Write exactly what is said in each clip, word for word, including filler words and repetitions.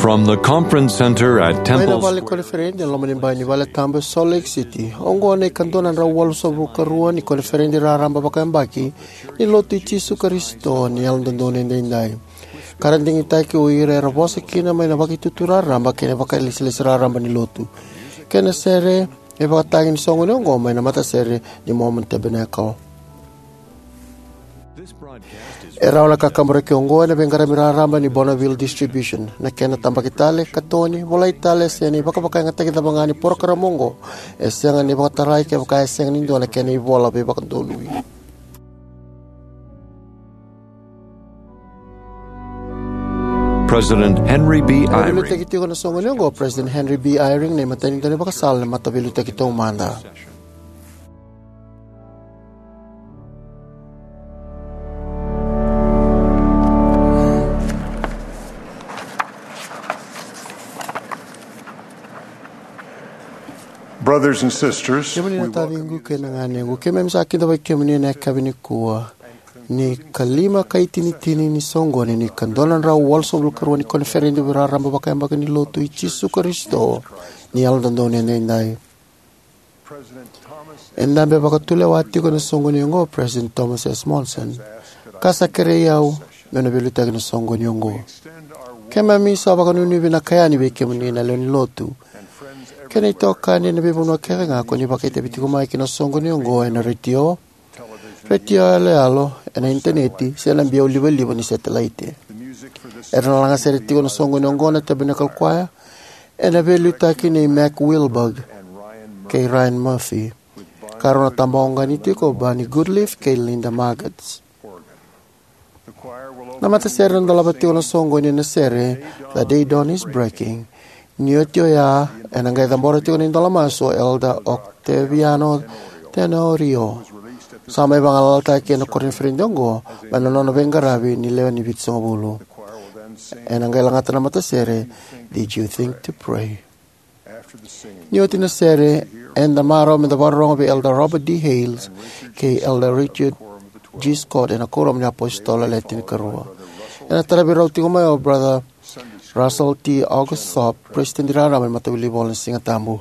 From the conference center at Mai na Temple vale ni Square, koniferedi ena loma ni bai ni vale tabu e Salt Lake City, oqo na ikadua na drau walusagavulu ka rua ni koniferedi raraba vakayabaki ni Lotu i Jisu Karisito ni Yalododonu Edaidai, ka ra digitaki o ira era vosa kina mai na vakaitutu raraba kei na vakailesilesi raraba ni Lotu. Kei na sere e vakatagi ni soqoni oqo mai na matasere ni Mormon Tabernacle. E rawa na kakaburaki oqo ena veiqaravi raraba ni Bonneville Distribution. Na kena tabaki tale, katoni, volai tale, se na ivakavakayagataki cava ga ni porokaramu oqo, e sega ni vakatarai kevaka e sega ni dua na kena ivola veivakadonui. President Henry B. Eyring. Veiliutaki tiko na soqoni oqo o President Henry B. Eyring, na imatai ni daunivakasala ena Mataveiliutaki Taumada. Brothers and sisters, kemuni na we welcome taciqu you kei na ganequ, keimami sa kidavaki kemuni ena yakavi nikua ni ikalima ka itinitini ni soqoni ni ikadua na drau walusagavulu ka rua ni koniferedi raraba vakayabaki ni Lotu i Jisu Karisito ni Yalododonu Edaidai. E dabe vakatulewa tiko ena soqoni oqo o President Thomas S. Monson, ka sa kerei au meu na veiliutaki na soqoni oqo. Keimami sa vakanuinui vinaka yani vei kemuni na lewe ni Lotu kei na itokani ena veivanua kece ga ko ni vakaitavi tiko mai ki na soqoni oqo ena retio, retio yaloyalo, ena initaneti, se na biau livaliva ni setelaite. Era na lagasere tiko na soqoni oqo na Tabernacle Choir, ena veiliutaki nei Mac Wilberg kei Ryan Murphy, ka rau na tabaqani tiko o Barney Goodleaf kei Linda Margetts. Na matasere ena dolava tiko na soqoni ena sere The Day Dawn Is Breaking. Ni oti oya, ena qai cabora tiko na idola masu o Elder Octaviano Tenorio. Sa mai vagalalataki ena koniferedi oqo mai na nona veiqaravi ni lewe ni vitusagavulu. Ena qai lagata na matasere, Did You Think to Pray? Ni oti na sere, eda marau meda vakarorogo vei Elder Robert D. Hales kei Elder Richard G. Scott ena Kuoramu ni iApositolo Le Tinikarua. Ena taravi rau tiko mai o Brother Russell T. August Thorpe, President Raraba ni Mataveiliutaki Vola ni Sigatabu.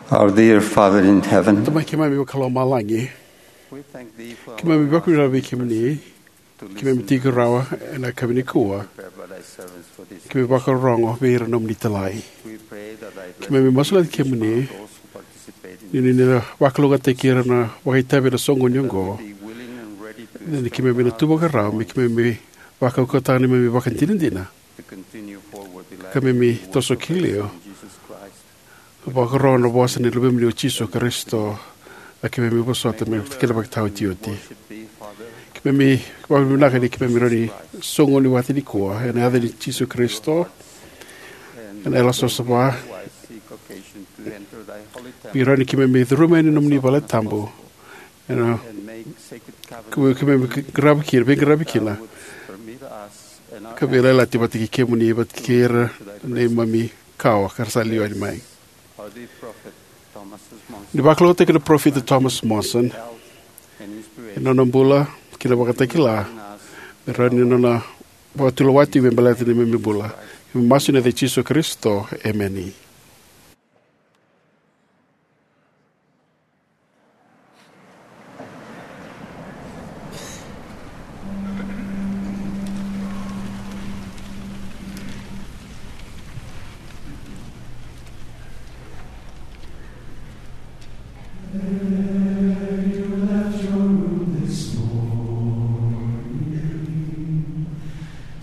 Our dear Father in heaven, Tamai keimami vakalomalagi, we thank thee for keimami allowing us vakavinaka vei kemuni, to keimami listen tiko rawa ena yakavi nikua, prepare by thy servants for this keimami vakarorogo vei ira nomuni talai. We pray that thy blessing Keimami masulaki kemuni those who participate in ni ni na vakalougatataki ira na vakaitavi ena soqoni oqo, be willing and ready to ni keimami na tu vakarau me keimami vakaukauataka na neimami vakadinadina, to continue forward the ka me mi toso ki liu, Jesus Christ. Vakarorogo na vosa ni Luvemuni o Jisu Karisito, a keimami vosota me kena vakataotioti. Keimami vakavinavinaka ni keimami rawa ni soqoni vata nikua ena yaca ni Jisu Karisito, ena yalo savasava. Keimami rawa ni keimami curuma yani na nomuni vale tabu, ena keimami qarava kina, veiqaravi kina, ka veiyalayalati vata kei kemuni, vata kei ira na neimami kawa ka ra sa liwa yani mai. Ni vakalougatataki na parofita Thomas Monson, ena nona bula kei na vakatakila, me rawa ni nona vakatulewa tiko me baleta na neimami bula. Keimami masu ena yaca i Jisu Karisito, emeni.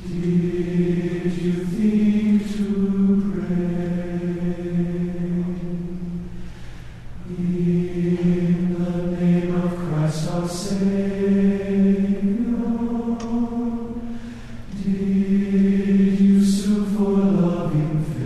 Did you think to pray? In the name of Christ our Savior, did you sue for loving favor?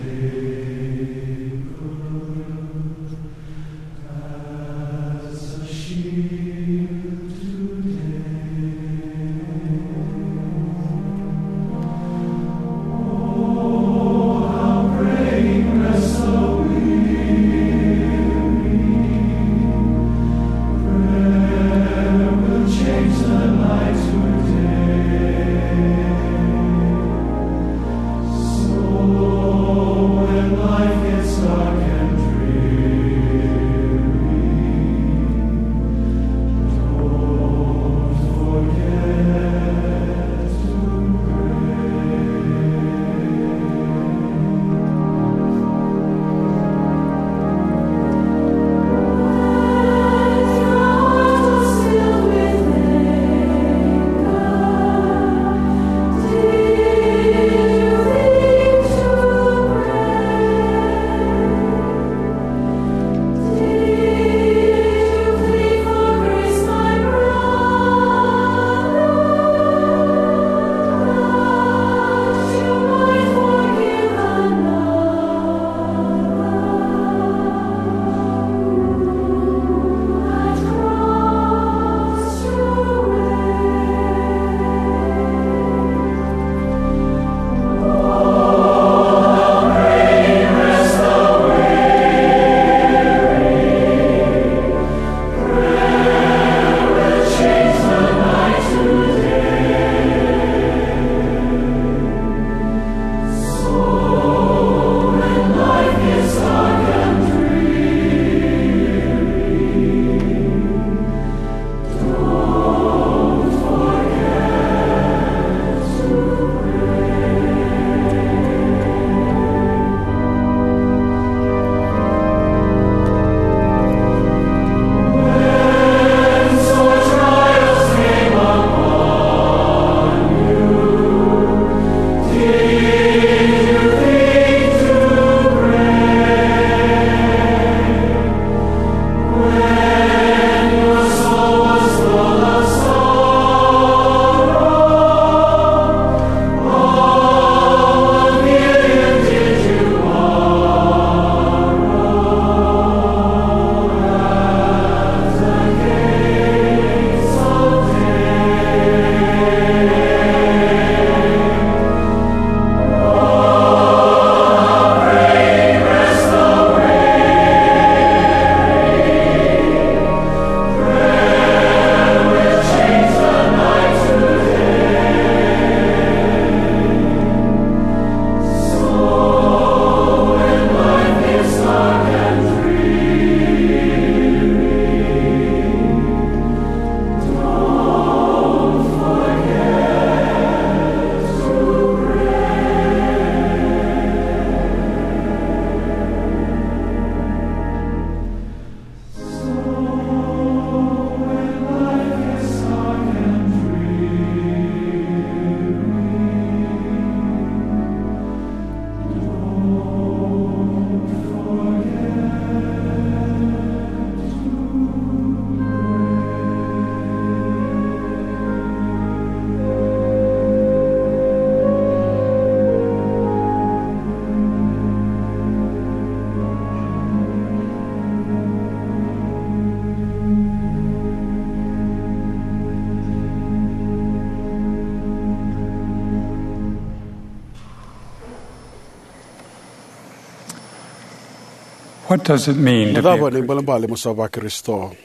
What does it mean Na to be a cava na Christian? Ibalebale mo sa vaKarisito?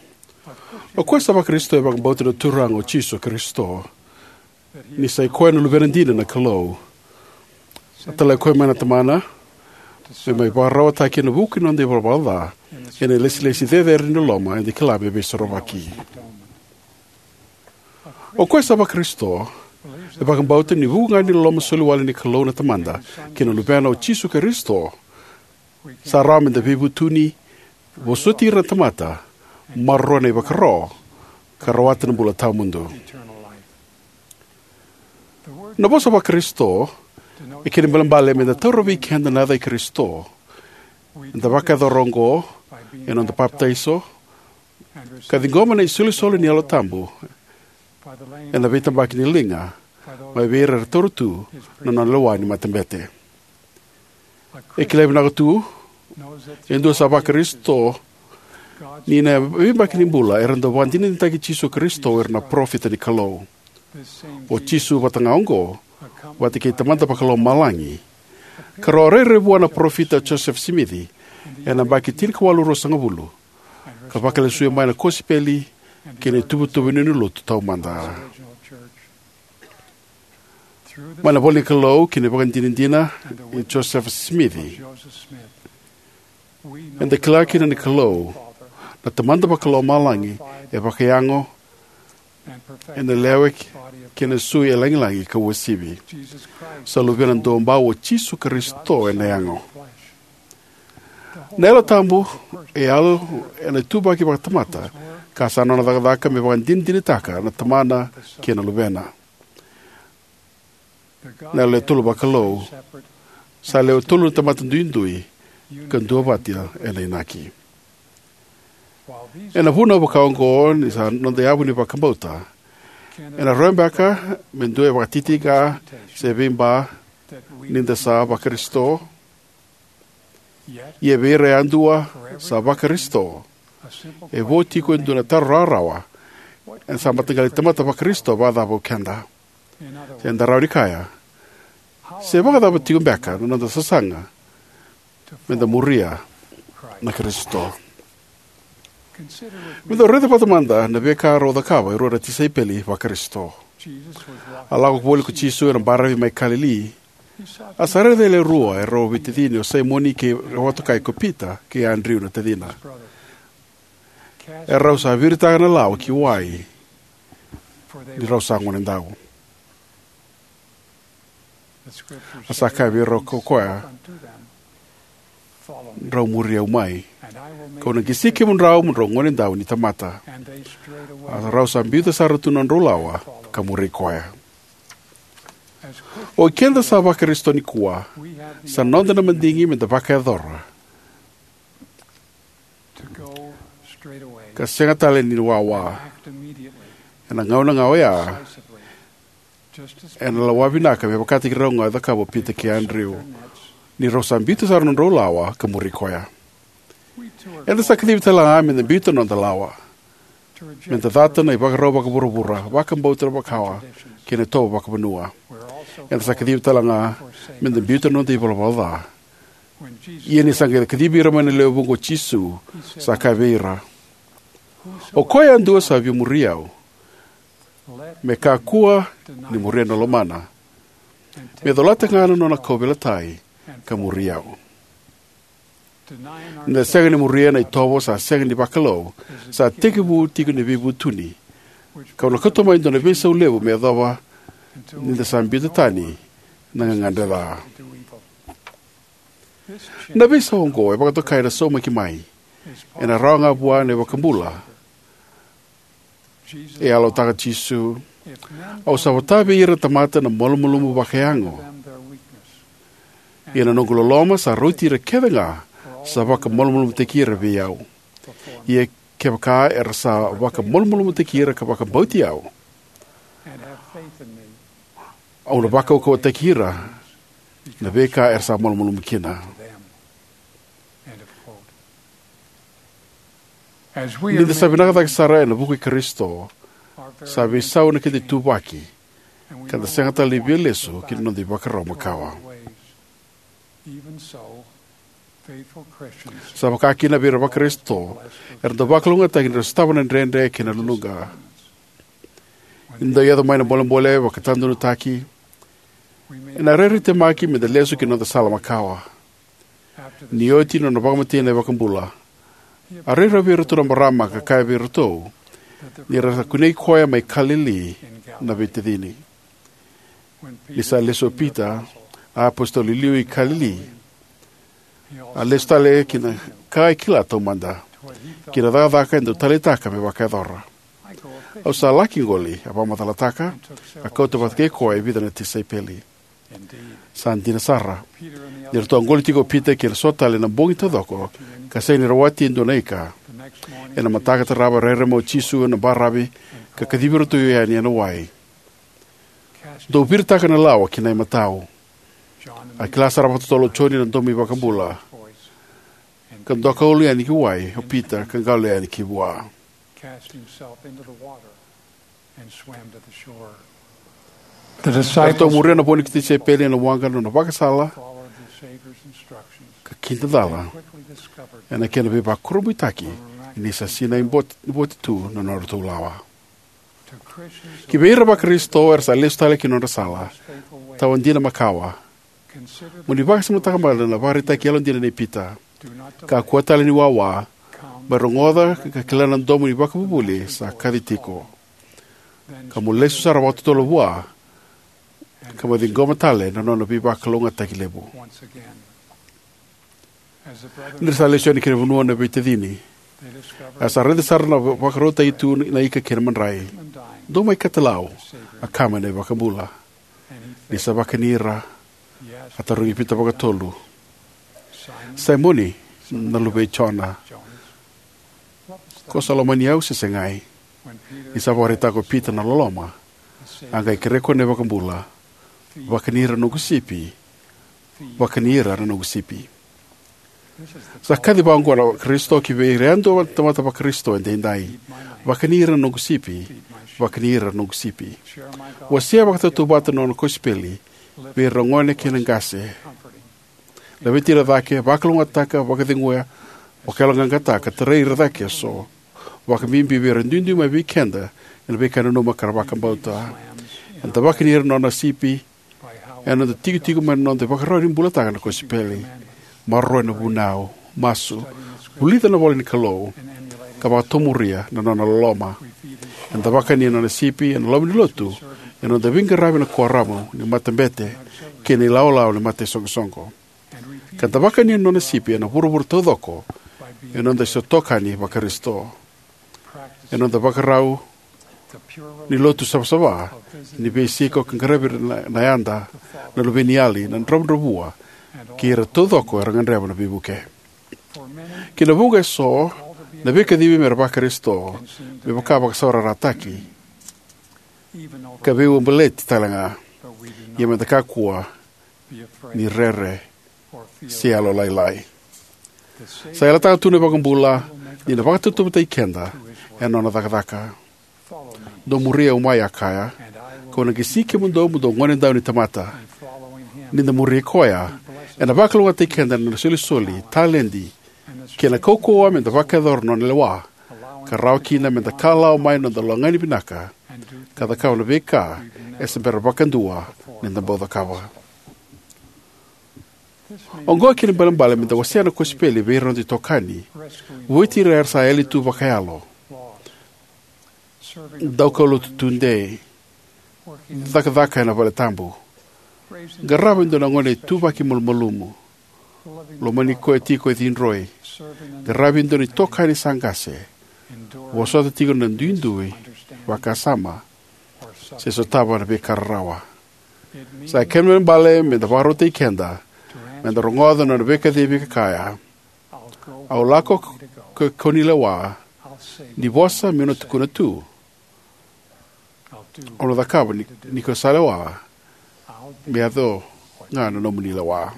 O koya sa vaKarisito e vakabauta na Turaga o Jisu Karisito, ni sa i koya na Luvena dina na Kalou. A talai koya mai na Tamana me mai vakararawataki ena vuku ni noda ivalavala ca, ena ilesilesi cecere ni loloma eda kila me veisorovaki. O koya sa vaKarisito e vakabauta ni vuku ga ni loloma soli wale ni Kalou na Tamada kei na Luvena o Jisu Karisito, sa rawa meda veivutuni, vosoti ira na tamata, maroroya na ivakaro, ka rawata na bula tawamudu. Na vosa vaKarisito e kena ibalebale meda taura vei keda na yaca i Karisito. Eda vakayacora oqo ena noda papitaiso ka ciqoma na isolisoli ni Yalo Tabu ena veitabaki ni liga mai vei ira era taura tu na nona lewa ni matabete. E kilai vinaka tu e dua sa vaKarisito ni na veiyabaki ni bula era dau vakadinadinataki Jisu Karisito o ira na parofita ni Kalou. O Jisu vata ga oqo, vata kei Tamada Vakalomalagi, ka rau a rairai vua na Parofita Josefa Simici ena yabaki tinikawalu ruasagavulu, ka vakalesuya mai na kosipeli kei na ituvatuva ni Lotu taumada. Mai na ivola ni Kalou kei na ivakadinadina i Josefa Simici, eda kila kina ni Kalou, na Tamada Vakalomalagi, e vakayago ena lewe kei na sui e lagilagi ka uasivi. Sa Luvena Duabau o Jisu Karisito ena yago. Na Yalo Tabu e yalo ena ituvaki vakatamata, ka sa nona cakacaka me vakadinadinataka na Tamana kei na Luvena. Na Yalo e Tolu Vakalou sa lewe tolu na tamata duidui ka duavata ena inaki. Ena vunau vakaoqo ni sa noda yavu ni vakabauta, ena rawa beka me dua e vakatitiqa se veiba ni da sa vaKarisito. Ia vei ira yadua sa vaKarisito, e vo tiko e dua na taro rawarawa ena sa mataqali tamata vaKarisito vakacava o keda. Se da rawa ni kaya, se vakacava tiko beka na noda sasaga meda muria na Karisito? Meda raica vata mada na veika rau cakava e rua na tisaipeli vaKarisito. A lako voli ko Jisu ena baravi mai Kalili, a sa raica e lewe rua e rau veitacini, o Saimoni kei rau vakatokai ko Pita kei Adriu na tacina. E rau sa viritaka na lawa ki wai, ni rau sa gonedau. A sa kaya vei rau ko koya, "Drau muri au mai, kau na qisi kemudrau mo drau gonedau ni tamata." A rau sa biuta sara tu na nodrau lawa ka muri koya. O keda sa vaKarisito nikua, sa noda na madigi meda vakayacora ka sega tale ni wawa ena gauna ga oya, ena lawa vinaka me vakataki rau ga e cakava o Pita kei Adriu, ni rau sa biuta sara na nodrau lawa ka muri koya. Eda sa kacivi tale ga meda biuta na noda lawa, meda cata na ivakarau vakavuravura, vakabauta makawa, kei na itovo vakavanua. Eda sa kacivi tale ga meda biuta na noda ivalavala ca. Ia ni sa qai kacivi ira mai na lewe vuqa o Jisu, sa kaya vei ira, "O koya yadua sa via muri au, me kakua ni muria na lomana, me colata ga na nona kauveilatai ka muri au." Ni da sega ni muria na itovo sa sega ni vakalou, sa tekivu tiko na veivutuni, kau na kauta mai e dua na veisau levu me yacova ni da sa biuta tani na gagadre ca. Na veisau oqo e vakatokai na saumaki mai, ena rawa ga vua na iVakabula. E yalataka o Jisu, "Au sa vota vei ira na tamata na malumalumu vakayago. Ia na noqu loloma sa rauti ira kece ga sa vakamalumalumutaki ira vei au. Ia kevaka era sa vakamalumalumutaki ira ka vakabauti au, au na vakaukauwataki ira na veika era sa malumalumu kina." Ni da sa vinaka cake sara ena vuku i Karisito, sa veisau na keda ituvaki, ka da sega tale ni via lesu ki na noda ivakarau makawa. Sa vakakina vei ira na Vakarisito era dau vakalougatataki ni ra sotava na dredre kei na luluqa. Ni dau yaco mai na bolebole vakatadonutaki, ena rairai temaki me da lesu ki na noda sala makawa. Ni oti na nona vakamatei na iVakabula, a rairai vei iratou na marama ka kaya vei iratou ni ra sa kunei koya mai Kalili na veitacini. Ni sa lesu o Pita, a apositolo i liu i Kalili, a lesu tale ki na ka e kila taumada, ki na cakacaka e dau taleitaka me vakayacora. "Au sa laki qoli," a vakamacalataka, a kauta vata kei koya e vica na tisaipeli. Sa dina sara, ni ratou a qoli tiko o Pita kei na so tale ena bogi taucoko, ka sega ni rawati e dua na ika. Ena mataka tarava, rairai mai o Jisu ena baravi ka kacivi iratou yani ena wai. "Dou viritaka na lawa ki na imatau." A kila sara vakatotolo o Joni na domo ni iVakabula, ka doka ulu yani ki wai o Pita ka qalo yani ki vua. Cast himself into the water and swam to the shore. The Eratou disciples muria na vo ni tisaipeli ena waqa na nona vakasala followed the Savior's instructions. Ka kidacala ena kena veivakurabuitaki ni sa sinai voti, voti tu na nodratou lawa. Ki vei ira Vakarisito era sa lesu tale ki na nodra sala, tawa dina makawa, mo ni vakasamataka mada na ivakaraitaki yalodina nei Pita. Kakua tale ni wawa, mai rogoca ka kila na domo ni ivakavuvuli sa kaci tiko. Ka mo lesu sara vakatotolo vua, ka mo ciqoma tale na nona veivakalougatataki levu. Ni ra sa lesu yani ki na vanua na veitacini, era sa raica sara na vakarautaki tu na ika kei na madrai. "Dou mai katalau," a kaya mai na iVakabula. Ni sa vakani ira, a tarogi Pita vakatolu, "Saimoni, na luve i Jona, ko sa lomani au se segai?" Ni sa vakaraitaka o Pita na loloma, a qai kerea koya na iVakabula, "Vakani ira na noqu sipi, vakani ira na noqu sipi." Sa kaci vaqo na Karisito ki vei ira yadua na tamata Vakarisito edaidai. "Vakani ira na noqu sipi, vakani ira na noqu sipi." Wasea vakatautauvata na nona kosipeli vei ira na gone kei na qase. Laveti ira cake, vakalougatataka, vakaceguya, vakayaloqaqataka, tarai ira cake eso, vakabibi vei ira duidui mai vei keda ena veika e nanuma ka ra vakabauta. Eda vakani ira na nona sipi ena noda tikotiko mai na noda ivakarau ni bulataka na kosipeli, maroroya na vunau, masu, vulica na ivola ni Kalou, ka vakatomuria na nona loloma. Eda vakani na nona sipi ena loma ni lotu, ena noda veiqaravi ena kuoramu ni matabete kei na ilawalawa ni mataisoqosoqo. Ka da vakani na nona sipi ena vuravura taucoko, ena noda se itokani Vakarisito. Ena noda vakarau ni lotu savasava, ni veisiko ka qaravi ira na, na yada, na luveniyali, na dravudravua, kei ira taucoko era gadreva na veivuke. Ki na vuqa eso, na veikacivi mera Vakarisito me vaka vakasaurarataki, ka veiuabaleti tale ga. Ia meda kakua ni rere se yalolailai. Sa yalataka tu na iVakabula ni na vakatautauvatataki keda ena nona cakacaka. "Dou muri au mai," a kaya, "kau na qisi kemudou mo dou gone dau ni tamata." Ni da muri koya, ena vakalougatataki keda ena isolisoli, taledi, kei na kaukauwa meda vakayacora na nona lewa, ka rawa kina meda kalawa mai na noda lagani vinaka ka cakava na veika e se bera vakadua ni da bau cakava. Oqo e kena ibalebale meda wasea na kosipeli vei ira na noda itokani, vueti ira era sa yali tu vakayalo, daukaulotu tudei, cakacaka ena valetabu, qarava e dua na gone ituvaki malumalumu, lomani koya tiko e cidroi, qaravi e dua na itokani sa qase, vosota tiko na duidui vakasama, se sotava na veika rarawa. Sa kena ibalebale meda vakarautaki keda meda rogoca na nona veikacivi ka kaya, "Au lako ko, ko ni lewa, ni vosa meu na tukuna tu. Au na cakava ni, ni ko sa lewa, me yaco ga na nomuni lewa."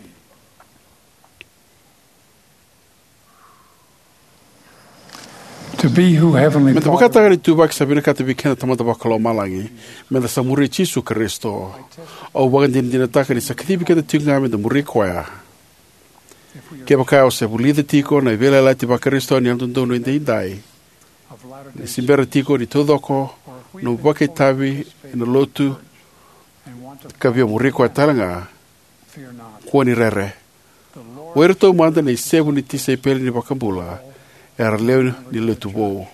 To be who Heavenly Meda Father vakataka na ituvaki sa vinakata vei keda na Tamada Vakalomalagi, meda sa muri Jisu Karisito. Au vakadinadinataka ni sa kacivi keda tiko ga meda muri koya. Kevaka o se vulica tiko na veiyalayalati va-Karisito ni Yalododonu Edaidai, ni se bera tiko ni taucoko nomu vakaitavi ena Lotu ka via muri koya talega, kua ni rere. O iratou mada na isevu ni tisaipeli ni iVakabula era lewe ni Lotu vou.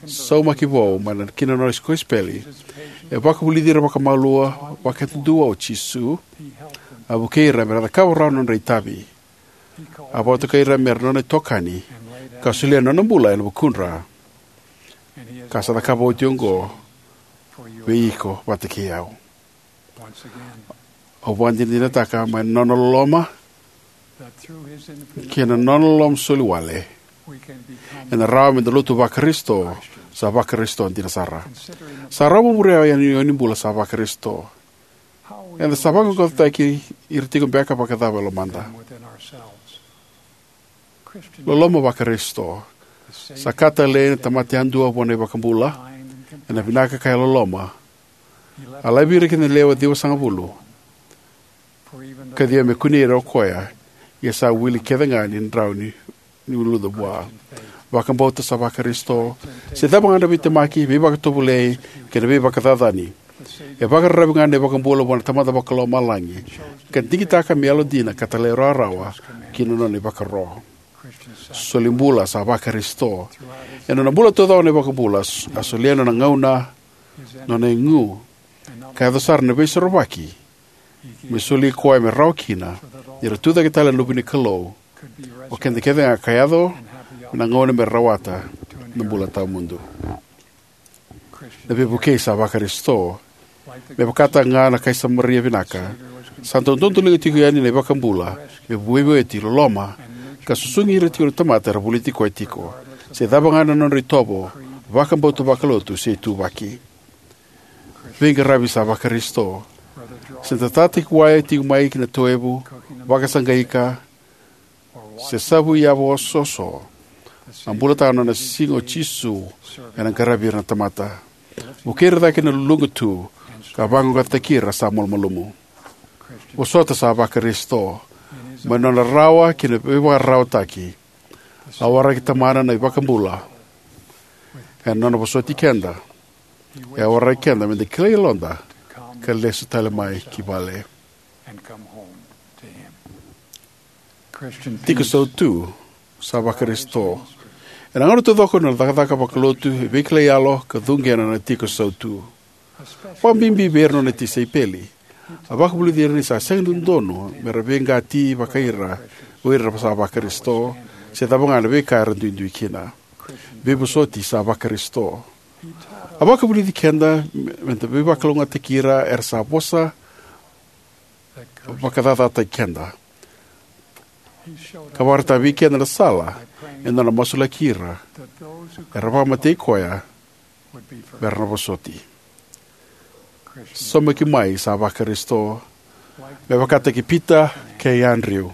Saumaki vou mai ki na Nona kosipeli, e vakavulici ira vakamalua vakayadudua o Jisu. A vukei ira me ra cakava rawa na nodra itavi. A vakatokai ira me ra Nona itokani ka solia na Nona bula ena vukudra, ka sa cakava oti oqo vei iko vata kei au. Au vakadinadinataka mai na Nona loloma kei na Nona loloma soli wale, ena rawa meda lotu va-Karisito sa va-Karisito dina sara. Sa rawa mo muria na iyau ni bula sa va-Karisito. Eda sa vaqaqacotaki ira tiko beka vakacava e lomada? Loloma va-Karisito. Sa ka talei na tamata yadua vua na iVakabula ena vinaka ka yalololoma. A laivi ira kina na lewe ciwasagavulu ka ciwa me kunei ira o Koya, ia sa wili kece ga ni drau ni, ni uluca vua. Vakabauta sa va-Karisito, se cava ga na veitemaki, veivakatovolei, kei na veivakacacani, e vakararavi ga na iVakabula vua na Tamada Vakalomalagi, ka digitaka me yalodina ka talairawarawa ki na Nona ivakaro. Soli bula sa va-Karisito. Ena Nona bula taucoko na iVakabula, a solia na Nona gauna, na Nona igu, ka yaco sara na Veisorovaki, me soli Koya me rawa kina ni ra tucake tale ena luve ni Kalou, o keda kece ga, ka yaco me na gauna me rawata na bula tawamudu. Na veivukei sa va-Karisito, me vakataka ga na kai Samaria vinaka, sa dau dodoliga tiko yani na iVakabula me veivueti, loloma, ka susugi ira tiko na tamata era voliti koya tiko, se cava ga na nodra itovo, vakabauta vakalotu, se ituvaki. Veiqaravi sa va-Karisito. Se datataki wai tiko mai ki na toevu, vakasaqaika, se savu yava oso, a bulataka na nona siga o Jisu ena qaravi ira na tamata. Vukei ira cake na luluqa tu, ka vaqaqacotaki ira sa malumalumu. Vosota sa va-Karisito. Mai na nona rarawa kei na veivakararawataki, a waraki Tamana na iVakabula ena nona vosoti keda. E a waraki keda meda kilai yaloda ka lesu tale mai ki vale. Tiko sautu sa va-Karisito. Ena gauna taucoko na cakacaka vakalotu e veikilai yalo ka cuqena na tiko sautu. Vakabibi vei ira na nona tisaipeli, a vakavulici ira ni sa sega ni dodonu me ra veiqati vakai ira o ira sa va-Karisito, se cava ga na veika era duidui kina. Veivosoti sa va-Karisito. A vakavulici keda me, me da veivakalougatataki ira era sa vosa vakacacataki keda, ka vakaraitaka vei keda na sala ena nona masulaki ira era vakamatei koya me ra na vosoti. Saumaki mai sa va-Karisito. Me vakataki Pita kei Adriu,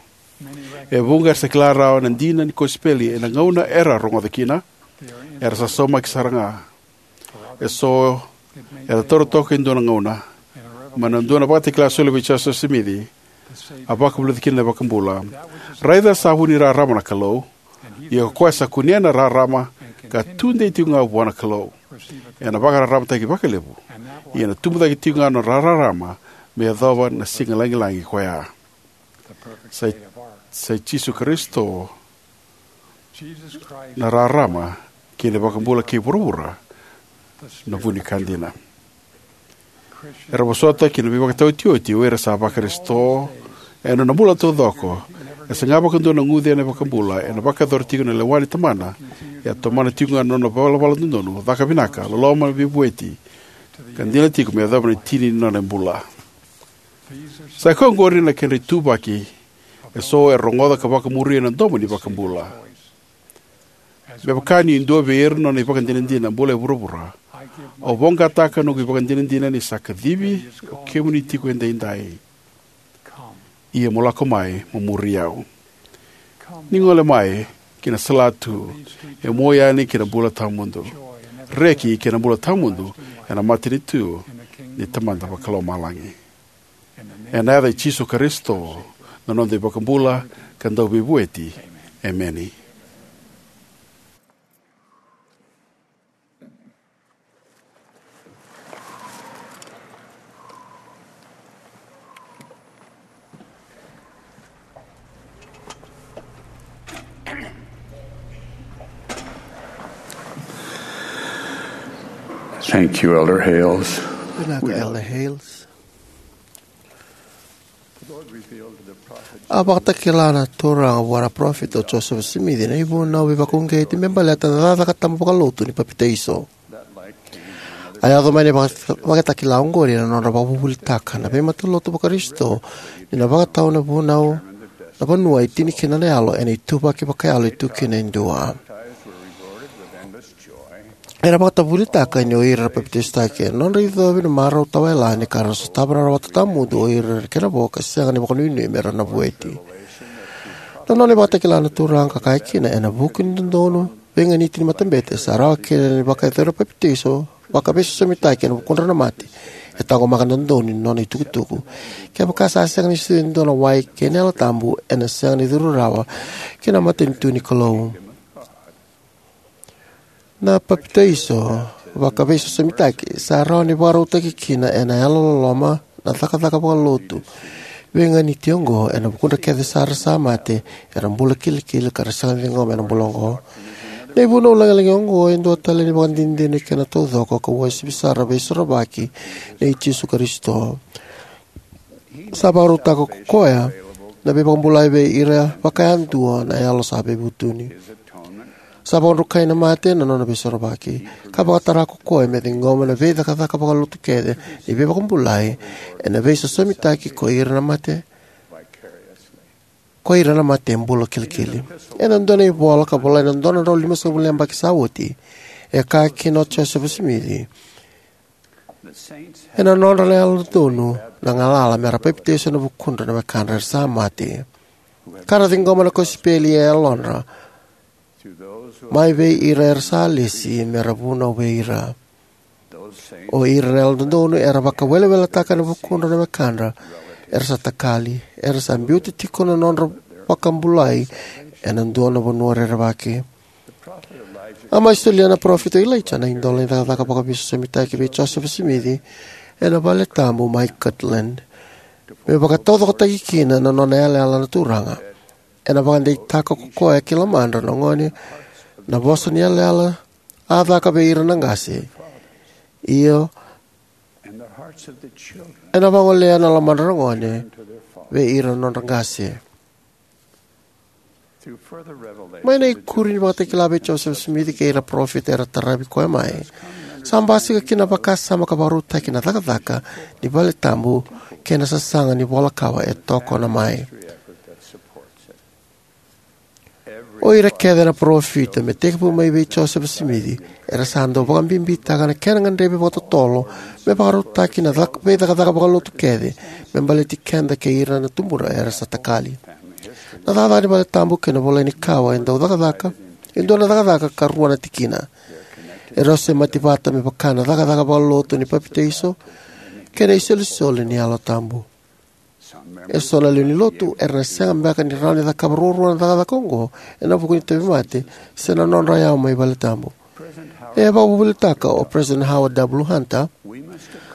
e vuqa era sa kila rawa na dina ni kosipeli ena gauna era a rogoca kina. Era sa saumaki sara ga. Eso era taura toka e dua na gauna. Mai na dua na Vakatakila soli vei Josefa Simici, a vakavulica kina na iVakabula: Raica sa vu ni rarama na Kalou, ia ko koya sa kunea na rarama ka tudei tiko ga vua na Kalou, ena vakararamataki vakalevu, ia ena tubu cake tiko ga na nona rarama me yacova na siga lagilagi ko ya. Sa i, sa i Jisu Karisito na rarama kei na iVakabula kei vuravura na vu ni ka dina. Era vosota ki na veivakataotioti o ira sa va-Karisito ena nona bula taucoko. E saga vakadua na guce ena iVakabula, ena vakayacora tiko na lewa ni Tamana, e a tomana tiko ga na nona valavala dodonu, caka vinaka, loloma, veivueti, ka dina tiko me yacova na tini ni nona bula. Sa i koya oqori na kedra ituvaki eso era rogoca ka vakamuria na domo ni iVakabula. Me vaka niu dua vei ira na nona ivakadinadina bula e vuravura, au voqataka noqu ivakadinadina ni sa kacivi o kemuni tiko edaidai. Ia mo lako mai mo muri au. Ni gole mai ki na salatu e mua yani ki na bula tawamudu, reki kei na bula tawamudu ena matanitu ni Tamada Vakalomalagi. Ena yaca i Jisu Karisito, na noda iVakabula ka Dauveivueti. Emeni. Thank you, Elder Hales. Vinaka, Elder Hales. A vakatakila na Turaga vua na Parofita o Josefa Simici na ivunau veivakauqeti me baleta na cakacaka tabu vakalotu ni papitaiso. A yaco mai na ivakatakila oqori ena nodra vakavuvulitaka na veimatalotu Vakarisito ni na vakatau na vunau, na vanua e tini kina na yalo ena ituvaki vakayalo e tu kina e dua. Era vakavuvulitaka ni o ira era papitaisotaki ena nodra icovi na marau tawayalani ka ra sotava na rawata tawamudu o ira na kena vo ka sega ni vakanuinui me ra na vueti. Na nona ivakatakila na Turaga ka kaya kina ena vuku ni dodonu veiganiti ni matabete sa rawa kina ni vakayacori na papitaiso vakaveisosomitaki ena vukudra na mate, e taqomaka na dodonu ni nona itukutuku. Kevaka sa sega ni sucu e dua na wai kei na Yalo Tabu, ena sega ni curu rawa ki na matanitu ni Kalou. Na papitaiso vakaveisosomitaki sa rawa ni vakarautaki kina ena yalololoma na cakacaka vakalotu veiganiti oqo ena vukudra kece sara sa mate, era bula kilikili ka ra sega ni ciqoma ena bula oqo. Na ivunau lagilagi oqo e dua tale ni vakadinadina ni kena taucoko ka uasivi sara veisorovaki nei Jisu Karisito. Sa vakarautaka ko koya na veivakabulai vei ira vakayadua na yalo sa veivutuni. Sa vakadrukai na mate na nona veisorovaki, ka vakatara ko koya me ciqoma na veicakacaka vakalotu kece ni veivakabulai ena veisosomitaki ko ira na mate, ko ira na mate bula kilikili. Ena dua na ivola ka volai na dua na drau limasagavulu na yabaki sa oti, e kaya kina o Josefa Simici, ena nodra na yalododonu na galala me ra papitaiso ena vukudra na wekadra era sa mate, ka ra ciqoma na kosipeli e yalodra mai vei ira era sa lesi me ra vunau vei ira. O ira na yalododonu era vakaweleweletaka ena vukudra na wekadra era sa takali, era sa biuta tiko na nodra vakabulai ena dua na vanua rerevaki. A mai solia na Parofita o Ilaija na idola ni cakacaka vakaveisosomitaki vei Josefa Simici ena vale tabu mai Kirtland me vakataucokotaki kina na nona yalayala na Turaga. Ena vakadeitaka ko koya ki lomadra na gone na vosa ni yalayala a caka vei ira na qase, io, ena vagolea na lomadra na gone vei ira na nodra qase. Mai na ikuri ni vakatakila vei Josefa Simici kei ira na parofita era taravi koya mai, sa basika kina na vakasama ka vakarautaki na cakacaka ni vale tabu kei na sasaga ni vola kawa e tokona mai. O ira kece na parofita me tekivu mai vei Josefa Simici era sa dau vakabibitaka na kena gadrevi vakatotolo me vakarautaki na cak-, veicakacaka vakalotu kece me baleti keda kei ira na tubuda era sa takali. Na cakacaka ni vale tabu kei na volai ni kawa e dau cakacaka, e dua na cakacaka ka rua na tikina. Erau semati vata me vaka na cakacaka vakalotu ni papitaiso kei na isolisoli ni Yalo Tabu. Eso na lewe ni lotu era na sega beka ni rawa ni cakava ruarua na cakacaka oqo ena vuku ni tauvimate se na nodra yawa mai vale tabu. E vakavuvulitaka o President Howard W. Hunter,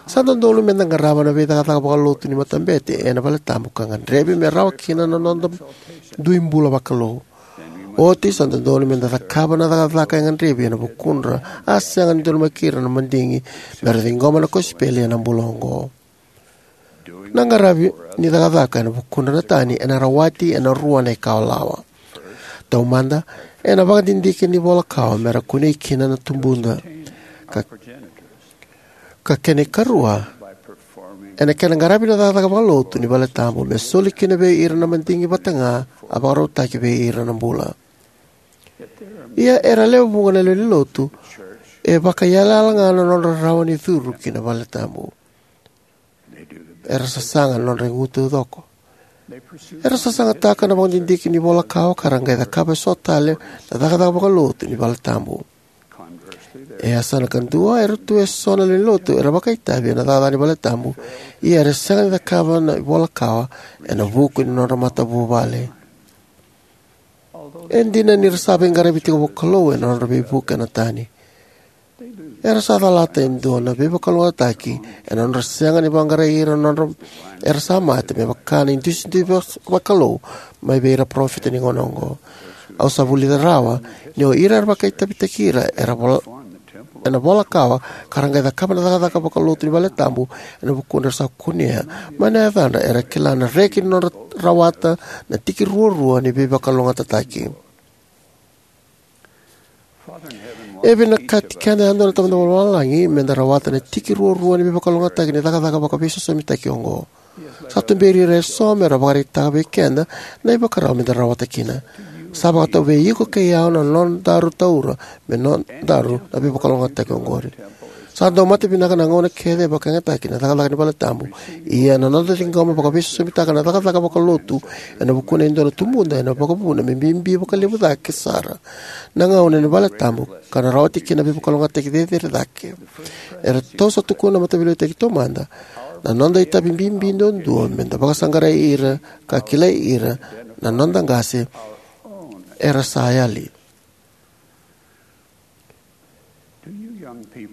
sa dodonu meda qarava na veicakacaka vakalotu ni matabete ena vale tabu ka gadrevi me rawa kina na noda dui bula vakalou. Oti sa dodonu meda cakava na cakacaka e gadrevi ena vukudra a sega ni donumaki ira na madigi me ra ciqoma na kosipeli ena bula oqo. Na qaravi ni cakacaka ena vukudra na tani ena rawati ena rua na ikalawa. Taumada, ena vakadidike ni vola kawa me ra kunei kina na tubuda. Ka, ka kena ikarua, ena kena qaravi na cakacaka vakalotu ni vale tabu me soli kina vei ira na madigi vata ga a vakarautaki vei ira na bula. Ia era lewe vuqa na lewe ni lotu e vakaiyalayala ga na nodra rawa ni curu ki na vale tabu. Era sasaga na nodra igu taucoko. Era sasagataka na vakadidike ni vola kawa ka ra qai cakava eso tale na cakacaka vakalotu ni vale tabu. E yasana kadua, era tu eso na lewenilotu era vakaitavi ena cakacaka ni valetabu, ia era sega ni cakava na ivola kawa ena vuku ni nodra matavuvale. E dina ni ra sa veiqaravi tiko vakalou ena nodra veivuke na tani, era sa calata e dua na veivakalougatataki ena nodra sega ni vaqarai ira na nodra era sa mate, me vaka na idusidusi va- vakalou mai vei ira parofita ni gauna oqo. Au sa vulica rawa ni o ira era vakaitavitaki ira era vol- ena vola kawa ka ra qai cakava na cakacaka vakalotu ni valetabu ena vukudra era sa kunea mai na yacadra, era kila na reki ni nodra rawata na tiki ruarua ni veivakalougatataki. E vinakati keda yadua na Tamada Vakalomalagi meda rawata na tiki ruarua ni veivakalougatataki ni cakacaka vakaveisosomitaki oqo. Sa tuberi ira eso mera vakaraitaka vei keda na ivakarau meda rawata kina. Sa vakatau vei iko kei au na nodaru taura me nodaru na veivakalougatataki oqori. Sa dau mate vinaka na gauna kece e vakayagataki na cakacaka ni valetabu. Ia na noda ciqoma vakaveisosomitaka na cakacaka vakalotu ena vukuna e dua na tubuda ena vakavuna me bibi vakalevu cake sara na gauna ni valetabu ka na rawati kina na veivakalougatataki cecere cake. Eratou sa tukuna na mataveiliutaki taumada na noda itavi bibi duadua meda vakasaqarai ira ka kilai ira na noda qase era sa yali.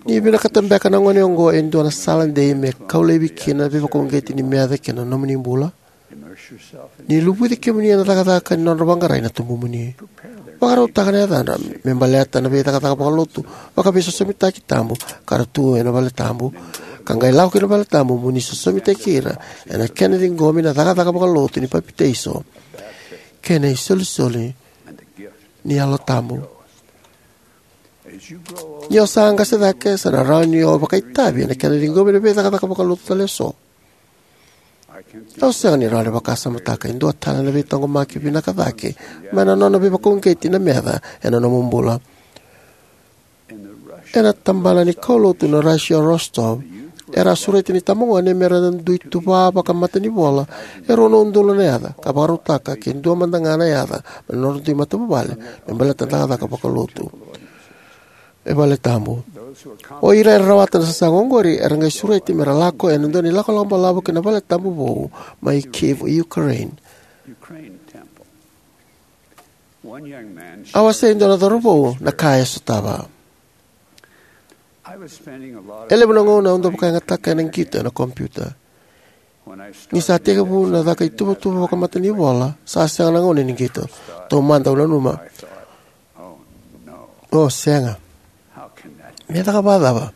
Ni vinakata beka na gone oqo e dua na sala dei me kau laivi kina na veivakauqeti ni meca kei na nomuni bula? Ni luvuci kemuni ena cakacaka ni nodra vaqarai na tubumuni. Vakarautaka na yacadra me baleta na veicakacaka vakalotu vakaveisosomitaki tabu ka ra tu ena valetabu, ka qai lako ki na valetabu mo ni sosomitaki ira ena kena ciqomi na cakacaka vakalotu ni papitaiso kei na isolisoli ni Yalo Tabu. Ni o sa qase cake, sa na rawa ni o vakaitavi ena kena ciqomi na veicakacaka vakalotu tale eso. Au sega ni rawa ni vakasamataka e dua tale na veitaqomaki vinaka cake mai na nona veivakauqeti na meca ena nomu bula. Ena tabana ni kaulotu na Russia Rostov, era a sureti na itabagone mera dui tuva vakamatanivola e rua na udolu na yaca ka vakarautaka ke dua mada ga na yaca mai na nodra dui matavuvale me baleta na cakacaka vakalotu e valetabu. O ira era rawata na sasaga oqori era qai sureti mera lako ena dua na ilakolako balavu ki na valetabu vou mai Kyiv, Ukraine. A wasea e dua na cauravou na ka e sotava. E levu na gauna au dau vakayagataka ena qito ena kompiuta. Ni sa tekivu na caka ituvatuva vakamatanivola, sa sega na gauna ni qito. Taumada au nanuma, o sega, me caka vakacava?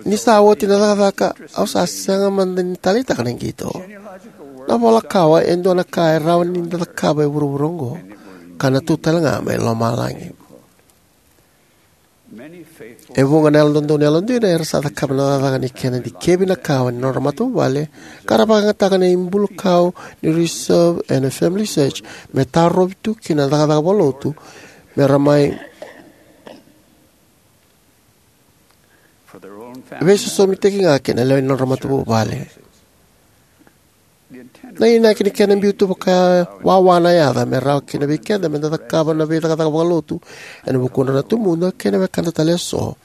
Ni sa oti na cakacaka, au sa sega mada ni taleitaka na qito. Na vola kawa e dua na ka e rawa ni da cakava e vuravura oqo, ka na tu tale ga mai lomalagi. E vuqa na Yalododonu Yalodina era sa cakava na cakacaka ni kena dikevi na kawa ni nodra matavuvale, ka ra vakayagataka na ibulukau ni Reserve ena FamilySearch me tarovi tu kina na cakacaka vakalotu mera mai veisosomitaki ga kei na lewe ni nodra matavuvale. Na inaki ni kena biu tu vakawawa na yaca me rawa kina vei keda meda cakava na veicakacaka vakalotu ena vukudra na tubuda kei na wekada tale eso,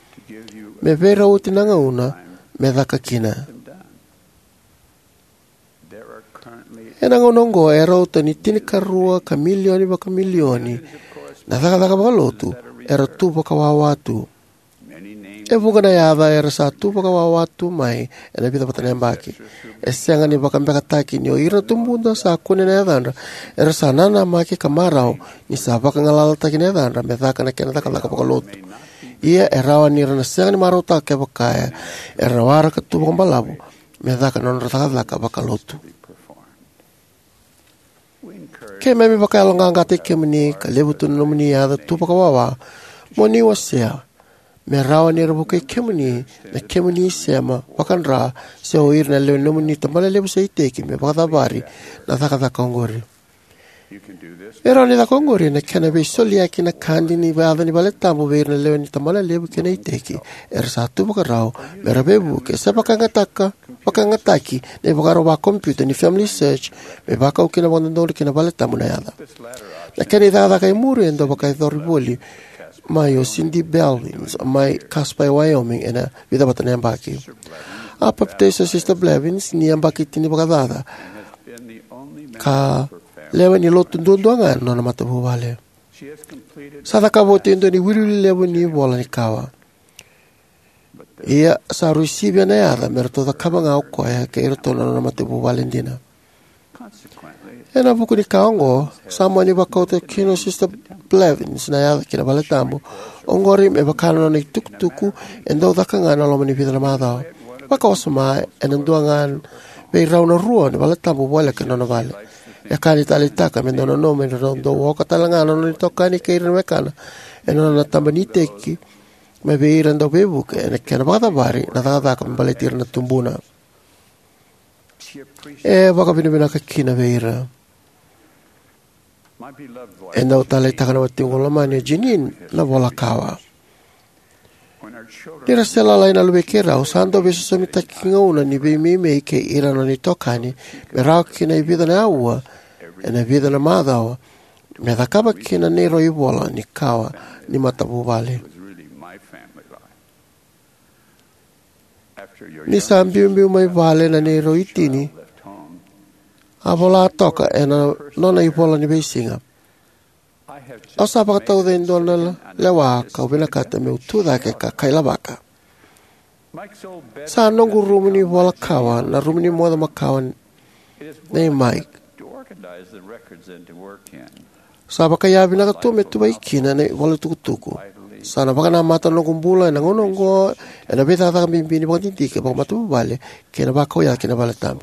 me veirauti na gauna me caka kina. Ena gauna oqo e rauta ni tinikarua ka milioni vakamilioni na cakacaka vakalotu era tu vakawawa tu. E vuqa na yaca era sa tu vakawawa tu mai ena vica vata na yabaki. E sega ni vakabekataki ni o ira na tubuda sa kune na yacadra era sa nanamaki ka marau ni sa vakagalalataki na yacadra me caka na kena cakacaka vakalotu. Ia e rawa ni ra na sega ni marautaka kevaka era na waraka tu vakabalavu me caka na nodra cakacaka vakalotu. Keimami vakayaloqaqataki kemuni ka levu tu na nomuni yaca tu vakawawa mo ni wasea me rawa ni ra vukei kemuni na kemuni isema vakadra se o ira na lewe ni nomuni tabanalevu se iteki me vakacavari na cakacaka oqori. E rawa ni caka oqori ena kena veisoliyaki na kadi ni yaca ni valetabu vei ira na lewe ni tabanalevu kei na iteki era sa tu vakarau me ra veivuke se vakayagataka vakayagataki na ivakarau vakompiuta ni FamilySearch me vakau kina vakadodonu ki na valetabu na yaca. Na kena icakacaka e muri e dau vakayacori voli mai o Cindy Blevins mai Casper e Wyoming ena vica vata na yabaki. A papitaiso o Sister Blevins ni yabaki tinivakacaca ka lewe ni lotu duadua ga na nona matavuvale. Sa cakava oti e dua na iwiliwili levu ni ivola ni kawa. Ia sa rui sivia na yaca me ratou cakava ga o koya kei iratou na nona matavuvale dina. Ena vuku ni ka oqo, sa mani vakauta kina o Sister Blevins na yaca ki na valetabu. Oqori me vaka na nona itukutuku e dau caka ga ena loma ni vica na macawa. Vakawasoma, ena dua ga vei rau na rua na valetabu voleka ena nona vale. E ka ni taleitaka me dau nanuma ni ra dau oka tale ga na nona itokani kei ira na wekana ena nona taba ni iteki mai vei ira na dauveivuke ena kena vakacavari na cakacaka me baleti ira na tubuna. E vakavinavinaka kina vei ira. E dau taleitaka na watiqu lomani o Jeanene na vola kawa. Ni ra se lalai na luvei keirau, sa dau veisosomitaki gauna ni veimeimei kei ira na nona itokani me rawa kina e vica na aua ena vica na macawa me cakava kina na neirau ivola ni kawa ni matavuvale. Ni sa biubiu mai vale na neirau itini, a vola toka ena nona ivola ni veisiga: "Au sa vakatauca e dua na lewa kau vinakata meu tu cake ka kailavaka. Sa noqu rumu ni vola kawa na rumu ni moce makawa nei Mike. Sa vakayavinaka tu me tuvai kina na ivola tukutuku. Sa na vakanamata na noqu bula ena gauna oqo ena veicakacaka bibi ni vakadidike vakamatavuvale kei na vakau yaca ki na valetabu.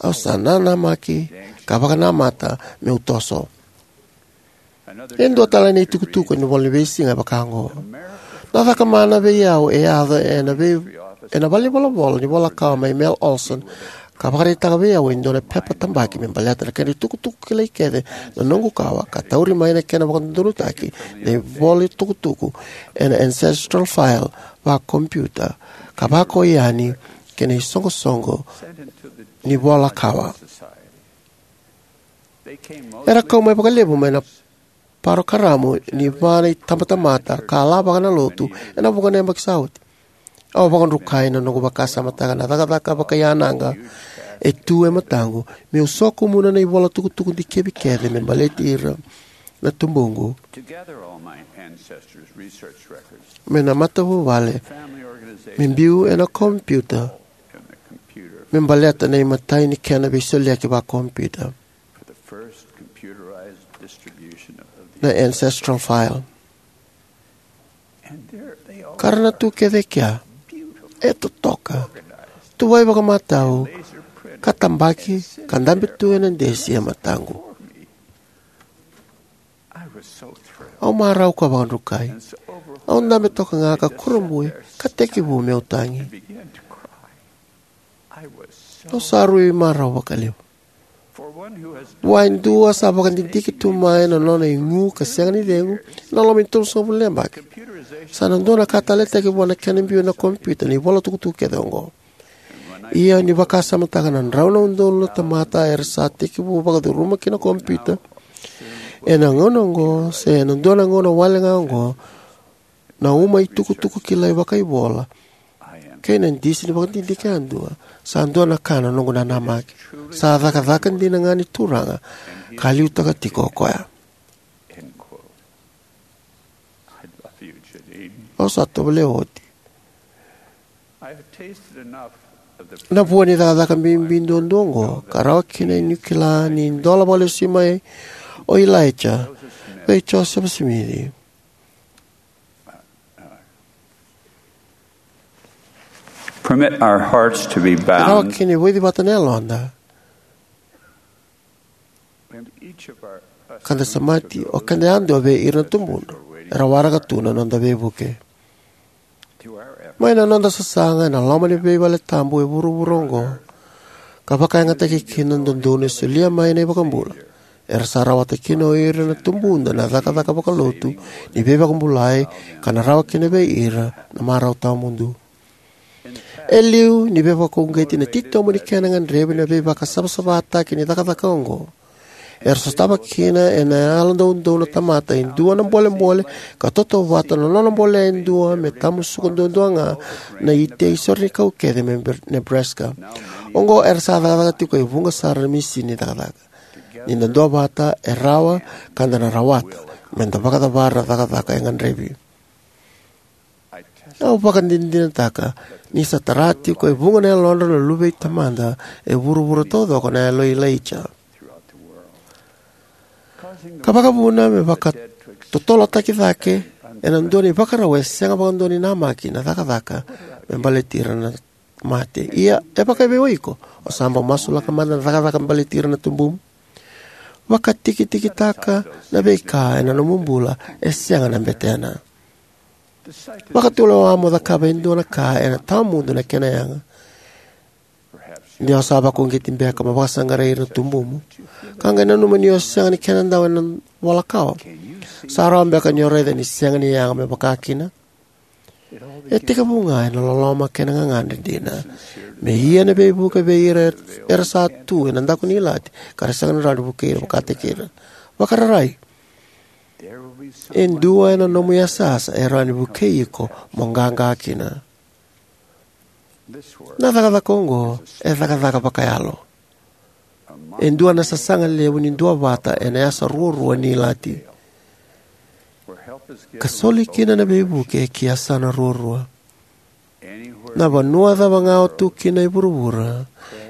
Au sa nanamaki ka vakanamata meu toso." E dua tale na itukutuku ena ivola ni veisiga e vaka oqo: "Na cakamana vei au e yaco ena vei, ena valenivolavola ni vola kawa mai Mel Olson, ka vakaraitaka vei au e dua na pepa tabaki me baleta na kena itukutuku kilai kece na noqu kawa, ka tauri mai na kena vakadodonutaki na ivola tukutuku ena ancestral file vakompiuta, ka vakau yani ki na isoqosoqo ni vola kawa." Era kau mai vakalevu mai na parokaramu ni va na itabatamata ka lavaka na lotu ena vuqa na yabaki sa oti. Au vakadrukai na noqu vakasamataka na cakacaka vakaiyanaqa e tu e mataqu meu sokumuna na ivola tukutuku dikevi kece me baleti ira na tubuqu mai na matavuvale me biu ena kompiuta me baleta na imatai ni kena veisoliyaki vakompiuta, na ancestral file. Ka ra na tu kece e kea, e totoka, tuvai vakamatau, ka tabaki ka dabe tu ena desi e mataqu. Au marau ka vakadrukai. Au dabe toka ga ka kurabui ka tekivu meu tagi. Au sa rui marau vakalevu. Vua e dua sa vakadidike tu mai na nona igu ka sega ni cegu ena loma ni tolusagavulu na yabaki, sa na dua na ka taleitaki vua na kena biu ena kompiuta na ivola tukutuku kece oqo. Ia ni vakasamataka na drau na udolu na tamata era sa tekivu vakacuruma ki na kompiuta ena gauna oqo se ena dua na gauna wale ga oqo, na uma itukutuku kilai vakaivola kei na disi ni vakadidike yadua sa dua na ka na noqu nanamaki. Sa cakacaka dina ga ni Turaga ka liutaka tiko o koya. Au sa tovolea oti na vua ni cakacaka bibi duadua oqo ka rawa kina niu kila ni dola vakalesuimai o Ilaija vei Josefa Simici. Permit our hearts to be bound. Rawa kina ni vaici vata na yaloda ka da samati o keda yadua vei ira na tubuna era waraka tu na noda veivuke. Mai na noda sasaga ena loma ni veivaletabu e vuravura oqo, ka vakayagataki kina na dodonu e solia mai na iVakabula, era sa rawata kina o ira na tubuda na cakacaka vakalotu ni veivakabulai ka na rawa kina vei ira na marau tawamudu. E liu ni veivakauqeti na titobu ni kena gadrevi na veivakasavasavataki ni cakacaka oqo, Era sotava kina ena yalodoudou na tamata e dua na bolebole ka tautauvata na nona bolea e dua me tamusuka duadua ga na itei sorenikau kece mai Nebraska. Oqo era sa cakacaka tiko e vuqa sara na misini cakacaka. Ni da duavata e rawa ka da na rawata me da vakacavara na cakacaka e gadrevi. Au vakadinadinataka ni sa tara tiko e vuqa na yalodra na luve i Tamada e vuravura taucoko na yalo i Ilaija. Ka vakavuna me vakatotolotaki cake ena dua na ivakarau e sega vakadua ni namaki na cakacaka me baleti ira na mate. Ia, e vakaevei o iko? O sa bau masulaka mada na cakacaka me baleti ira na tubumu? Vakatikitikitaka na veika ena nomu bula e sega na betena. Vakatulewa mo cakava e dua na ka ena tawamudu na kena yaga. De o sa vakauqeti beka mo vakasaqarai ira na tubumu, ka qai nanuma ni o sega ni kenadau ena vola kawa. Sa rawa beka ni o raica ni sega ni yaga me vaka kina? E tekivu ga ena loloma kei na gagadre dina, me ia na veivuke vei ira era sa tu ena daku ni ilati ka ra sega ni rawa ni vukei ira vakataki ira. Vakararai. E dua ena nomu yasayasa e rawa ni vukei iko mo qaqa kina. Na cakacaka oqo e cakacaka vakayalo. E dua na sasaga levu ni duavata ena yasa ruarua ni ilati, ka soli kina na veivuke ki yasana ruarua. Na vanua cava ga o tu kina e vuravura,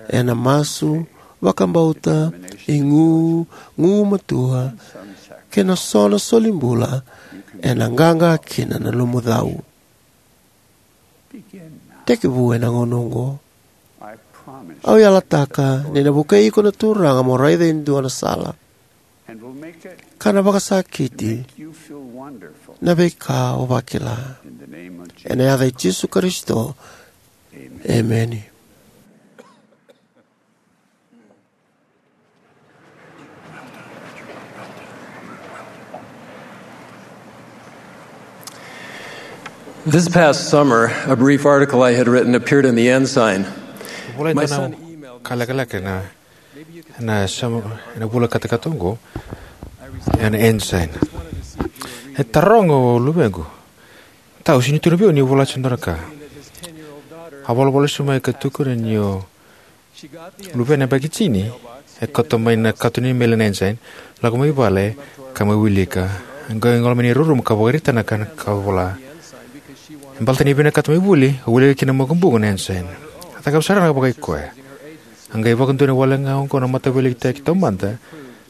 ena masu, vakabauta, igu, gugumatua, kei na so na solibula, ena qaqa kina na nomu cau. Tekivu ena gauna oqo. Au yalataka ni na vukei iko na Turaga mo raica e dua na sala, ka na vakasakiti na veika o vakila. Ena yaca i Jisu Karisito, emeni. This past summer, a brief article I had written appeared in the Ensign. Vula eda na kalekaleka na, na samu, na vula katakata oqo ena Ensign. E taroga o luvequ, "Tau, sini tu na vei ni vola tiko dua na ka." A volavola sumai ka tukuna ni o luvena baki tini, e koto mai na kato ni meli na Ensign, lako mai vale, ka mai wilika. Qai gole mai na rumu ka vakaraitaka na ka vola. E baleta ni vinakata mai vuli, a wilika kina makubuqu na Ensign. A cakava sara ga vakaikoya. A qai vakadonui wale ga oqo na mataveiliutaki taumada,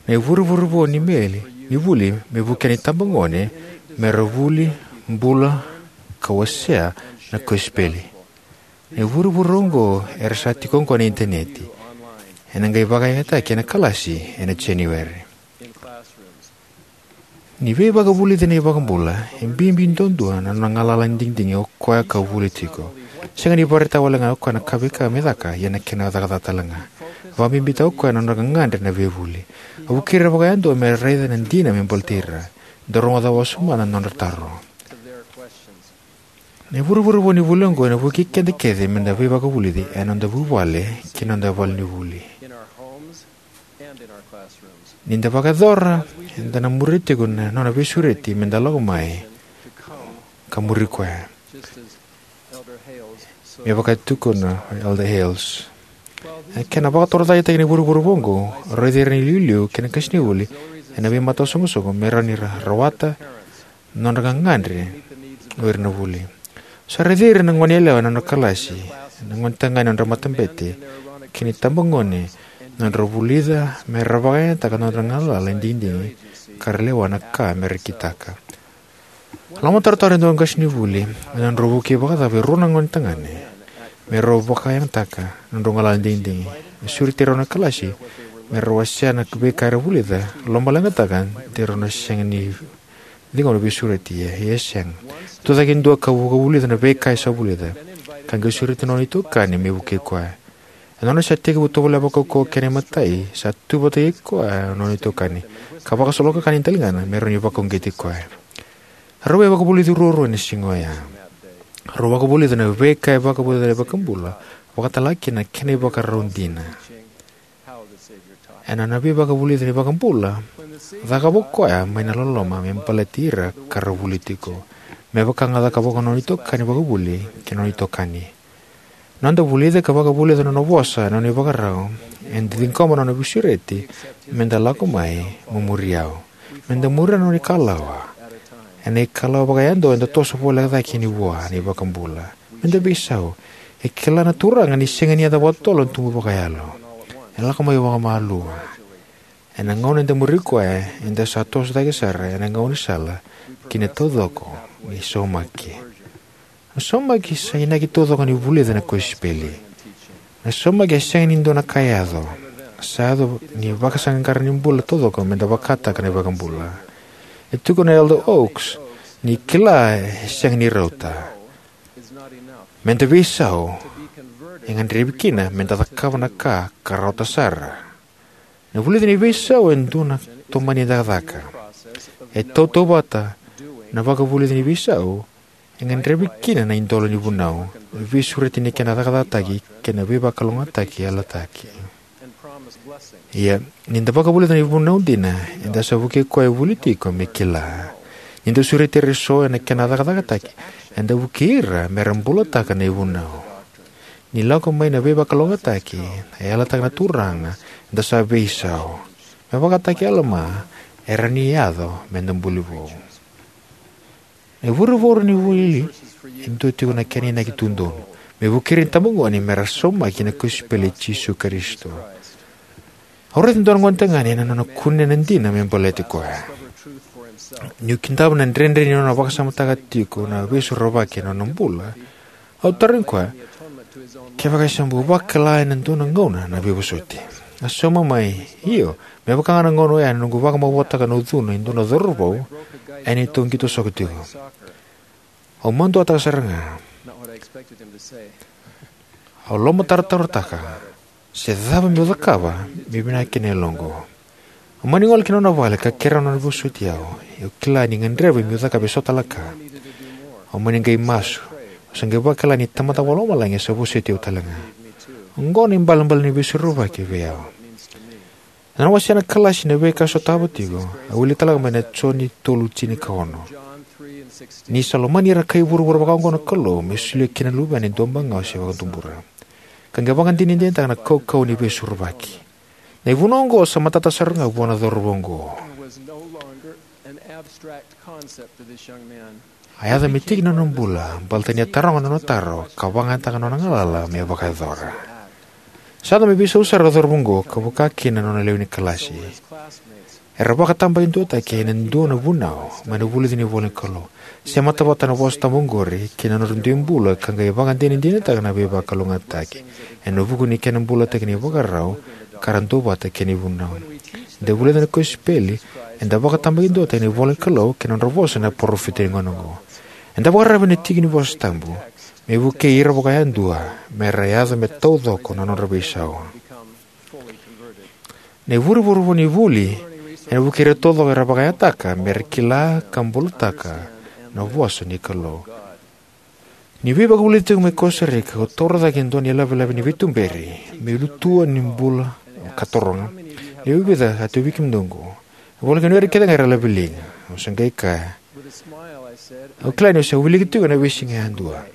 na ivurevure vou ni meli ni vuli me vukea na itabagone me ra vuli, bula, ka wasea na kosipeli. Na ivurevure oqo era sa tiko oqo ena initaneti. Ena qai vakayagataki ena kalasi ena January. Ni veivakavulici na iVakabula e bibi duadua na nona galala ni digidigi o koya ka vuli tiko. Sega ni vakaraitaka wale ga o koya na ka veika me caka, ia na kena cakacaka tale ga. Vakabibitaka o koya na nodra gagadre na veivuli. A vukei ira vakayadua me raica na dina me baleti ira. Dau rogoca wasoma na nodra taro. Na ivurevure vou ni vuli oqo ena vukei keda kece meda veivakavulici ena noda vuvale kei na noda vale ni vuli. Ni da vakayacora, eda na muria tiko na nona veisureti meda lako mai ka muri koya. Me vaka e tukuna o Elder Hales. E kena vakatorocaketaki na ivurevure vou oqo, raici ira na iliuliu kei na qasenivuli ena veimataisoqosoqo me rawa ni ra rawata na nodra gagadre o ira na vuli. Sa raici ira na goneyalewa ena nodra kalasi, na gonetagane ena nodra matabete, kei na itabagone ena nodra vulica me ra vakayagataka na nodra galala ni digidigi ka ra lewa na ka me ra kitaka. Lomatarotaro e dua na qasenivuli, ena nodrau vukei vakacava e rua na gonetagane me rau vakayagataka na nodrau galala ni digidigi. E sureti rau na kalasi me rau wasea na veika era vulica, lomaleqataka de rau na sega ni ciqoma na veisureti, ia e sega. Tucake e dua ka vakavulica na veika e sa vulica, ka qai sureti na nona itokani me vukei koya. Ena nona sa tekivu tovolea vakaukauwa kena imatai, sa tu vata kei koya na nona itokani, ka vakasolokakana na daligana me rawa ni vakauqeti koya. Rau a vakavulici ruarua ena siga oya. Rau vakavulica na veika e vakavulica na iVakabula, vakatalega kina na kena ivakarau dina. Ena nona veivakavulici na iVakabula, cakava o koya mai na loloma me baleti ira ka ra vuli tiko, me vaka ga a cakava ko nona itokani vakavuli kei na nona itokani. Noda vulica ka vakavulica na nona vosa ena nona ivakarau, eda ciqoma na nona veisureti: meda lako mai mo muri au. Meda muria na nona ikalawa, ena ikalawa vakayadua eda toso voleka cake yani vua na iVakabula. Meda veisau. E kila na Turaga ni sega ni yaco vakatotolo na tubu vakayalo. E lako mai vakamalua. Ena gauna eda muri koya, eda sa toso cake sara ena gaunisala ki na taucoko ni saumaki. Na saumaki sa inaki taucoko ni vulica na kosipeli. Na saumaki e sega ni dua na ka e yaco. Sa yaco ni vakasaqaqara ni bula taucoko meda vakataka na iVakabula. E tukuna o Elder Oaks ni kila e sega ni rauta. Meda veisau e gadrevi kina meda cakava na ka ka rauta sara. Na vulica ni veisau e dua na tomani cakacaka. E tautauvata na vakavulica ni veisau e gadrevi kina na idola ni vunau, veisureti ni kena cakacakataki, kei na veivakalougatataki yalataki. Ia, ni da vakavulica na ivunau dina, eda sa vukei koya e vuli tiko me kila. Ni da sureti ira eso ena kena cakacakataki, eda vukei ira me ra bulataka na ivunau. Ni lako mai na veivakalougatataki, e yalataka na Turaga, eda sa veisau. Me vakataki Alama, e rawa ni yaco me da buli vou. Na ivurevure ni vuli e dua tiko na kena inaki tu donu, me vukei ira na itabagone me ra saumaki ki na kosipeli i Jisu Karisito. Au raica e dua na gonetagane ena nona kunea na dina me baleti koya. Niu kidava na dredre ni nona vakasamataka tiko na Veisorovaki ena nona bula, au tarogi koya kevaka e se bau vakila ena dua na gauna na veivosoti. A sauma mai, "Io, me vaka ga na gauna oya na noqu vakamavoataka na ucuna e dua na cauravou ena neitou qito soko tiko." Au maduataka sara ga. Au lomatarotaka se cava meu cakava me vinaka kina na yaloqu. Au mani gole ki na nona vale ka kerea na nona vosoti au. Au kila ni gadrevi meu cakava eso tale na ka. Au mani qai masu. Au sa qai vakila ni Tamada Vakalomalagi e sa vosoti au tale ga. Oqo na ibalebale ni Veisorovaki vei au. Ena nona wasea na kalasi na veika e sotava tiko, a wilika tale ga mai na Joni tolu tinikaono: "Ni sa lomani ira na kai vuravura vakaoqo na Kalou, me solia kina na Luvena e duabagawa se vakatubura." Ka qai vakadinadinataka na kaukauwa ni Veisorovaki. Na ivunau oqo sa matata sara ga vua na cauravou oqo. A yaco me tiki ni nona bula baleta ni a taroga na nona taro ka vakayagataka na nona galala me vakayacora. Sa yaco me veisau sara na cauravou oqo ka vaka kina na nona lewe ni kalasi. Era vakatabakiduataki ena dua na vunau mai na vulica ni ivola ni Kalou. Semata vata na vosa tabu oqori kei na nodra dui bula ka qai vakadinadinataka na veivakalougatataki ena vuku ni kena bulataki na ivakarau ka ra duavata kei na ivunau. Ni da vulica na kosipeli, eda vakatabakiduataki ena ivola ni Kalou kei na nodra vosa na parofita ni gauna oqo. Eda vakararavi ena tiki ni vosa tabu me vukei ira vakayadua me ra yaco me taucoko na nodra veisau. Na ivurevure ni vuli ena vukei ira taucoko era vakayagataka me ra kila ka bulataka na vosa ni Kalou. Niu veivakavulici tiko mai Costa Rica, au taura cake e dua na ilavelave ni veituberi me ilutua ni bula ka taroga, "Lewe vica a tauvi kemudou oqo?" E voleka ni o ira kece ga era laveliga. Au sa qai kaya, "Au kila niu sa wilika tiko ena veisiga yadua."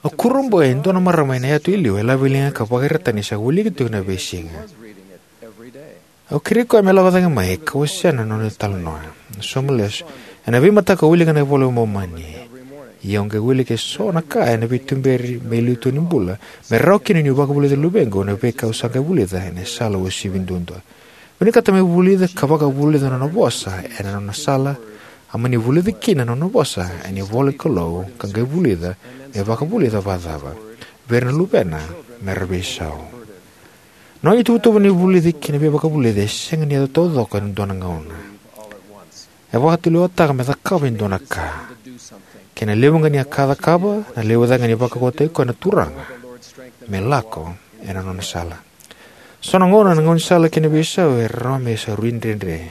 Au kurabui e dua na marama ena yatu e liu e laveliga ka vakaraitaka ni sa wilika tiko ena veisiga. Au kerei koya me lako cake mai ka wasea na nona italanoa. Na somo lesu, ena veimataka au wilika na iVola i Momani. Ia au qai wilika eso na ka ena veituberi me ilutua ni bula, me rawa kina niu vakavulica na luvequ na veika au sa qai vulica ena sala uasivi duadua. Vinakata me vulica ka vakavulica na nona vosa ena nona sala. A mani vulica kina na nona vosa ena ivola ni Kalou ka qai vulica me vakavulica vakacava vei ira na luvena me ra veisau. Na nona ituvatuva ni vulici kei na veivakavulici e sega ni yaco taucoko ena dua na gauna. E vakatulewataka me cakava e dua na ka. Kena levu ga ni ka a cakava, na levu cake ga ni vakaukauwataki koya na Turaga me lako ena nona sala. So na gauna na gaunisala kei na veisau e rawa me sa rui dredre.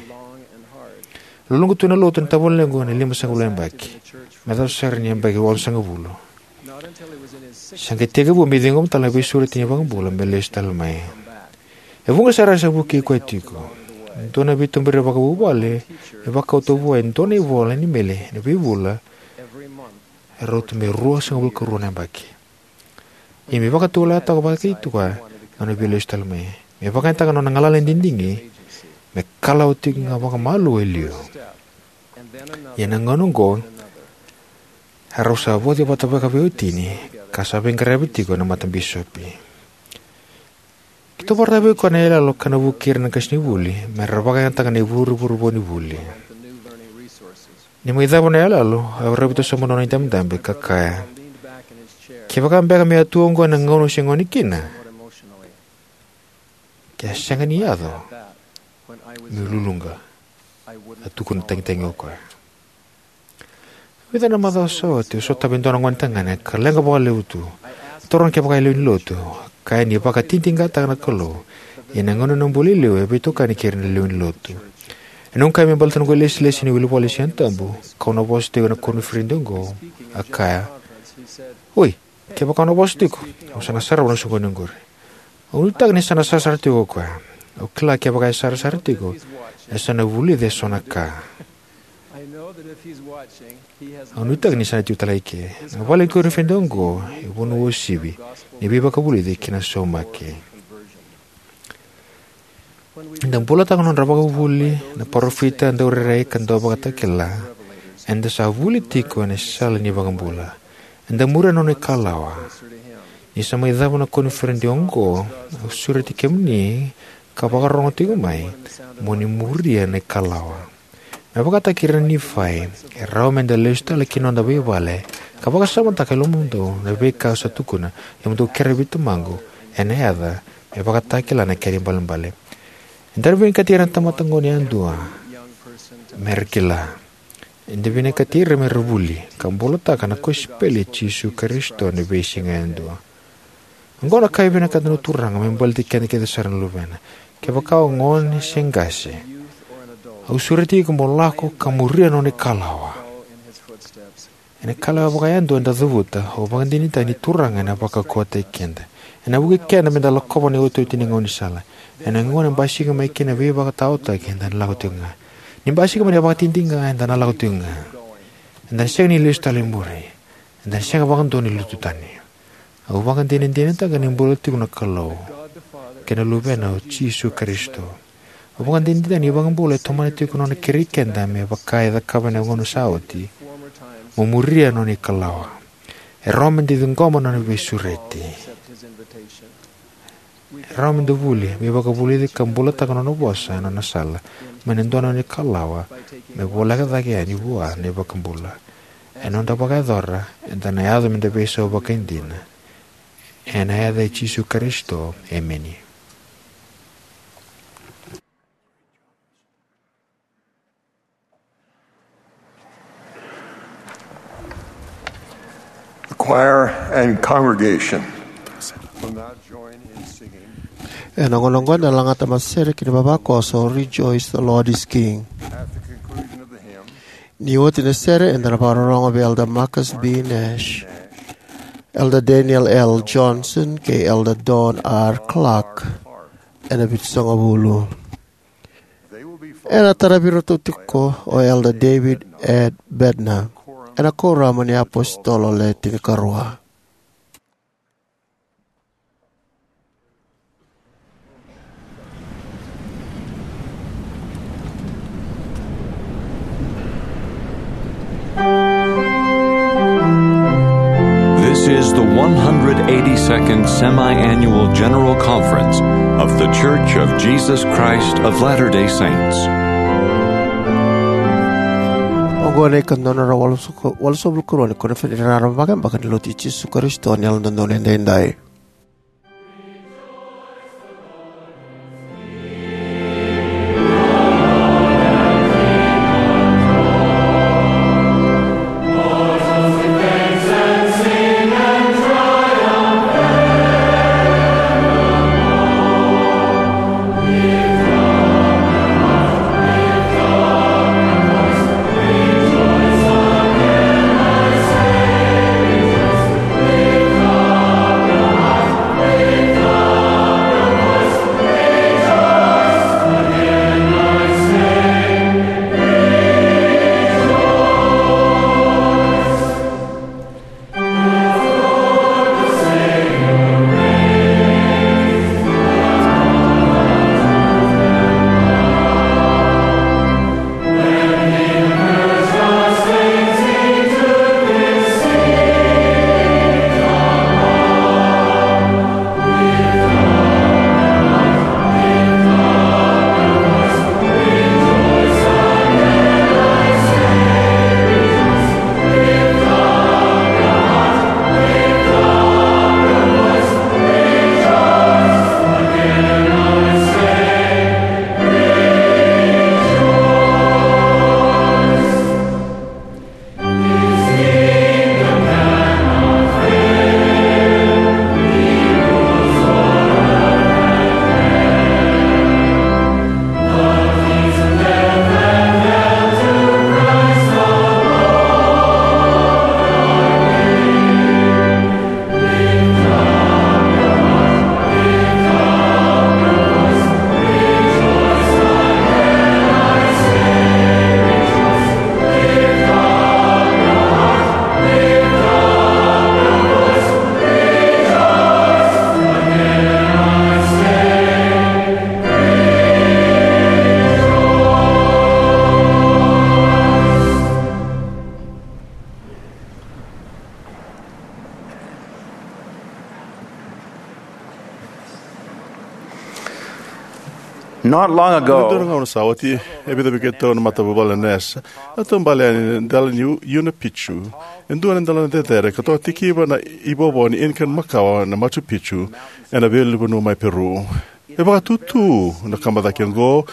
Luluqa tu ena lotu na tavalequ ena limasagavulu na yabaki, me yacova sara ni yabaki onosagavulu. Sa qai tekivu me ciqoma tale na veisureti ni iVakabula me lesu tale mai. Na vuqa sara sa vukei koya tiko. Dua na veituberi vakavuvale e vakauta vua e dua na ivola ni meli ena veivula e rauta me ruasagavulu ka rua na yabaki. Ia me vakatulewa toka vata kei koya na nona via lesu tale mai, me vakayagataka na nona galala ni digidigi, me kalawa tiko ga vakamalua e liu. Ia na gauna oqo, erau sa vauci vata vakaveiwatini ka sa veiqaravi tiko ena matabisopi. Keitou vakaraitaka vei koya na iyaloyalo ka na vukei ira na qasenivuli me ra vakayagataka na ivurevure vou ni vuli. Ni mai cava na iyaloyalo, au raica tu sobu na nona idabedabe ka kaya, "Kevaka beka me a tu oqo ena gauna au se gone kina, ke a sega ni yaco meu luluqa," a tukuna tagitagi o koya. Vica na macawa sa oti, au sotava e dua na gonetagane ka leqa vakalevu tu. Taroga kevaka e lewe ni lotu, ka kaya ni vakatitiqataka na Kalou, ia na gauna ni bula e liu e veitokani kei ira na lewe ni lotu. Ena noqu kaya me baleta na noqu ilesilesi ni wilivola ni Siga Tabu kau na vosa tiko ena koniferedi oqo, a kaya, "Oi, kevaka au na vosa tiko, au sa na sarava na soqoni oqori." Au nuitaka ni sa na sarasara tiko o koya. Au kila kevaka e sarasara tiko, e sa na vulica eso na ka. Au nuitaka ni sa na tiko tale ga eke. Na vale ni koniferedi oqo e vanua uasivi ni veivakavulici kei na saumaki. Eda bulataka na nodra vakavuvuli na parofita, daurairai ka dauvakatakila. Eda sa vuli tiko ena sala ni iVakabula. Eda muria na nona ikalawa. Ni sa mai cava na koniferedi oqo, au sureti kemuni ka vakarorogo tiko mai, mo ni muria na ikalawa. Me vakataki ira na Nifai, e rawa meda lesu tale ki na noda veivale ka vakasamataka e lomamudou na veika au sa tukuna, ia mo dou kerea vei Tamaqu ena yaca, me vakatakila na kena ibalebale. Eda na vinakati ira na tamata gone yadua me ra kila. Eda vinakati ira me ra vuli ka bulataka na kosipeli i Jisu Karisito ena veisiga yadua. Oqo na ka e vinakata na Turaga me baleti keda kece sara na luvena. Kevaka o gone se qase, au sureti iko mo lako ka muria na nona ikalawa. Ena ikalawa vakayadua eda cavuta, au vakadinadinataka ni Turaga ena vakaukauwataki keda. Ena vukei keda meda lakova na iotioti ni gaunisala. Ena gauna e basika mai kina na veivakataotaki, eda na lako tiko ga. Ni basika mai na vakatitiqa, eda na lako tiko ga. Eda na sega ni lesu tale i muri. Eda na sega vakadua ni lutu tani. Au vakadinadinataka ni bula tiko na Kalou kei na Luvena o Jisu Karisito. Au vakadinadinataka ni iVakabula e tomana tiko na nona kerei keda me vaka e cakava ena gauna sa oti, mo muria na nona ikalawa. E rawa meda ciqoma na nona veisureti. E rawa meda vuli, veivakavulici ka bulataka na nona vosa ena nona sala, mai na dua na nona ikalawa me voleka cake yani vua na iVakabula. Ena noda vakayacora, eda na yaco meda veisau vakaidina. Ena yaca i Jisu Karisito, emeni. The choir and congregation will now join in singing. Ena gauna oqo eda na lagata na matasere kei na vavakoso, "Rejoice, the Lord is King." At the conclusion of the hymn, ni oti na sere, eda na vakarorogo vei Elder Marcus B. Nash, Elder Daniel L. Johnson, kei Elder Don R. Clark ena Vitusagavulu. Ena taravi iratou tiko o Elder David Ed Bednar ena Kuoramu ni iApositolo Le Tinikarua. This is the one hundred eighty-second Semi-Annual General Conference of The Church of Jesus Christ of Latter-day Saints. Oqo na ikadua na drau walusagavulu ka rua ni koniferedi raraba vakayabaki ni Lotu i Jisu Karisito ni Yalododonu Edaidai. Not long ago, ena dua na gauna sa oti, e vica vei keitou na matavuvale na Nash a taubale yani ena dela ni Huayna Picchu, e dua na delana cecere ka toka tikiva na ivovo ni Incan makawa na Machu Picchu, ena veiulunivanua mai Peru. E vakatutu na kaba cake oqo,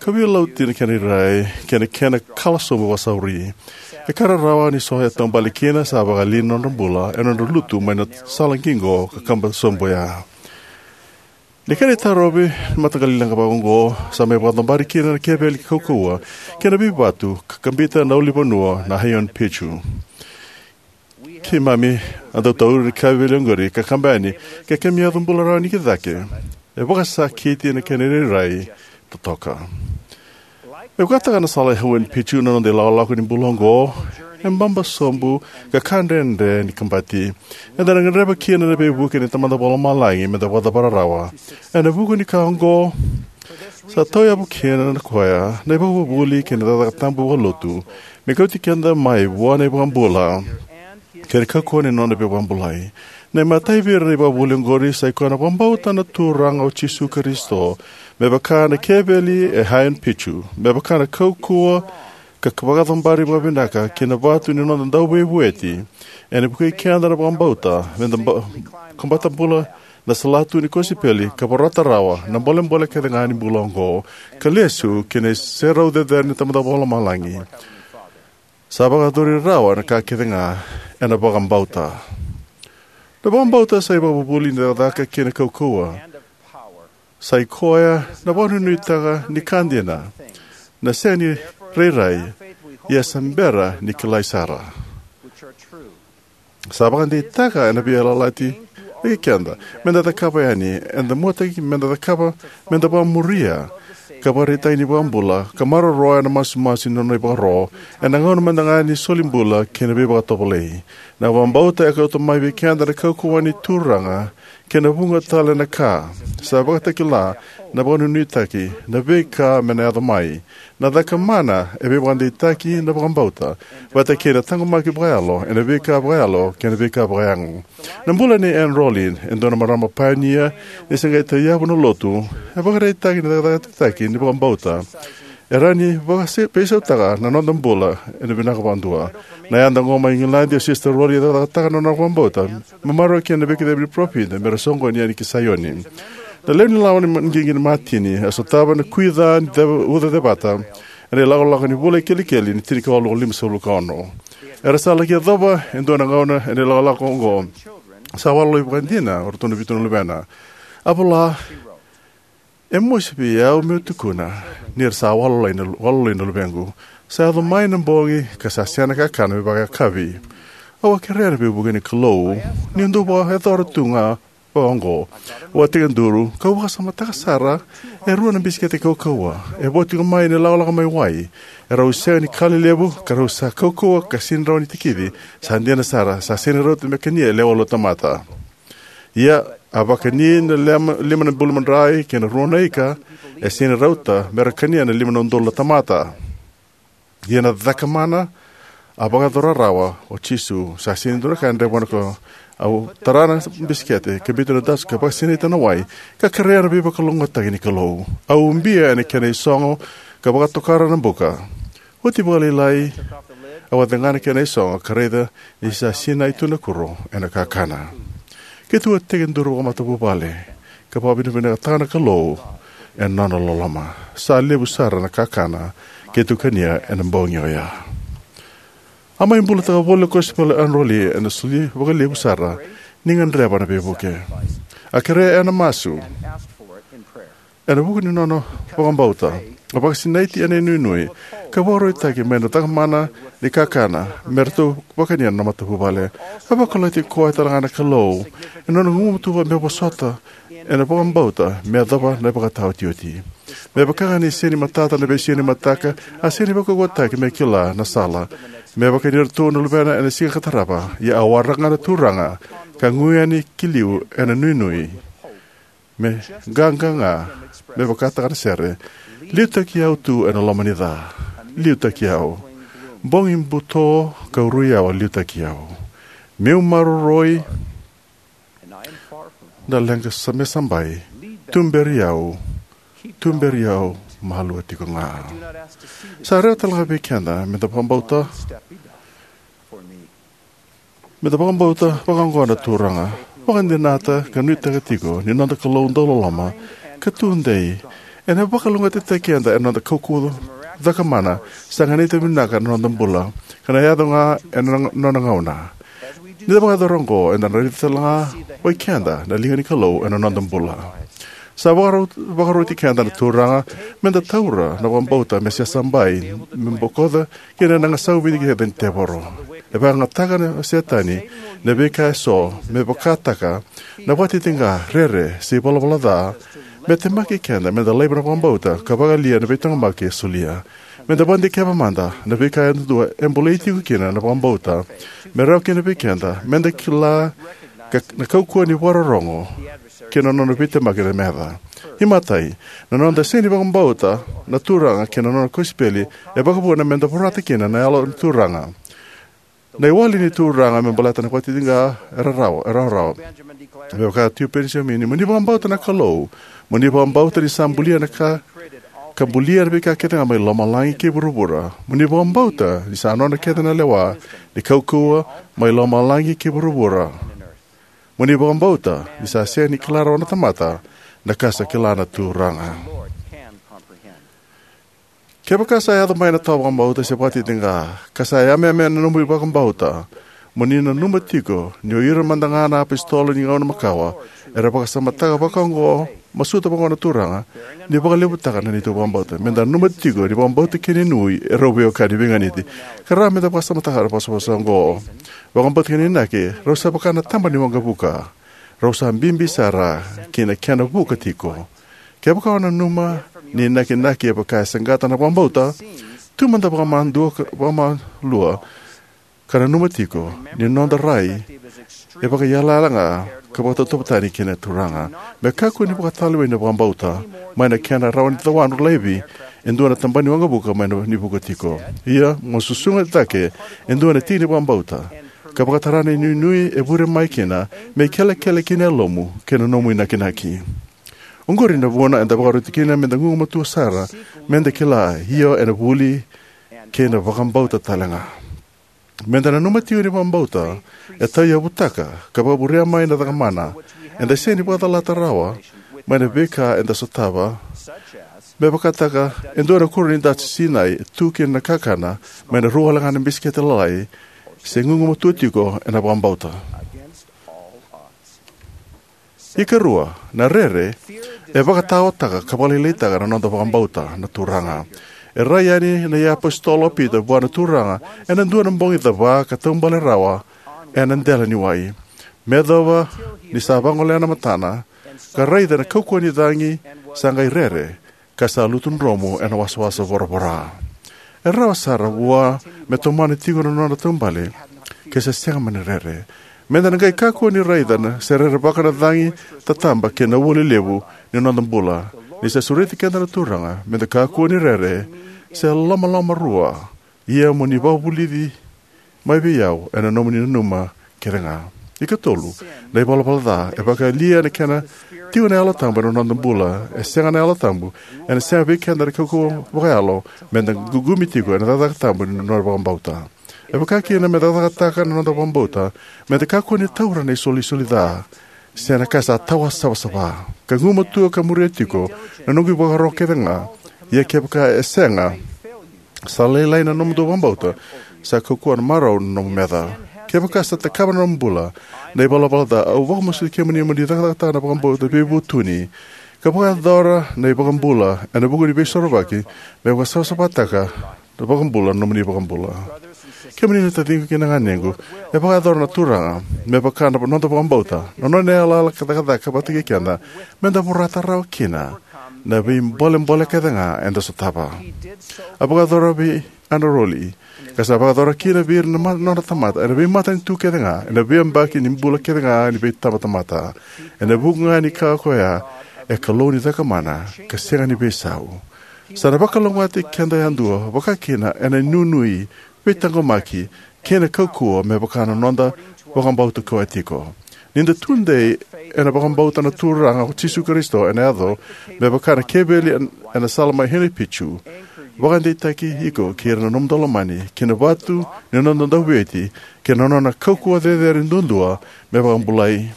ka veilautaki na kena irairai kei na kena kala sobu vakasauri. E ka rarawa ni so e taubale kina sa vakaliu na nodra bula ena nodra lutu mai na sala qiqo ka kaba sobu oya. Ni kena itarovi na mataqali leqa vakaoqo, sa mai vakacobari kina na keveli kaukauwa kei na veivatu ka kabita na ulunivanua na Huayna Picchu. Keimami a dau tauri na keveli oqori ka kaba yani, ke keimami yaco bula rawa ni ki cake. E vakasakiti na kena irairai totoka. Me vakataka na sala e Huayna Picchu na noda ilakolako ni bula oqo, e baba sobu ka ka dredre ni kabati. Eda na gadreva kina na veivuke ni Tamada Vakalomalagi meda vakacavara rawa. Ena vuku ni ka oqo, sa tauyavu kina na koya na ivakavuvuli kei na cakacaka tabu vakalotu, me kauti keda mai vua na iVakabula kei na kaukauwa ni nona veivakabulai. Na imatai vei ira na ivakavuvuli oqori sa i koya na vakabauta na Turaga o Jisu Karisito, me vaka na keveli e Huayna Picchu, me vaka na kaukauwa ka vakacobari vakavinaka ki na vatu ni noda Dauveivueti. Ena vukei keda na vakabauta meda ba-, kabata bula na salatu ni kosipeli ka vorata rawa na bolebole kece ga ni bula oqo, ka lesu ki na iserau cecere ni Tamada Vakalomalagi. Sa vakayacori rawa na ka kece ga ena vakabauta. Na vakabauta sa ivakavuvuli ni cakacaka kei na kaukauwa. Sa i koya na vakanuinuitaka ni ka dina, na sega ni rairai, ia sa bera ni kilai sara. Sa vakadeitaka ena veiyalayalati vei keda meda cakava yani, eda muataki meda cakava, meda vakamuria ka vakaraitaki ni vakabula ka maroroya na masumasu ni nona ivakaro ena gauna mada ga ni soli bula kei na veivakatovolei. Na vakabauta e kauta mai vei keda na kaukauwa ni Turaga kei na vuqa tale na ka sa vakatakila, na vakanuinuitaki, na veika me na yaco mai. Na caka mana e veivakadeitaki na vakabauta vata kei na taqomaki vakayalo ena veika vakayalo kei na veika vakayago. Na bula nei Ann Rowley, e dua na marama painia ni se qai tauyavu na lotu, e vakaraitaki na cakacakataki ni vakabauta e rawa ni vakase-, veisautaka na noda bula ena vinaka vakadua. Na yada oqo mai Igiladi, o Sister Rowley e cakacakataka na nona vakabauta me maroroya kina na veikacivi ni parofita me ra soqoni yani ki Saioni. Na lewe ni lawa ni ma-, qiqi ni Matini a sotava na kui ca ni ceva-, uca cevata ena ilakolako ni vula i Kelikeli ni tinikawalu walu lima sagavulu ka ono. Era sa laki yacova e dua na gauna ena ilakolako oqo. Sa walalai vakadina o ratou na vitu na luvena. A vola, "E mosi vei au meu tukuna ni ra sa walalai na, walalai na luvequ. Sa yaco mai na bogi ka sa sega na kakana me vakayakavi. Au a kerea na veivuke ni Kalou niu dau vakayacora tu ga vakaoqo." Au a tekiduru kau vakasamataka sara e rua na bisikete kaukauwa e vo tiko mai ena ilakolako mai wai. E rau sega ni ka lelevu ka rau sa kaukauwa ka sega ni rawa ni tikici. Sa dina sara, sa sega ni rauta me kania e lewe walu na tamata. Ia, a vakani na lema, lima na bulumadrai kei na rua na ika, e sega ni rauta me ra kania na lima na udolu na tamata. Ia na caka mana a vakayacora rawa o Jisu. Sa sega ni dua na ka e dredre vua na Kalou. Au tara na bisikete ka biuta na dust ka vakasinaita na wai, ka kerea na veivakalougatataki ni Kalou. Au ubia ena kena isogo ka vakatokara na buka. Oti vakalailai, au a cega na kena isogo ka raica ni sa sinai tu na kuro ena kakana. Keitou a tekiduru vakamatavuvale ka vakavinavinakataka na Kalou ena nona loloma. Sa levu sara na kakana keitou kania ena bogi oya. A mai bulataka voli na kosipeli o Ann Rowley ena soli vakalevu sara ni gadreva na veivuke. A kerea ena masu. Ena vuku ni nona vakabauta, a vakasinaiti ena inuinui ka vakarautaki mai na cakamana ni kakana me ratou vakania na matavuvale. A vakaloti koya tale ga na Kalou ena nona gugumatua me vosota ena vakabauta me yacova na ivakataotioti. Me vaka ga ni sega ni matata na veisiga ni mataka, a sega ni vakaukauwataki me kila na sala me vakani iratou na luvena ena siga ka tarava. Ia a waraka ga na Turaga ka gu yani ki liu ena nuinui. Me qaqa ga, me vakataka na sere, "Liutaki au tu ena loma ni ca. Liutaki au. Bogi buto ka rui au, liutaki au. Meu maroroi, na leqa sa me sabai. Tuberi au. tuberi au malua tiko ga. Sa rawa tale ga vei keda me da vakabauta, me da vakabauta vakaoqo na Turaga, vakadinata ka nuitaka tiko ni noda Kalou dauloloma ka tudei, ena vakalougatataki keda ena noda kaukauwa cakamana, sa ganita vinaka na noda bula, ka na yaco ga ena nona gauna. Ni da vakayacora oqo, eda na raica tale ga vei keda na liga ni Kalou ena noda bula. Sa vakarau-, vakaroti keda na Turaga me da taura na vakabauta me se sabai, me bokoca kina na gasau vidi kece ni tevoro. E vakayagataka na Setani na veika eso me vakataka na vakatitiqa, rere, se ivalavala ca, me temaki keda me da laiva na vakabauta ka vakayalia na veitaqomaki e solia. Me da vakadikeva mada na veika yadua e bolei tiko kina na vakabauta, me rawa kina vei keda me da kila ka, na kaukauwa ni vakarorogo kei na nona veitemaki na meca. Imatai, na noda sega ni vakabauta na Turaga kei na nona kosipeli e vakavuna me da vorata kina na Yalo ni Turaga. Na iwali ni Turaga me baleta na vakatitiqa e rarawa, e rawarawa. Me vaka Tio Penijamini, mo ni vakabauta na Kalou, mo ni vakabauta ni sa bulia na ka, ka bulia na veika kece ga mai lomalagi kei vuravura. Mo ni vakabauta ni sa nona kece na lewa ni kaukauwa mai lomalagi kei vuravura. Mo ni vakabauta ni sa sega ni kila rawa na tamata na ka sa kila na Turaga. Kevaka sa yaco mai na tawa vakabauta se vakatitiqa, ka sa yameyame na nomu vakabauta, mo ni nanuma tiko ni o ira mada ga na apositolo ni gauna makawa era vakasamataka vakaoqo, masuta vakaoqo na Turaga, ni vakalevutaka na neitou vakabauta. Me da nanuma tiko ni vakabauta kei na inuinui e rau veiwekani veiganiti, ka rawa me da vakasamataka na vosavosa oqo. Vakabauta kei na inaki rau sa vaka na taba ni waqavuka. Rau sa bibi sara ki na kena vuka tiko. Kevaka o nanuma ni inakinaki e vaka e saqata na vakabauta, tu mada vakamadua ka, vakamalua, ka nanuma tiko ni noda rai e vakaiyalayala ga ka vakatauvatani kei na Turaga. Me kakua ni vakatalevei na vakabauta mai na kena rawa ni cawadru laivi e dua na taba ni waqavuka mai na ni vuka tiko. Ia, mo susuga cake e dua na tiki ni vakabauta ka vakatara na inuinui e vure mai kina me ikelekele ki na yalomu kei na nomu inakinaki. Oqori na vuna eda vakaroti kina me da gugumatua sara, me da kila, io, ena vuli kei na vakabauta tale ga. Me da nanuma tiko ni vakabauta e tauyavutaka ka vakavurea mai na cakamana eda sega ni vakacalata rawa mai na veika eda sotava, me vakataka e dua na kuro ni dati sinai e tu kina na kakana mai na rua wale ga na bisikete lalai, se gugumatua tiko ena vakabauta. Ikarua, na rere e vakataotaka ka vakalailaitaka na noda vakabauta na Turaga. E rai yani na iapositolo o Pita vua na Turaga ena dua na bogi cava ka taubale rawa ena dela ni wai. Me yacova ni sa vagolea na matana ka raica na kaukauwa ni cagi, sa qai rere, ka sa lutu dromu ena wasawasa voravora. E rawa sara vua me tomana tiko na nona taubale ke sa sega mani rere. Me da na qai kakua ni raica na se rerevaka na cagi tataba kei na ua lelevu ni noda bula. Ni sa sureti keda na Turaga me da kakua ni rere se lomaloma rua, ia mo ni vakavulici mai vei au ena nomuni nanuma kece ga. Ikatolu, na ivalavala ca e vakayalia na kena tiko na Yalo Tabu ena noda bula. E sega na Yalo Tabu, ena sega vei keda na kaukauwa vakayalo me da ququmi tiko ena cakacaka tabu ni nona vakabauta. E vaka kina me da cakacakataka na noda vakabauta, me da kakua ni taura na isolisoli ca se na ka sa tawa savasava, ka gumatua ka muria tiko na noqu ivakaro kece ga. Ia kevaka e sega, sa lailai na nomudou vakabauta, sa kaukauwa na marau na nomu meca. Kevaka sa takava na nomu bula na ivalavala ca, au vakamasuti kemuni mo ni cakacakataka na vakabauta veivutuni ka vakayacora na iVakabula ena vuku ni Veisorovaki, me vakasavasavataka na vakabula na nomuni vakabula. Kemuni na taciqu kei na ganequ, e vakayacora na Turaga me vaka na noda vakabauta, na nona yalayala ka cakacaka vata kei keda me da vorata rawa kina na veibolebole kece ga eda sotava. A vakayacora vei Ana Rowley, ka sa vakayacora kina vei ira na ma-, nona tamata ena veimatanitu kece ga ena veiyabaki ni bula kece ga ni veitabatamata. Ena vuku ga ni ka koya, e Kalou ni cakamana ka sega ni veisau. Sa na vakalougatataki keda yadua, vaka kina ena inuinui, veitaqomaki kei na kaukauwa me vaka na noda vakabauta koya tiko. Ni da tudei ena vakabauta na Turaga o Jisu Karisito ena yaco, me vaka na keveli en-, ena sala mai Huayna Picchu, vakadeitaki iko kei ira na nomu daulomani ki na vatu ni noda Dauveivueti kei na nona kaukauwa cecere duadua me vakabulai.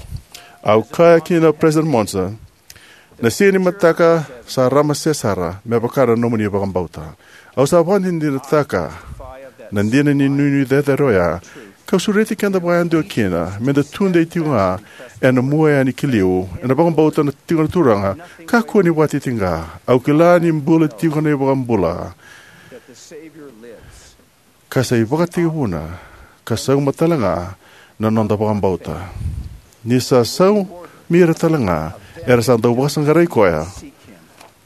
Au kaya kina o President Monson, na siga ni mataka sa ramase sara me vaka na nomuni vakabauta. Au sa vakadinadinataka na dina ni inuinui cecere oya, kau sureti keda vakayadua kina me da tudei tiko ga ena mua yani ki liu ena vakabauta na tiko na Turaga. Kakua ni vakatitiqa. Au kila ni bula tiko na iVakabula, ka sa ivakatekivuna ka sauma tale ga na noda vakabauta. Ni sa saumi ira tale ga era sa dau vakasaqarai koya.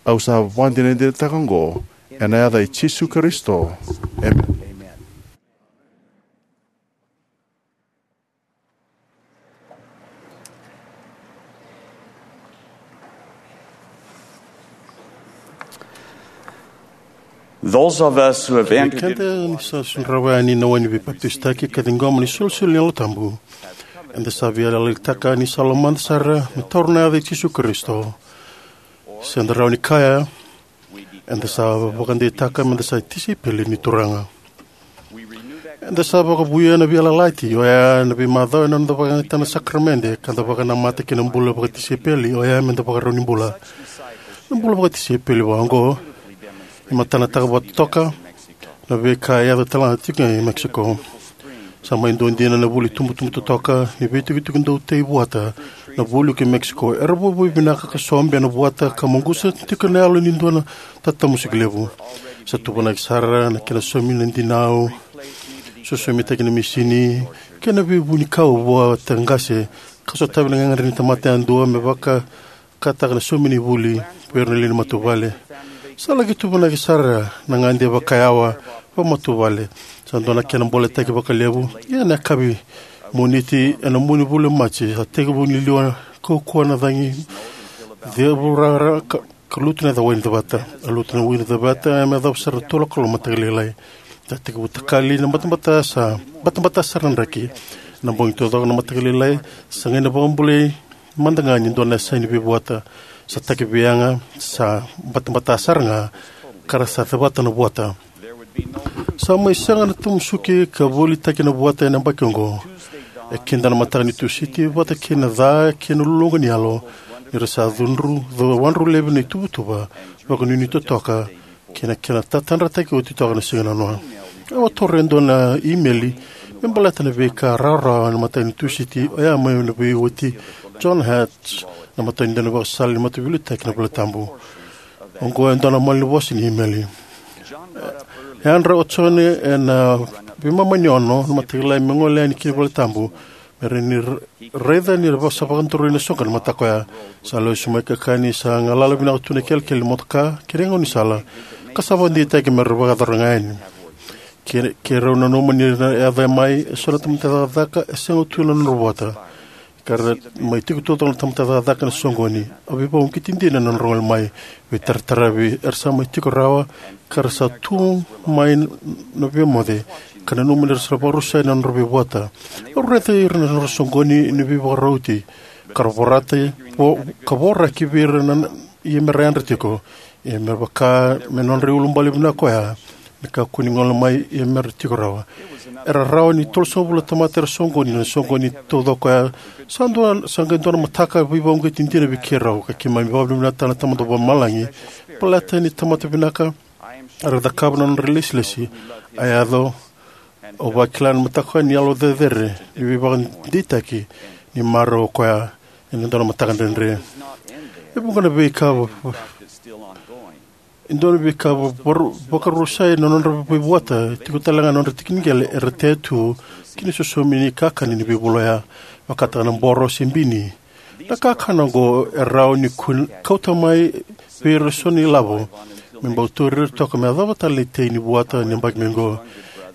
Au sa vakadinadinataka oqo ena yaca i Jisu Karisito. Emeni. Those of us who have entered Keda ni sa sudrava yani na wai ni veipapitaisotaki ka ciqoma ni solisoli ni Yalo Tabu, eda sa veiyalayalati ni sa lomada sara me taura na yaca i Jisu Karisito. Se da rawa ni kaya, eda sa vakadeitaka meda sa tisaipeli ni Turaga. Eda sa vakavouya na veiyalayalati oya na veimacawa ena noda vakayagataka na sakaramede ka da vakanamata ki na bula vakatisaipeli oya meda vakarau ni bula. Na bula vakatisaipeli vaka oqo e matanataka vakatotoka na veika e yaco tale ga tiko e Mexico. Sa mai dua dina na vuli tubutubu totoka ni veitukutuku dau tei vuata na vualiku e Mexico. Era vuavuai vinaka ka sobe na vuata ka maqusa tiko na yalo ni dua na tatamusuki levu. Sa tuvanaki sara na kena somi na dinau, sosomitaki na misini kei na veivunikau vuata qase, ka sotavi na gagadre ni tamata yadua me vakataka na somi ni vuli vei ira na lewe ni matavuvale. Sa laki tuvanaki sara na gade vakayawa vakamatavuvale. Sa dua na kena boletaki vakalevu. Ia na yakavi Moniti ena mua ni vula o Maji, sa tekivu ni liwa kaukauwa na cagi, cevurara ka, ka lutu na wai ni cevata. A lutu na wai ni cevata me yacova sara na tolu na kaloko na mataka lailai. Sa tekivu takali na batabata, sa batabata sara na draki. Na bogi taucoko na mataka lailai, sa qai na vakabulai mada ga ni dua na yasa ni veivuata. Sa taki veiyaga, sa batabata sara ga, ka ra sa cevata na vuata. Sa mai sega na tamusuki ka volitaki na vuata ena yabaki oqo. E kida na mataka ni Tusiti vata kei na ca kei na luluqa ni yalo, ni ra sa cudru, wadru laivi na ituvatuva vakanuinui totoka kei na kena tatadrataki oti toka na siga nanoa. Au a taura e dua na imeli me baleta na veika rawarawa na mataka ni Tusiti oya mai na veiwati John Hatch, na matau ni dau ni vakasala ni mataveiliutaki na Valetabu. Oqo e dua na malanivosa ni imeli. E yadra o John ena veimama ni ono na mataka lailai me gole yani ki na Valetabu, me rawa ni ra-, raica ni ra sa vakadoroi na soqo ena mataka oya. Sa lesu mai ka kaya ni sa galala vinaka tu na ikelekele ni motoka kei na gaunisala, ka sa vakadeitaki me ra vakayacora ga yani. Ke, keirau nanuma ni ra yaco mai eso na tamata cakacaka e sega tu na nodra vuata, ka ra mai tiko taucoko na tamata cakacaka ena soqoni. A veivakauqeti dina na nodra gole mai. Veitarataravi, era sa mai tiko rawa, ka ra sa tu mai na veimoce, ka nanuma ni ra sa vakarusai na nodra veivuata. Au raica ira na nodra soqoni ni veivakarauti, ka ra vorata, vo-, ka voraki vei ira na, na, ia me ra yadra tiko. Ia me vaka me nodra iulubale vinaka oya, me kakua ni gole mai ia me ra tiko rawa. Era rawa ni tolusagavulu na tamata era soqoni, na soqoni taucoko oya. Sa dua, sa qai dua na mataka veivakauqeti dina vei keirau, ka keimami vakavinavinakataka na Tamada Vakalomalagi baleta ni tamata vinaka era cakava na nodra ilesilesi. A yaco, au vakila na mataka ni yalo cecere ni veivakadeitaki ni marau o koya ena dua na mataka dredre. E vuqa na veika va-, e dua na veika va-, varu-, vakarusai na nodra veivuata, tiko tale ga na nodra tiki ni qele era tea tu ki na sosomi ni kakana ni veivula oya, vakataka na boro se bini. Na kakana oqo e rawa ni kun-, kauta mai vei ira eso na ilavo me bau tauri ira toka me yacova tale na itei ni vuata ni yabaki mai oqo.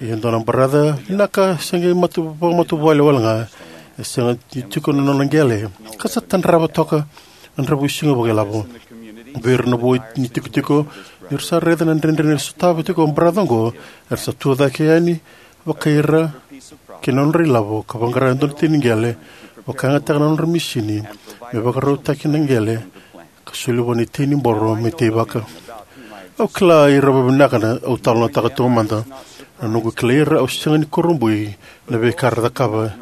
E dua na baraca vinaka se qai matu-, vakamatavuvale wale ga, e sega ni tiko na nona qele, ka sa tadrava toka na dravuisiga vakailavo. Vei ira na vo ni tikotiko, ni ra sa raica na dredre ni sotava tiko o baraca oqo, era sa tucake yani vakai ira kei na nodra ilavo ka vaqara e dua na itei ni qele vakayagataka na nodra misini me vakarautaki na qele ka soli vua na itei ni boro me teivaka. Au kila ira vavinaka na au talanoataka taumada. Na noqu kilai ira, au sega ni kurabui na veika era cakava.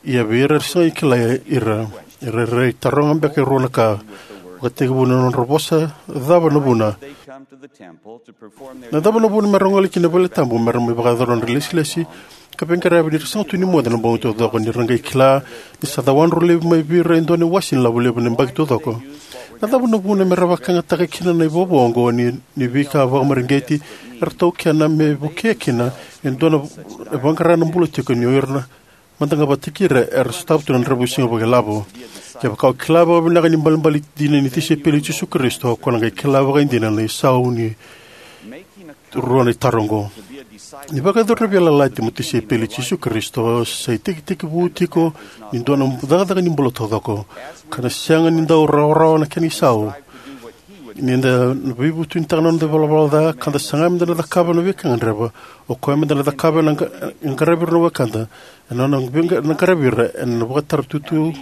Ia vei ira era sega ni kilai ira, era rairai taroga beka e rua na ka, vakatekivu na nodra vosa, cava na vuna. Na cava na vuna mera gole ki na vale tabu mera mai vakayacora nodra lesilesi ka veiqaravi ni ra sega tu ni moce na bogi taucoko, ni ra qai kila ni sa cawadru laivi mai vei ira e dua na iwase ni lavo levu na yabaki taucoko? Na cava na vuna mera vakayagataka kina na ivovo oqo ni, ni veika vakamareqeti era taukena me vukea kina e dua na e vaqara na bula tiko ni o ira na mada ga vakataki ira era sotava tu na dravuisiga vakailavo? Kevaka o kila vakavinaka ni balebale dina ni tisaipeli i Jisu Karisito, ko na qai kila vakaidina na isau ni rua na itaro oqo. Ni vakayacori na veiyalayalati mo tisaipeli i Jisu Karisito sa itekitekivu tiko ni dua na cakacaka ni bula taucoko, ka na sega ni dau rawarawa na kena isau. Ni da na veivutunitaka na noda ivalavala ca ka da saga meda na cakava na veika e gadreva, o koya meda na cakava ena qa- ena qaravi ira na wekada, ena nona veiqa- na qaravi ira ena vakataratutu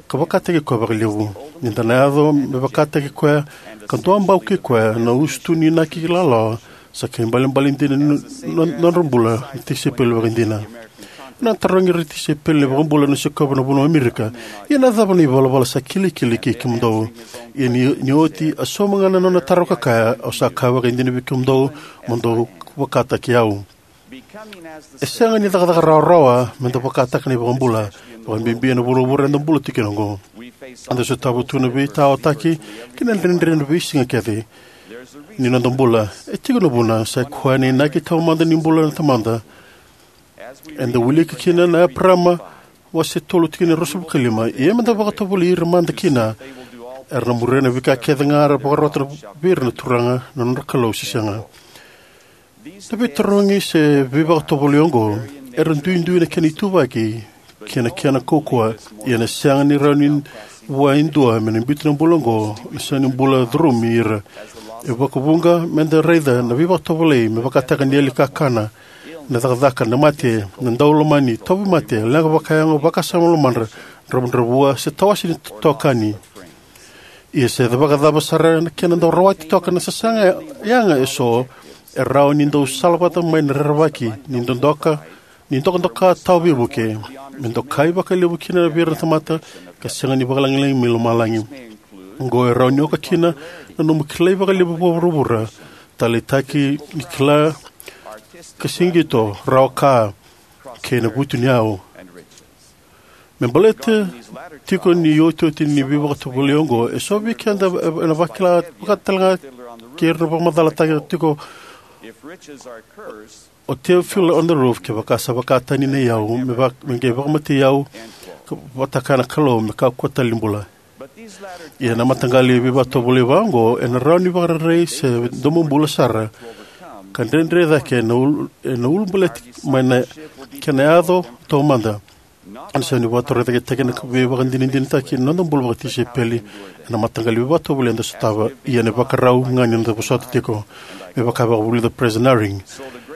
ka vakataki koya vakalevu. Ni da na yaco me vakataki koya ka duabau kei koya, na usutu ni inaki ilawalawa sa ka ibalebale dina ni no- no- nodra bula na tisaipeli vakaidina. Ena tarogi ira na tisaipeli na iVakabula na sikova na vanua o Amerika, "Ia na cava na ivalavala sa kilikili kei kemudou?" Ia ni, ni oti, a sauma ga na nona taro ka kaya, "Au sa kaya vakaidina vei kemudou, mo dou vakataki au." E sega ni cakacaka rawarawa meda vakataka na iVakabula, vakabibi ena vuravura eda bula tiko kina oqo. Eda sotava tu na veitaotaki kei na dredre ena veisiga kece ni noda bula. E tiko na vuna, sa i koya na inaki taumada ni bula na Tamada. Eda wilika kina na Eparama wase tolu, tikina e ruasagavulu ka lima: "Ia meda vakatovolei ira mada kina, era na muria na veika kece ga era vakarota vei ira na Turaga na nodra Kalou, se sega?" Na veitarogi se veivakatovolei oqo era duidui na kena ituvaki kei na kena kaukauwa, ia ena sega ni rawa ni vua e dua me na biuta na bula oqo, na sega ni bula curumi ira. E vakavuqa meda raica na veivakatovolei me vakataka na yali kakana, na cakacaka, na mate, na daulomani, tauvimate, leqa vakayago, vakasama lomadra, dravudravua, se tawase ni tokani. Ia se vakacava sara na kena dau rawati toka na sasaga yaga eso, e rawa ni dau salavata mai na rerevaki ni dodoka, ni dokadoka tawa veivuke, me dokai vakalevu kina vei ira na tamata, ka sega ni vakalagilagi mai lomalagi. Oqo e rawa ni oka kina na nomu kilai vakalevu vakavuravura, taleitaki ni kila ka siqito, rawa ka, kei na vutuniyau. Me baleta tiko ni iotioti ni veivakatovolei oqo, eso vei keda ena vakila vakatalega kei ira na vakamacalataki tiko o Theophil on the Roof, "Kevaka sa vakatani na iyau, me, va, me qai vakamatei au, ka vata kaya na Kalou, me kakua tale ni bula." Ia na mataqali veivakatovolei vaqo ena rawa ni vakarerei se domobula sara, ka dredre cake ena ul, ena ulabaleti mai na kena yaco taumada. Ena sega ni vakatorocaketaki na veivakadinadinataki na noda bula vakatisaipeli ena mataqali veivakatovolei eda sotava, ia ena ivakarau ga ni noda vosota tiko. Me vaka e vakavulica o Peresitedi Eyring,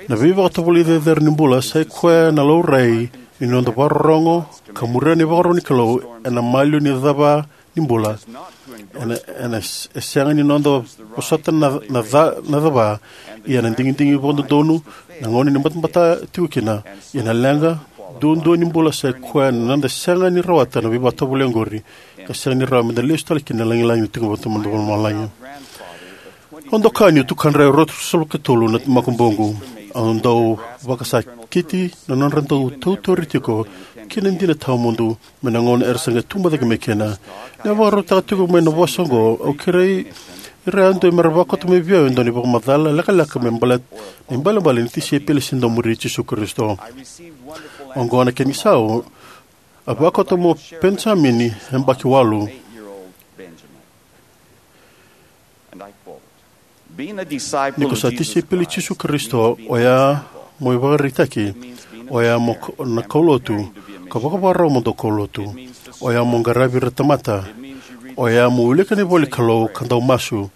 na veivakatovolei cecere ni bula sa i koya na laurai ni noda vakarorogo ka muria na ivakaro ni Kalou ena maliwa ni cava ni bula. Ena, ena s, e sega ni noda vosota na, na ca, na cava, ia na digidigi vakadodonu, na gauna ni batabata tiko kina, ia na leqa duadua ni bula sa i koya na noda sega ni rawata na veivakatovolei oqori, ka sega ni rawa meda lesu tale kina na lagilagi ni tiko vata mai lomalagi. Au doka niu tukadra e ruasagavulu ka tolu na makubuqu. Au dau vakasakiti na nodra dau tautori tiko ki na dina tawamudu mai na gauna era sa qai tubu cake mai kina. Niu vakarautaka tiko mai na vosa oqo, au kerei ira yadua mera vakauta mai vei au e dua na ivakamacala lekaleka me baleta na ibalebale ni tisaipeli se daumuri Jisu Karisito. Oqo na kena isau: "A vakauta mo Penijamini, yabaki walu. Ni ko sa tisaipeli i Jisu Karisito, oya mo ivakaraitaki, oya mo k, na kaulotu, ka vakavakarau mo dau kaulotu. Oya mo qaravi ira na tamata. Oya mo wilika na ivola ni Kalou ka dau masu.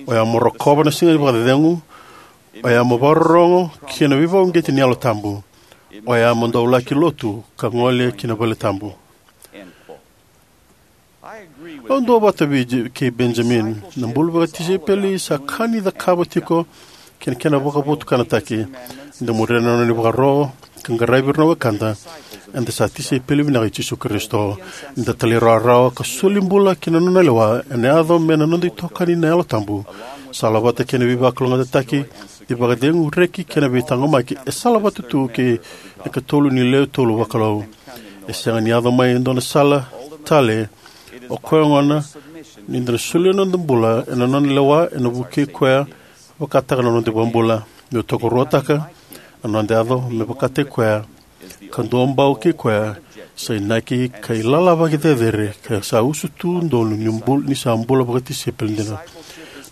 Oya mo rokova na siga ni vakacecegu. Oya mo vakarorogo ki na veivakauqeti ni Yalo Tabu. Oya mo dau laki lotu ka gole ki na vale tabu." Au duavata vei J- kei Benjamin. Na bula vakatisaipeli sa ka ni cakava tiko kei na kena vakavotukanataki. Eda muria na nona ivakaro ka qaravi ira na wekada. Eda sa tisaipeli vinaka i Jisu Karisito. Eda talairawarawa ka soli bula ki na nona lewa ena yaco me na noda itokani na Yalo Tabu. Salavata kei na veivakalougatataki, veivakacegu, reki kei na veitaqomaki e salavata tu kei na ikatolu ni lewe tolu vakalou. E sega ni yaco mai e dua na sala tale. O koya gona ni da na solia na noda bula ena nona lewa ena vukei koya, vakataka na noda iVakabula. Meu tokaruataka na noda yaco me vakataki koya ka duabau kei koya, sa inaki ka ilala vakacecere ka sa usutu donu ni, bul, ni sa bula vakatisaipeli dina.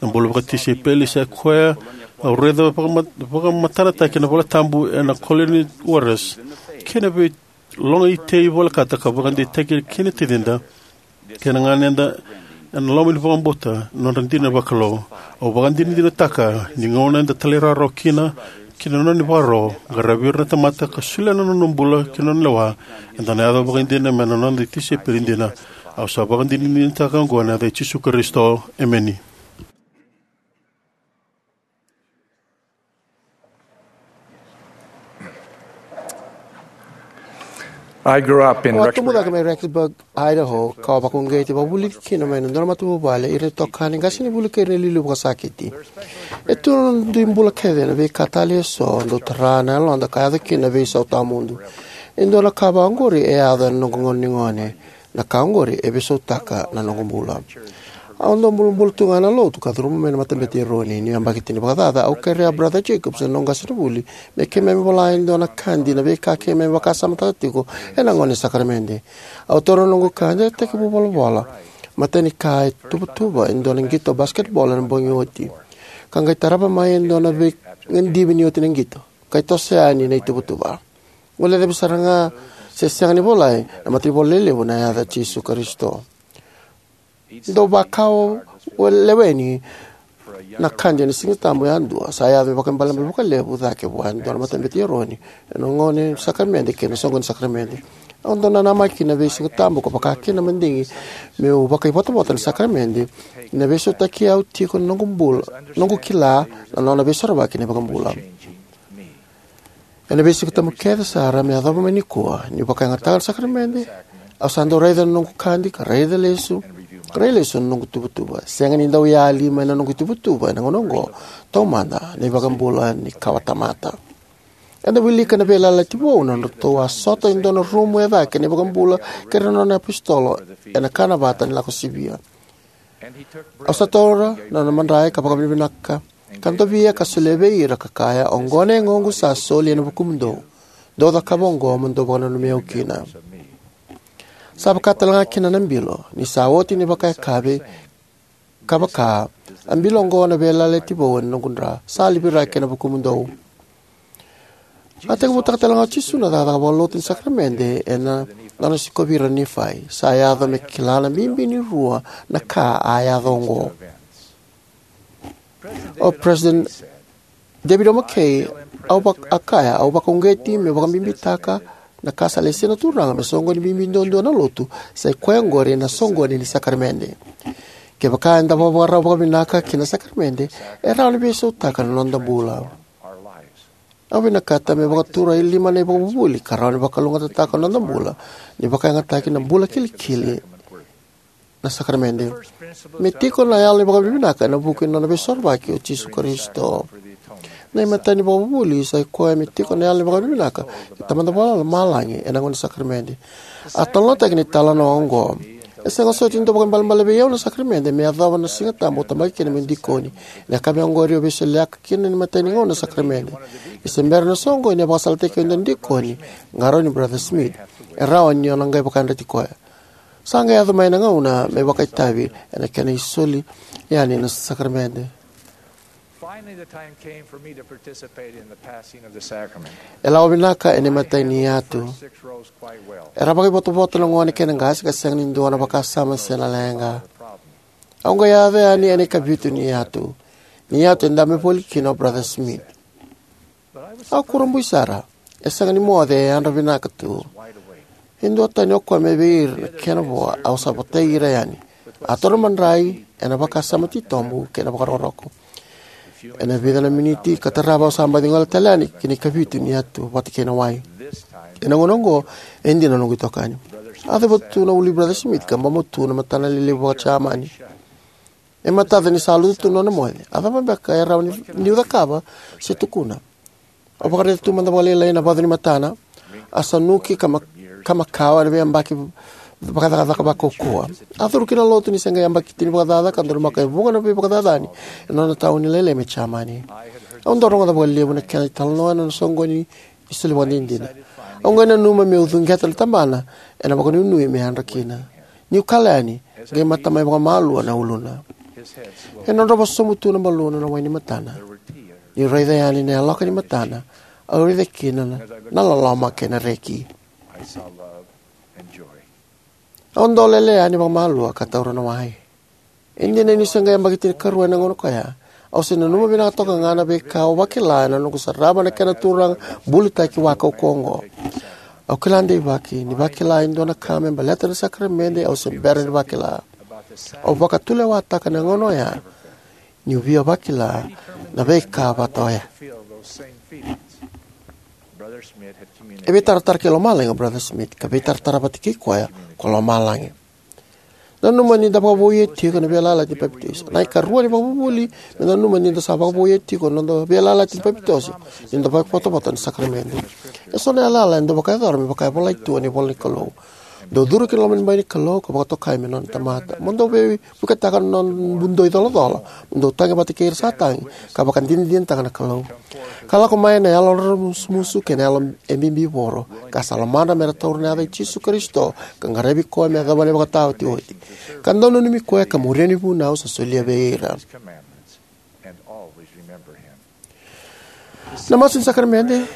Na bula vakatisaipeli sa koya au raica vakama- vakamatanataki na valetabu ena Colonial Waters kei na vei loga itei volekata ka vakadeitaki kina tacida kei na ganeda ena loma ni vakabauta na nodra dina vakalou. Au vakadinadinataka ni gauna eda talairawarawa kina ki na nona ivakaro, qaravi ira na tamata ka solia na nona bula ki na nona lewa, eda na yaco vakaidina me na noda tisaipeli dina. Au sa vakadinadinataka oqo ena yaca i Jisu Karisito. Emeni. I grew up in Au a tubu cake mai Rexburg, Idaho, ka au vakauqeti, vakavulici kina mai na dua na matavuvale, ira na itokani, qasenivuli kei ira na iliuliu vakasakiti. E tu na dui bula kece na veika talei eso dau tara na yaloda ka yaco kina na veisau tawamudu. E dua na ka vakaoqori e yaco ena noqu gauna ni gone. Na ka oqori e veisautaka na noqu bula. Au dau bulabula tu ga ena lotu ka curuma mai na Matabete i Eroni. Niu yabaki tini vakacaca, au kerea Brother Jacobs, na noqu qasenivuli, me keimami vola e dua na kadi na veika keimami vakasamataka tiko ena gauna ni sakaramede. Au taura na noqu kadi, a tekivu volavola matai ni ka e tuvatuva e dua na qito basketball ena bogi oti, ka qai tarava mai e dua na veigadivi ni oti na qito, ka qai toso yani na ituvatuva. Guilecavi sara ga, se sega ni volai, na matanivola lelevu na yaca Jisu Karisito. Dau vakau leweni na kadi ena Siga Tabu yadua, sa yaco me vakaibalebale vakalevu cake vua e dua na Matabete i Eroni ena gauna ni sakaramede kei na soqoni ni sakaramede. Au dau nanamaki kina vei Siga Tabu ka vaka kina na madigi meu vakaivotavota ena sakaramede, ni na veisautaki au tiko na noqu bula, noqu kila na nona veisorovaki na iVakabula. Ena veisiga tabu kece sara me yacova mai nikua, niu vakayagataka na sakaramede, au sa dau raica na noqu kadi ka raica lesu, ka raica lesu na noqu tuvatuva. Sega ni dau yali mai na noqu tuvatuva ena gauna oqo, taumada na iVakabula ni kawatamata. Eda wilika na Veiyalayalati Vou na nodratou a sota e dua na rumu e cake na iVakabula kei ira na nona iapositolo ena kanavata ni Lako Sivia. Au sa taura na nona madrai ka vakavinavinaka ka dovia ka solia vei ira ka kaya, "Oqo na yagoqu sa soli ena vukumudou. Dou cakava oqo mo dou vakananumi au kina." Sa vaka tale ga kina na bilo, ni sa oti na ivakayakavi, ka vaka, "A bilo oqo na Veiyalayalati Vou ena noqu dra, sa liviraki ena vukumudou." A tekivutaka tale ga o Jisu na cakacaka vakalotu ni sakaramede ena nona sikovi ira na Nifai. Sa yaco me kila na bibi ni rua na ka a yaco oqo. O President David O. McKay, au vak-, a kaya, "Au vakauqeti meu vakabibitaka na ka sa lesi na Turaga me soqoni bibi duadua na lotu, sa i koya oqori na soqoni ni sakaramede." Kevaka eda vakavakarau vakavinaka ki na sakaramede, e rawa ni veisautaka na noda bula. Au vinakata me vakatura e lima na ivakavuvuli ka rawa ni vakalougatataka na noda bula, ni vakayagataki na bula kilikili na sakaramede. Me tiko na yalo ni vakavinavinaka ena vuku ni nona veisorovaki o Jisu Karisito. Na imatai ni vakavuvuli sa i koya me tiko na yalo ni vakavinavinaka kei Tamada Vakalomalagi ena gauna ni sakaramede. A talanoataki na italanoa oqo. E sega soti ni dau vakaibalebale vei au na sakaramede me yacova na Siga Tabu au tabaki kina meu dikoni. Ena yakavi oqori au veisoliyaka kina ni matai ni gauna na sakaramede. Ni se bera na soqoni, a vakasalataki au e dua na dikoni, qarauni Brother Smith. E rawa ni o na qai vakayadrati koya. Sa qai yaco mai na gauna me vakaitavi ena kena isoli yani na sakaramede. Finally, the time came for me to participate in the passing of the sacrament. E lako vinaka ena imatai ni yatu. Six rows quite well. Era vakaivotavota na gone kei na qase ka sega ni dua na vakasama se na leqa. Au qai yaco yani ena ikavitu ni yatu. Ni yatu e dabe voli kina o Brother Smith. Au kurabui sara. E sega ni moce, e yadra vinaka tu. E duatani o koya mai vei ira na kena vo, au sa votai ira yani. A taura na madrai ena vakasama titobu kei na vakarokoroko. Ena vica na miniti ka tarava, au sa baci gole tale yani ki na ikavitu ni yatu vata kei na wai. Ena gauna oqo, e dina na noqu itokani. A cuva tu na ulu i Brother Smith ka bobo tu na matana lelevu vaka-Jamani. E matata ni sa lutu tu na nona moce. A cava beka e rawa ni, niu cakava se tukuna? Au vakaraica tu mada vakalailai na vacu ni matana. A sanuki ka ma-, ka makawa ena veiyabaki vakacakacaka vakaukauwa. A curu ki na lotu ni se qai yabaki tini vakacaca ka donumaka e vuqa na veivakacacani ena nona tauni lailai mai Jamani. Au dau rogoca vakalevu na kena italanoa ena nona soqoni ni soli vakadinadina. Au qai nanuma meu cuqeta na tabana ena vakanuinui me yadra kina. Niu kala yani, qai mata mai vakamalua na uluna. E drodrova sobu tu na baluna na wai ni matana. Niu raica yani na yaloka ni matana, au raica kina na, na loloma kei na reki. Au dolele yani vakamalua ka taura na wai. E dina niu se qai yabaki tinikarua ena gauna koya, au se nanuma vinaka toka ga na veika au vakila ena noqu sarava na kena turaga bulitaki vakaukauwa oqo. Au kila deivaki ni vakila e dua na ka me baleta na sakaramede au se bera ni vakila. Au vakatulewataka na gauna oya niu via vakila na veika vata oya. E veitaratara ki lomalagi o Brother Smith, ka veitaratara vata kei koya ko lomalagi. Nanuma ni da vakavouia tiko na veiyalayalati ni papitaiso. Na ikarua ni vakavuvuli, me nanuma ni da sa vakavouia tiko na noda veiyalayalati ni papitaiso, ni da vakavotavota na sakaramede. E so na yalayala e dau vakayacora me vaka e volai tu ena ivola ni Kalou. Dou curu ki na loma ni bai ni Kalou ka vakatokai me nona tamata. Mo dou veivuketaka na nodou icolacola, mo dou tagi vata kei ira sa tagi, ka vakadinadinataka na Kalou. Ka lako mai na yalo raramusumusu kei na yalo e bibivoro, ka sa lomadra me ra taura na yaca i Jisu Karisito, ka qaravi koya me yacova na ivakataotioti. Ka dau nanumi koya ka muria na vunau sa solia vei ira. Na masu ni sakaramede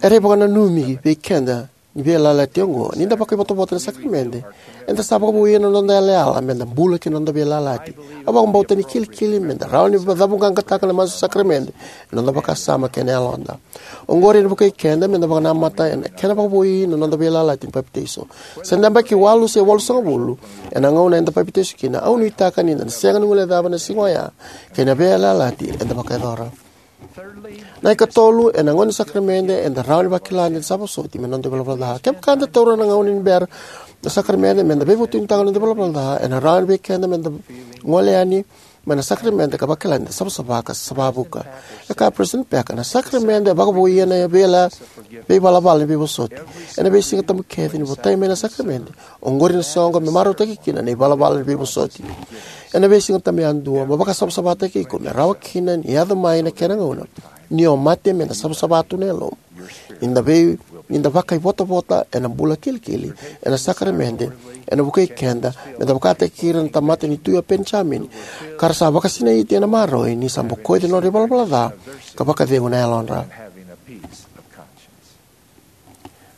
era ivakananumi vei keda ni veiyalayalati oqo. Ni da vakaivotavota na sakaramede, eda sa vakavouia na noda yalayala me da bula ki na noda veiyalayalati. Au vakabauta ni kilikili me da rawa ni cavuqaqataka na masu ni sakaramede ena noda vakasama kei na yaloda. Oqori ena vukei keda me da vakanamata ena kena vakavoui na noda veiyalayalati ni papitaiso. Se da yabaki walu se walusagavulu ena gauna eda papitaiso kina, au nuitaka ni da na sega ni guilecava na siga oya kei na veiyalayalati eda vakayacora. Na ikatolu, ena gauna ni sakaramede eda rawa ni vakila ni da sa vosoti mai na noda ivalavala ca. Kevaka eda taura na gauna ni bera na sakaramede me da veivutunitaka na noda ivalavala ca, ena rawa ni vei keda me da gole yani mai na sakaramede ka vakila ni da savasava ka savavuka. E kaya o President Packer, na sakaramede e vakavouia na veila veivalavala ni veivosoti. Ena veisiga tabu kece ni votai mai na sakaramede, oqori na soqo me marautaki kina na ivalavala ni veivosoti. Ena veisiga tabu yadua mo vakasavasavataki iko me rawa kina ni yaco mai na kena gauna ni o mate me da savasava tu na yalomu. Ni da vei, ni da vakaivotavota ena bula kilikili ena sakaramede, ena vukei keda me da vakataki ira na tamata ni Tui o Penijamini, ka ra sa vakasinaiti ena marau ni sa bokoci na nodra ivalavala ca ka vakacegu na yalodra.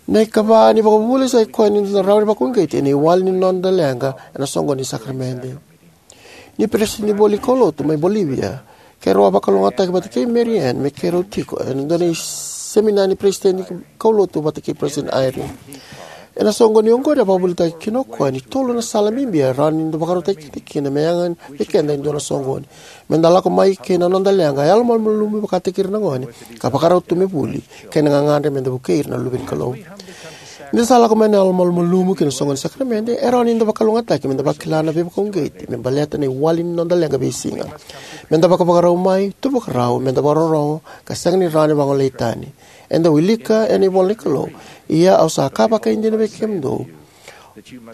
Na ikava ni vakavuvuli sa i koya ni da na rawa ni vakauqeti ena iwali ni noda leqa ena soqoni ni sakaramede. Ni peresitedi voli kaulotu mai Bolivia, keirau a vakalougatataki vata kei Mary Ann me keirau tiko ena dua na seminari ni peresitedi kaulotu vata kei President Eyring. Ena soqoni oqori a vakavuvulitaka kina o koya ni tolu na sala bibi e rawa ni da vakarautaki keda kina me yaga vei keda e dua na soqoni. Me da lako mai kei na noda leqa yalomalumalumu vakataki ira na gone ka vakarau tu me vuli, kei na gagadre me da vukei ira na luve ni Kalou. Ni da sa lako mai na yalomalumalumu ki na soqoni ni sakaramede, e rawa ni da vakalougatataki me da vakila na veivakauqeti me baleta na iwali ni noda leqa veisiga. Me da vakavakarau mai, tu vakarau, me da vakarorogo, ka sega ni rawa ni vagolei tani. Eda wilika ena ivola ni Kalou, ia au sa kaya vakaidina vei kemudou,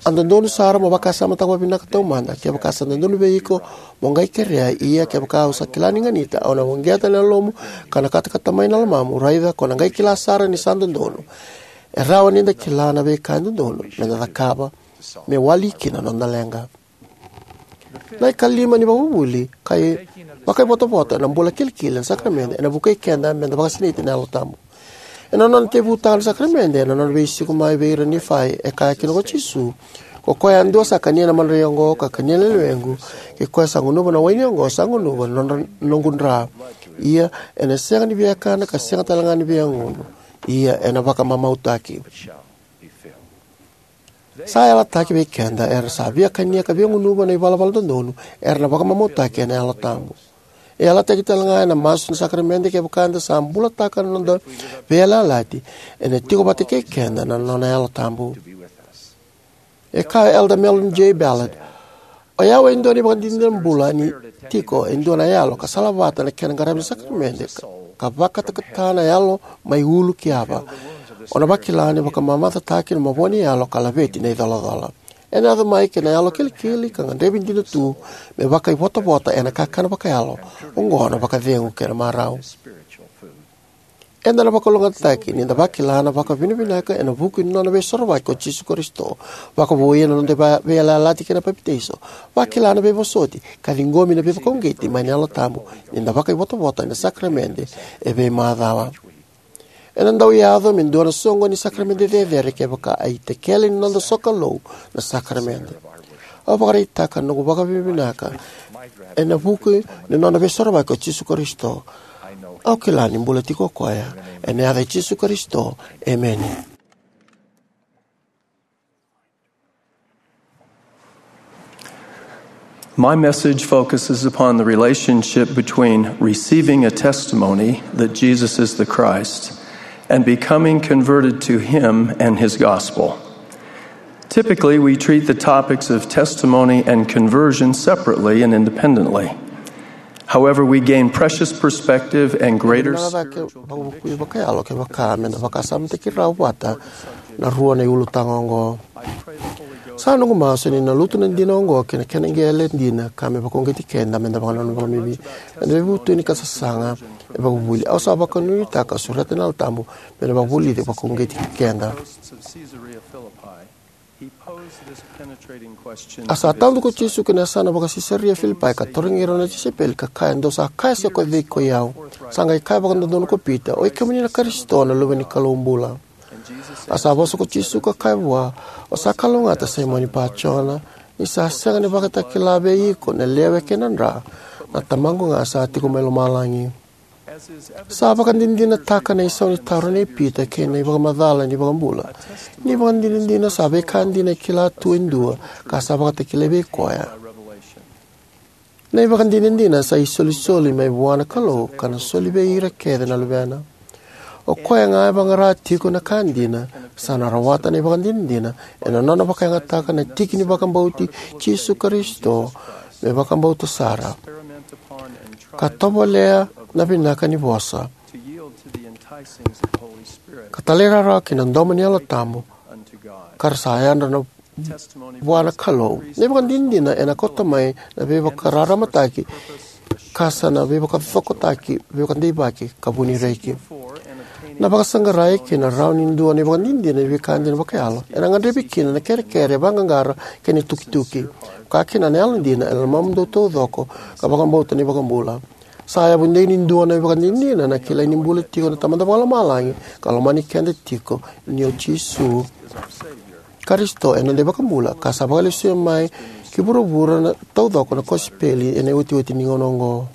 a dodonu sara mo vakasamataka vakavinaka taumada, kevaka sa dodonu vei iko mo qai kerea, ia kevaka au sa kila ni ganita, au na uqeta na yalomu ka na katakata mai na lomamu, raica ko na qai kila sara ni sa dodonu. E rawa ni da kila na veika e dodonu me da cakava me wali kina na noda leqa. Na ikalima ni vakavuvuli, ka i vakaivotavota na bula kilikili ena sakaramede, ena vukei keda me da vakasinaiti ena Yalo Tabu. Ena nona tekivutaka na sakaramede ena nona veisiko mai vei ira na Nifai, e kaya kina ko Jisu, ko koya yadua sa kania na madrai oqo ka kania na lewequ, kei koya sa gunuva na waini oqo sa gunuva na nodra, noqu dra. Ia ena sega ni viakana ka sega tale ga ni viagunu. Ia ena vakamamautaki. Sa yalataki vei keda era sa via kania ka via gunuva na ivalavala dodonu era na vakamamautaki ena Yalo Tabu. E yalataki talega ena masu ni sakaramede kevaka eda sa bulataka na noda veiyalayalati, ena tiko vata kei keda na nona Yalo Tabu. E kaya o Elder Mellon J. Ballard, "O yau e dua na ivakadinadina bula ni tiko e dua na yalo ka salavata na kena qaravi na sakaramede ka, ka vakatakata na yalo mai ulu ki yava. O na vakila ni vakamamacataki na mavoa ni yalo ka laveti na icolacola. Ena yaco mai kei na yalo kilikili ka gadrevi dina tu me vakaivotavota ena kakana vakayalo, oqo na vakacegu kei na marau." Eda na vakalougatataki ni da vakila na vakavinavinaka ena vuku ni nona veisorovaki ko Jisu Karisito, vakavouya na noda veiyalayalati kei na papitaiso, vakila na veivosoti, ka ciqomi na veivakauqeti mai na Yalo Tabu ni da vakaivotavota ena sakaramede e veimacawa. Ena dau yaco me dua na soqo ni sakaramede cecere kevaka a itakele ni noda sokalou na sakaramede. Au vakaraitaka na noqu vakavinavinaka ena vuku ni nona veisorovaki ko Jisu Karisito. Au kila ni bula tiko o koya. Ena yaca i Jisu Karisito, emeni. My message focuses upon the relationship between receiving a testimony that Jesus is the Christ and becoming converted to Him and His gospel. Typically, we treat the topics of testimony and conversion separately and independently. However, we gain precious perspective and greater spiritual conviction. Vakayalo kevaka me da vakasamataki rawa vata na rua na iulutaga oqo. Sa noqu masu ni na lutu na dina oqo kei na kena qele dina ka me vakauqeti keda me da vakananuma vakabibi ena veivutuni ka sasaga e vakavuvuli. Au sa vakanuinutaka ka sureta na Yalo Tabu me na vakavulici vakauqeti keda. A sa tadu ko Jisu ki na yasana vaka-Sisaria Filipai ka tarogi rau na tisaipeli ka kaya, "Dou sa kaya se ko cei koi au?" Sa qai kaya vakadodonu ko Pita, "O i kemuni na Karisito, na Luve ni Kalou bula." A sa vosa ko Jisu ka kaya vua, "O sa kalougata Saimoni Pajona, ni sa sega ni vakatakila vei iko na lewe kei na dra, na Tamaqu ga sa tiko mai lomalagi." Sa vakadinadinataka na isau ni taro nei Pita kei na ivakamacala ni iVakabula. Ni vakadinadina sa veika dina e kila tu e dua ka sa vakatakilai vei koya. Na ivakadinadina sa isolisoli mai vua na Kalou ka na soli vei ira kece na luvena. O koya ga e vaqara tiko na ka dina sa na rawata na ivakadinadina ena nona vakayagataka na tiki ni vakabauti Jisu Karisito me vakabauta sara, ka tovolea na vinaka ni vosa, ka talairawarawa ki na domo ni Yalo Tabu, ka ra sa yadra na vua na Kalou. Na ivakadinadina ena kauta mai na veivakararamataki ka sa na veivakacokotaki, veivakadeivaki ka vunireki. Na vakasaqarai kei na rawa ni dua na ivakadinadina ni veika dina vakayalo ena gadrevi kina na kerekere, vaqaqara kei na tukituki. Ka kina na yalodina ena lomamudou taucoko ka vakabauta na iVakabula. Sa yavu dei ni dua na ivakadinadina na kilai ni bula tiko na Tamada Vakalomalagi ka lomani keda tiko, ni o Jisu Karisito e noda iVakabula ka sa vakalesui mai ki vuravura na taucoko na kosipeli ena iotioti ni gauna oqo.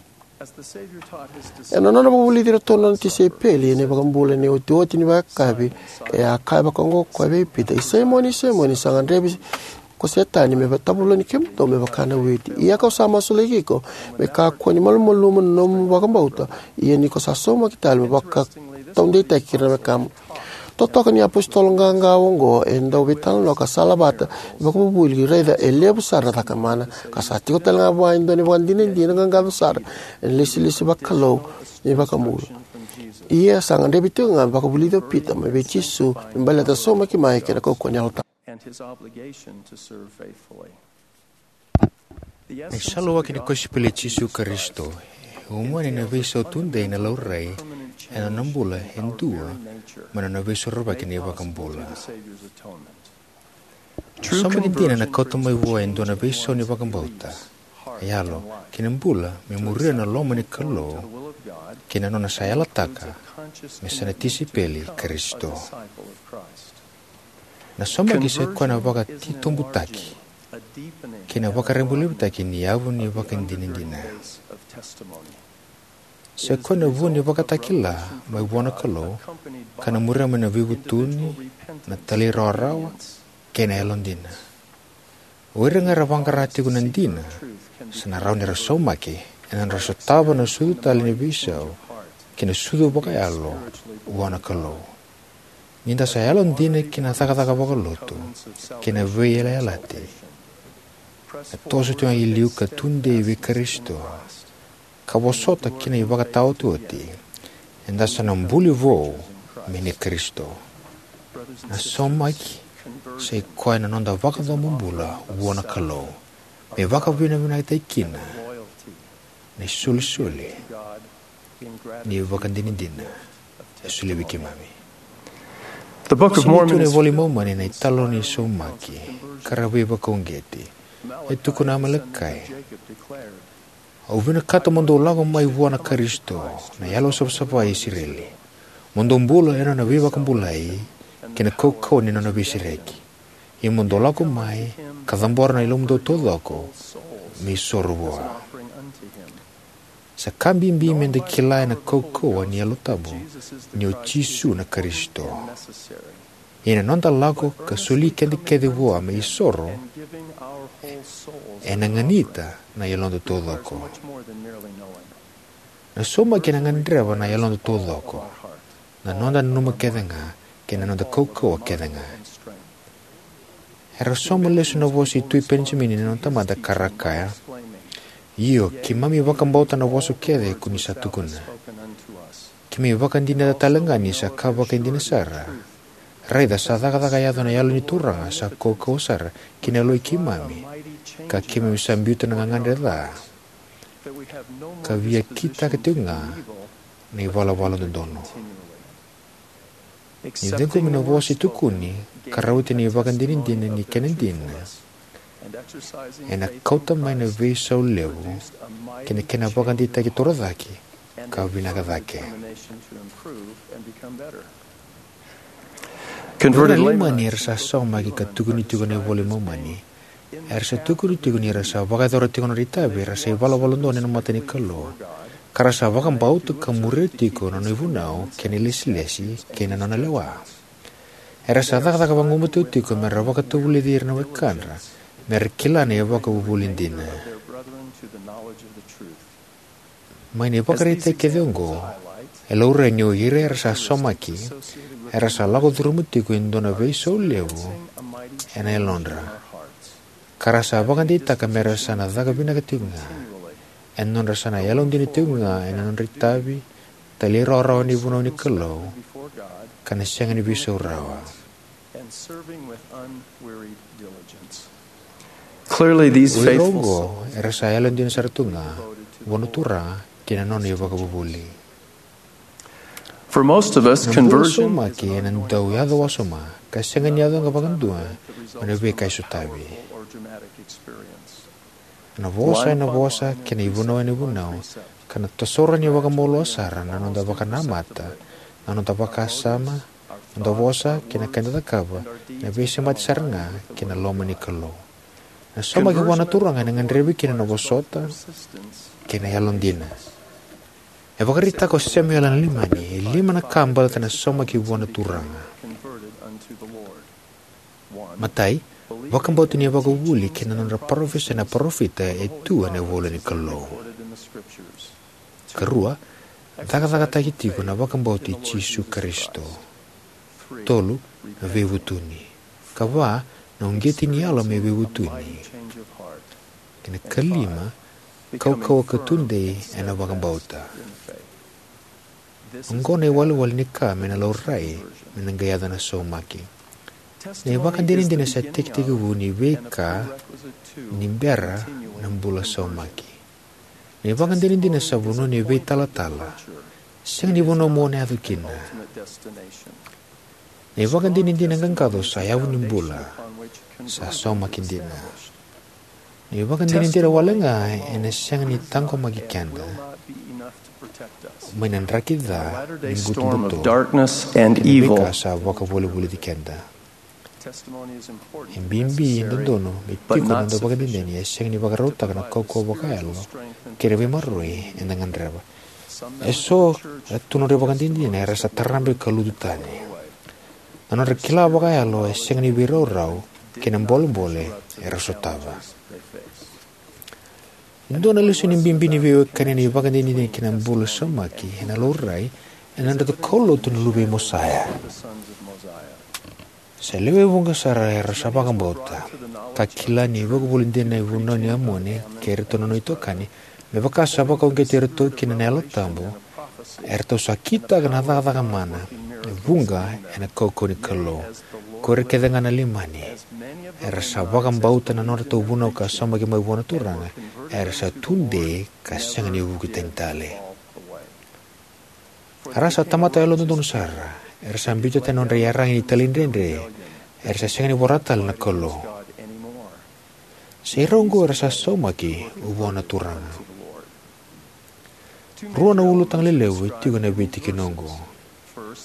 Ena nona vakavulici iratou na nona tisaipeli ena iVakabula ena iotioti ni vakayakavi, e a kaya vakaoqo o koya vei Pita, "I Saimoni, i Saimoni, sa gadrevi ko Setani me tavuloni kemudou me vaka na witi. Ia kau sa masulaki iko me kakua ni malumalumu na nomu vakabauta, ia ni ko sa saumaki tale me vakataudeitaki ira na wekamu." Totoka ni apositolo qaqa oqo e dau veitalanoa ka salavata vakavuvuli, raica e levu sara na cakamana, ka sa tiko talega vua e dua na ivakadinadina qaqaco sara ena ilesilesi vakalou ni iVakabula. Ia sa gadrevi tiko ga me vakavulici o Pita mai vei Jisu me baleta na saumaki mai kei na kaukauwa ni Yalo Tabu. Na isaluwaki ni kosipeli i Jisu Karisito e umani ena veisau tudei, na laurai ena nona bula e dua mai na nona veisorovaki na iVakabula. Na saumaki dina ena kauta mai vua e dua na veisau ni vakabauta, yalo, kei na bula me muria na loma ni Kalou, kei na nona sa yalataka me sa na tisaipeli i Karisito. Na saumaki sa i koya na vakatitobutaki kei na vakarabailevutaki ni yavu ni vakadinadina. Sa i koya na vu ni vakatakila mai vua na Kalou, ka na muria mai na veivutuni, na talairawarawa, kei na yalodina. O ira ga era vaqara tiko na dina, sa na rawa ni ra saumaki ena nodra sotava na sucu tale ni veisau kei na sucu vakayalo vua na Kalou. Ni da sa yalodina ki na cakacaka vakalotu kei na veiyalayalati, na toso tiko ga i liu ka tudei vei Karisito, ka vosota ki na ivakataotioti, eda sa na buli vou mai nei Karisito. Na saumaki sa i koya na noda vakacabo bula vua na Kalou, me vakavinavinakataki kina na isolisoli ni ivakadinadina e solia vei keimami. The Book of Mormon is filled with the italanoa ni saumaki ka ra veivakauqeti. E tukuna o Amalekai: Au vinakata mo dou lako mai vua na Karisito, na Yalosavasava i Isireli, mo dou bula ena nona veivakabulai kei na kaukauwa ni nona veisereki. Ia mo dou lako mai ka cabora na yalomudou taucoko me isoro vua. Sa ka bibi me da kila ena kaukauwa ni Yalo Tabu ni o Jisu na Karisito. Ia na noda lako ka soli keda kece vua me isoro, ena ganita na yaloda taucoko. Na saumaki ena gadreva na yaloda taucoko, na noda nanuma kece ga kei na noda kaukauwa kece ga. Era sauma lesu na vosa i Tui Penijamini na nona tamata ka ra kaya: Io, keimami vakabauta na vosa kece ko ni sa tukuna. Keimami vakadinata tale ga ni sa ka vakaidina sara. Raica, sa cakacaka yaco na Yalo ni Turaga sa kaukauwa sara ki na yaloi keimami, ka keimami sa biuta na gagadre ca, ka via kitaka tiko ga na ivalavala dodonu. Ni ciqomi na vosa e tukuni ka rawati na ivakadinadina ni kena dina, ena kauta mai na veisau levu kei na kena vakadeitaki torocake ka vinaka cake. Converted ira na Leimani era sa saumaki ka tukuni tiko ena iVola i Momani, era sa tukuni tiko ni ra sa vakayacora tiko na nodra itavi era sa ivalavala dodonu ena mata ni Kalou, ka ra sa vakabauta ka muria tiko na nona ivunau kei na ilesilesi kei na nona lewa. Era sa cakacaka vagumatua tiko me ra vakatavulici ira na wekadra me ra kila na ivakavuvuli dina. Mai na ivakaraitaki kece oqo, e laurai ni o ira era sa saumaki era sa lako curuma tiko e dua na veisau levu ena yalodra, ka ra sa vakadeitaka me ra sa na caka vinaka tiko ga ena nodra sa na yalodina tiko ga ena nodra itavi, talairawarawa ni vunau ni Kalou, ka na sega ni veisau rawa. Clearly, these O ira faithful oqo era sa yalodina sara tu ga vua na Turaga kei na nona ivakavuvuli. For most of us, na bula conversion saumaki ena dau yaco wasoma, ka sega ni yaco ga vakadua mai na veika e sotavi. Na vosa ena vosa kei na ivunau ena ivunau, ka na toso rawa ni vakamalua sara na noda vakanamata, na noda vakasama, noda vosa kei na ka eda cakava, na veisemati sara ga kei na loma ni Kalou. Na saumaki vua na Turaga ena gadrevi kina na vosota kei na yalodina. E vakaraitaka o Samuela na Leimani e lima na ka baleta na saumaki vua na Turaga. Matai, vakabauta ni ivakavuvuli kei na nodra parofisai na parofita e tu ena ivola ni Kalou. Karua, cakacakataki tiko na vakabauta i Jisu Karisito. Tolu, na veivutuni. Ka va, na uqeti ni yalo me veivutuni. Kei na kalima, kaukauwa ka tudei ena vakabauta. Oqo na iwalewale ni ka me na laurai me na qai yaco na saumaki. Na ivakadinadina sa tekitekivu ni veika ni bera na bula saumaki. Na ivakadinadina sa vanua ni veitalatala, sega ni vanua mo na yaco kina. Na ivakadinadina qaqaco sa yavu ni bula, sa saumaki dina. Na ivakadinadina wale ga ena sega ni taqomaki keda mai na draki ca ni butobuto kei na veika sa vakavolivoliti keda. E bibi, e dodonu me tiko na noda ivakadinadina, e sega ni vakarautaka na kaukauwa vakayalo kei na veimaroroi eda gadreva. Eso era tu na nodra ivakadinadina era sa tarabe ka lutu tani. Na nodra kila vakayalo e sega ni veiraurau kei na bolebole era sotava. E dua na lesoni bibi ni veiwekani na ivakadinadina kei na bula saumaki ena laurai ena nodratou kaulotu na luve i Mosaia. Sa lewe vuqa sara era sa vakabauta ka kila ni ivakavuvuli dina na ivunau ni Amoni kei iratou na nona itokani, me vaka sa vakauqeti iratou kina na Yalo Tabu, eratou sa kitaka na cakacaka mana e vuqa ena kaukauwa ni Kalou, ko ira kece ga na Leimani era sa vakabauta na nodratou vunau ka saumaki mai vua na Turaga, era sa tudei ka sega ni vuki tani tale. A ra sa tamata yalododonu sara, era sa biuta tani na nodra iyaragi ni talaidredre, era sa sega ni vorata tale na Kalou. Sa i ra oqo era sa saumaki vua na Turaga. Rua na ulutaga lelevu e tiko ena veitikina oqo.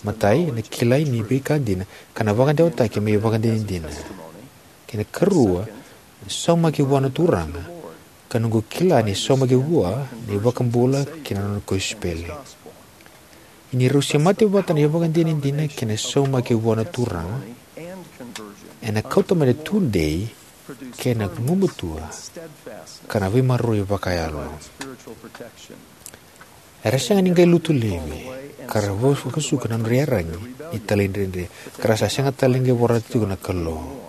Matai, na kilai ni veika dina ka na vakadewataki me ivakadinadina. Kei na karua, na saumaki vua na Turaga, ka noqu kila ni saumaki vua na iVakabula kei na nona kosipeli. Ni rau semati vata na ivakadinadina kei na saumaki vua na Turaga, ena kauta mai na tudei kei na gumatua ka na veimaroroi vakayalo. Era sega ni qai lutu laivi ka ra vakasuka na nodra iyaragi ni talaidredre, ka ra sa sega tale ni qai vorata tiko na Kalou.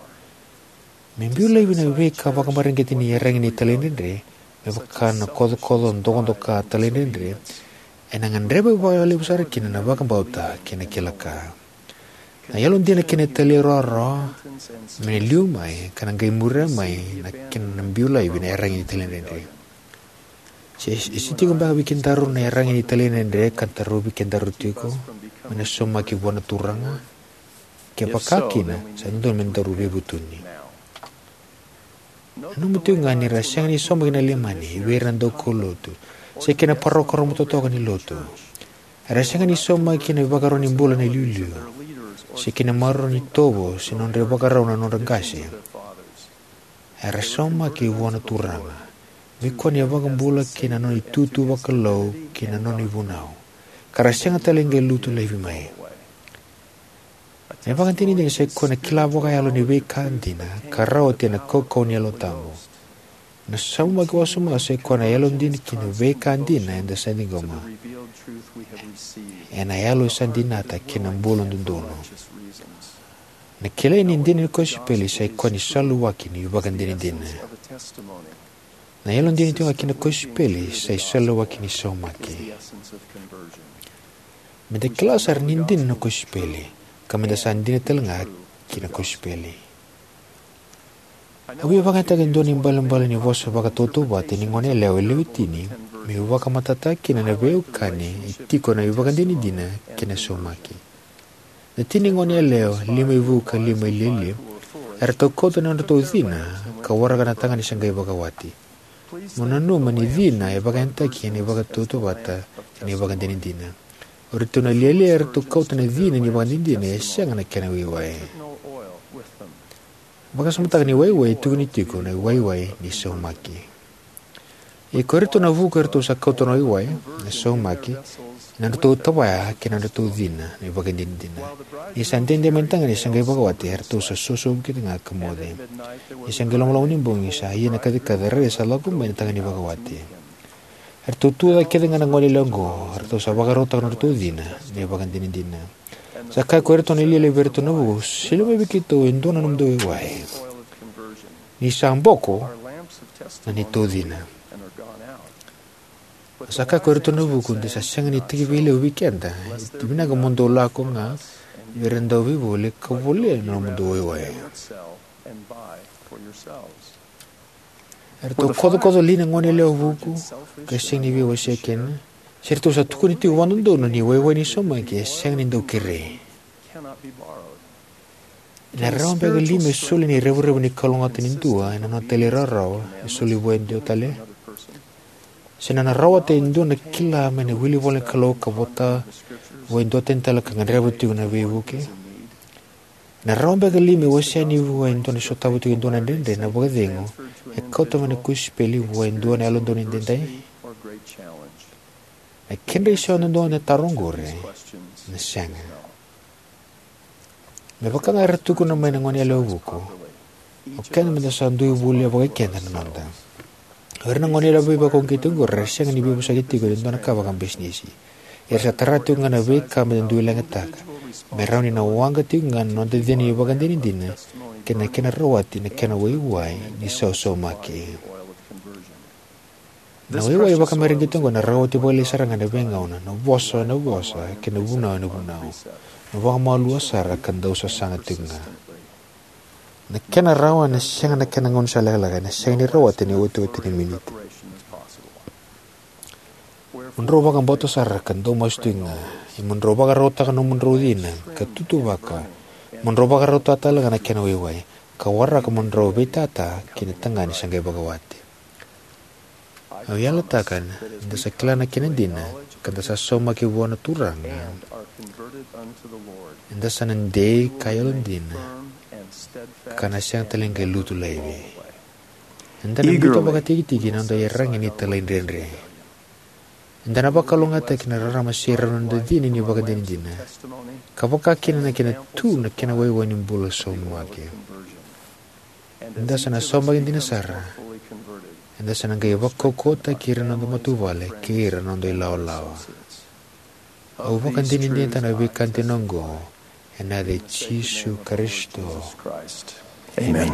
Me biu laivi na veika vakamareqeti ni iyaragi ni talaidredre, me vaka na kocokoco, dokadoka, talaidredre, ena gadreva vakalevu sara kina na vakabauta kei na kila ka. Na yalodina kei na talairawarawa me na liu mai ka na qai muria mai na kena na biu laivi na iyaragi ni talaidredre. Se, se tiko beka vei kedaru na iyaragi ni talaidredre ka tarovi kedaru tiko me na saumaki vua na Turaga? Kevaka kina, sa dodonu me daru veivutuni. Nanuma tiko ga ni ra sega ni saumaki na Leimani vei ira na daukaulotu se kei na parokaramu totoka ni lotu. Era sega ni saumaki na ivakarau ni bula na iliuliu se kei na maroroi ni itovo se nodra ivakarau na nodra qase. Era saumaki vua na Turaga, me kua ni iVakabula kei na nona itutu vakalou kei na nona ivunau, ka ra sega tale ni qai lutu laivi mai. Na ivakadinadina sa i koya na kila vakayalo ni veika dina ka rawati ena kaukauwa ni Yalo Tabu. Na saumaki wasoma sa i koya na yalodina ki na veika dina eda sa ciqoma ena yalo sa dinata kei na bula dodonu. Na kilai ni dina ni kosipeli sa i koya ni saluwaki ni ivakadinadina. Na yalodina tiko ga ki na kosipeli sa i saluwaki ni saumaki. Meda kila sara ni dina na kosipeli, ka meda sa dina tale ga ki na kosipeli. Au via vakayagataka e dua na ibalebale ni vosa vakatautauvata ni goneyalewa e lewe tini, meu vakamatatataka kina na veiwekani e tiko na ivakadinadina kei na saumaki. Na tini goneyalewa, lima i vuku ka lima i lialia, eratou kauta na nodratou cina ka waraka na tagane sa qai vakawati. Mo nanuma ni cina e vakayagataki ena ivakatautauvata kei na ivakadinadina. O iratou na lialia eratou kauta na cina ni ivakadinadina e sega na kena waiwai. Vakasamataka ni waiwai e tukuni tiko na waiwai ni saumaki. Ia ko iratou na vuku eratou sa kauta na waiwai, na saumaki, ena nodratou tavaya kei na nodratou cina na ivakadinadina. Ni sa dede mai na tagane sa qai vakawati, eratou sa sosovu kece ga ka moce. Ni sa qai lomaloma ni bogi, sa ia na kacikaci, rairai sa lako mai na tagane vakawati. Eratou tu cake kece ga na goneyalewa oqo, eratou sa vakarautaka na nodratou cina na ivakadinadina. Sa kaya ko iratou na lialia vei iratou na vuku, solia mai vei keitou e dua na nomudou waiwai. Ni sa boko na neitou cina. Sa kaya ko iratou na vuku, de sa sega ni tekivu vei keda, e vinaka mo dou lako ga vei ira na dauveivoli ka volia na nomudou waiwai. Eratou kocokoco li na goneyalewa vuku ka sega ni veiwasei kina? Se ratou sa tukuna tiko vakadodonu ni waiwai ni saumaki e sega ni dau kerei? Ena rawa beka li me soli na revurevu ni kalougata ni dua ena nona talairawarawa e soli vua e dua tale? Se na rawata e dua na kila mai na wilivola ni Kalou ka vota vua e dua tani tale ka gadreva tiko na veivuke? Ena rawa beka li me wasea yani vua e dua na sotava tiko e dua na dredre na vakacegu e kauta mai na kosipeli vua e dua na yalododonu edaidai? Na kedra isau duadua na taro oqori na sega. Me vaka ga era tukuna mai na goneyalewa vuku, O keda meda sa dui volia vakai keda na noda. O ira na gone yalewa veivakauqeti oqo era sega ni veivosaki tiko ena dua na ka vakabisinisi. Era sa tara tiko ga na veika meda dui leqataka, me rawa ni na waqa tiko ga na noda cina ni ivakadinadina kei na kena rawati na kena waiwai ni sausaumaki. Na waiwai vakamareqeti oqo ena rawati vakalailai sara ga ena veigauna, na vosa ena vosa, kei na vunau ena vunau. Na vakamalua sara ka dau sasaga tiko ga. Na kena rawa ena sega na kena gaunisala lekaleka, ena sega ni rawati ena iotioti ni miniti. Mo drau vakabauta sara ka dau masu tiko ga. Ia mo drau vakarautaka na nomudrau cina ka tutuvaka. Mo drau vakarautaka tale ga na kena waiwai, ka waraka mo drau veitata kei na tagane sa qai vakawati. Au yalataka ni da sa kila na kena dina ka da sa saumaki vua na Turaga, eda sa na dei ka yalodina, ka na sega tale ni qai lutu laivi. Eda na biuta vakatikitiki na noda iyaragi ni talaidredre. Eda na vakalougatataki na rarama serau ni noda cina ni ivakadinadina, ka vaka kina na kena tu na kena waiwai ni bula saumaki. Eda sa na saumaki dina sara. Eda sa na qai vakaukauwataki ira na noda matavuvale kei ira na noda ilawalawa. Au vakadinadinataka na veika dina oqo ena yaca i Jisu Karisito. Amen.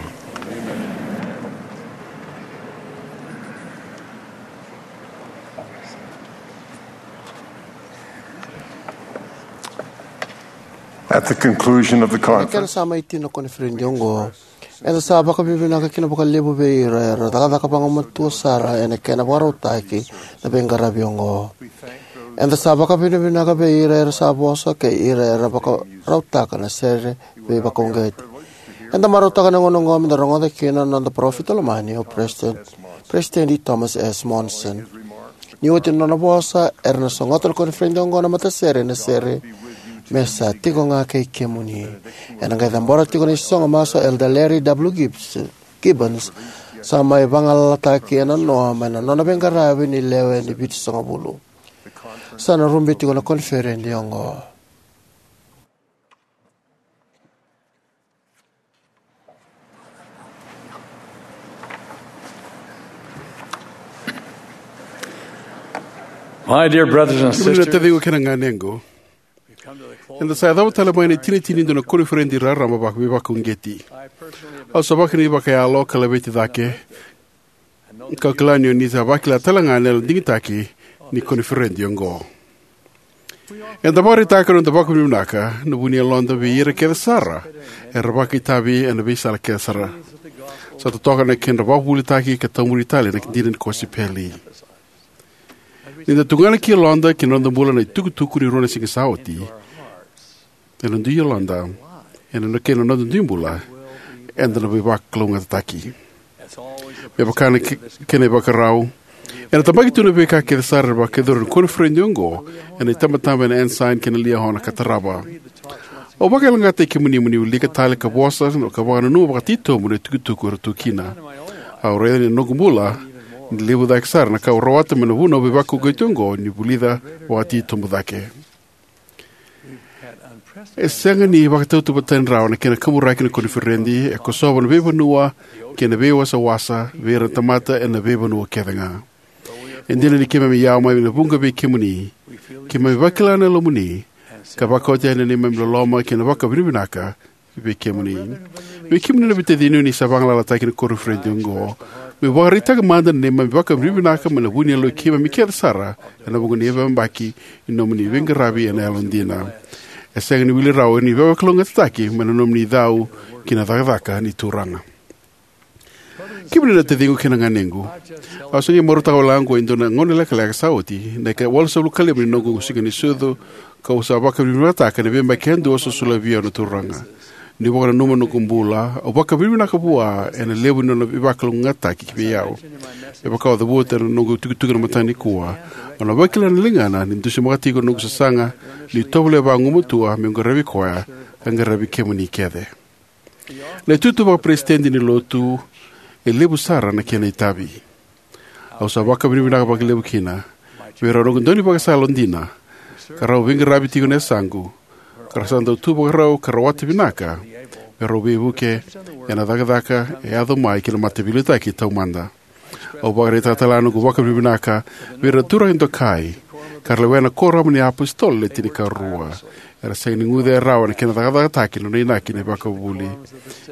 At the conclusion of the conference, na kena sa mai tini na koniferedi oqo, eda sa vakavinavinaka kina vakalevu vei ira era cakacaka vagumatua sara ena kena vakarautaki na veiqaravi oqo. Eda sa vakavinavinaka vei ira era sa vosa kei ira era vakarautaka na sere veivakauqeti. Eda marautaka na gauna oqo meda rogoca kina na noda parofita lomani, o President, President Thomas S. Monson. Ni oti na nona vosa, era na sogota na koniferedi oqo na matasere ena sere Me Sa Tiko Ga Kei Kemuni. Ena qai cabora tiko na isogo masu o Elder Larry W. Gibbs, Gibbons, sa mai vagalalataki ena noa mai na nona veiqaravi ni lewe ni vitusagavulu. Sa na rube tiko na koniferedi oqo. My dear brothers and sisters, taciqu kei na ganequ, eda sa yacova tale mai na itinitini ni dua na koniferedi raraba vakaveivakauqeti. Au sa vakani vakayalo ka laveti cake, kau kila ni o ni sa vakila tale ga na yalo digitaki ni koniferedi oqo. Eda vakaraitaka na noda vakavinavinaka na vu ni yaloda vei ira kece sara era vakaitavi ena veisala kece sara. Sa totoka na kedra vakavuvulitaki ka taumuri tale na dina ni kosipeli. Ni da tugana ki yaloda kei na noda bula na itukutuku ni rua na siga sa oti, ena dui yaloda, ena kei na noda dui bula, eda na veivakalougatataki. Me vaka na ke-, kena ivakarau, ena tabaki tu na veika kece sara era vakayacori ena koniferedi oqo ena itabataba ena Ensign kei na Liahona ka tarava. Au vakayaloqaqataki kemuni mo ni wilika tale ka vosa ka vakananuma vakatitobu na itukutuku era tu kina. Au raica ni noqu bula ni levu cake sara na ka au rawata mai na vunau veivakauqeti oqo ni vulica vakatitobu cake. E sega ni vakatauvatani rawa na kena kaburaki na koniferedi, e kosova na veivanua kei na veiwasawasa vei ira na tamata ena veivanua kece ga. E dina ni keimami yawa mai na vuqa vei kemuni, keimami vakila na yalomuni, ka vakauta yani na neimami loloma kei na vakavinavinaka vei kemuni. Vei kemuni na veitacini o ni sa vagalalataki na koniferedi oqo, meu vakaraitaka mada na neimami vakavinavinaka mai na vu ni yaloi keimami kece sara ena vuqa na veiyabaki ni nomuni veiqaravi ena yalodina. E sega ni wili rawa ni veivakalougatataki mai na nomuni cau ki na cakacaka ni Turaga. Kemuni na taciqu kei na ganequ, au se qai marautaka wale ga oqo e dua na gauna lekaleka sa oti na ikawalusagavulu ka lima ni noqu siga ni sucu, kau sa vakavinavinakataka ena veiyabaki yadua sa solia vei au na Turaga. Niu vakananuma na noqu bula, au vakavinavinaka vua ena levu ni nona veivakalougatataki vei au. Me vaka au cavuta ena noqu itukutuku ena mataka nikua, au na vakila na ligana ni dusimaka tiko na noqu sasaga niu tovolea vagumatua meu qaravi koya ka qaravi kemuni kece. Na itutu vakaperesitedi ni Lotu e levu sara na kena itavi. Au sa vakavinavinaka vakalevu kina vei rau noqu daunivakasala dina, ka rau veiqaravi tiko na yasaqu, ka ra sa dau tu vakarau ka rawata vinaka me rau veivuke ena cakacaka e yaco mai ki na mataveiliutaki taumada. Au vakaraitaka tale ga noqu vakavinavinaka vei ira na turaga dokai ka ra lewena na Kuoramu ni iApositolo Le Tinikarua. Era sega ni guce rawa na kena cakacakataki na nona inaki na ivakavuvuli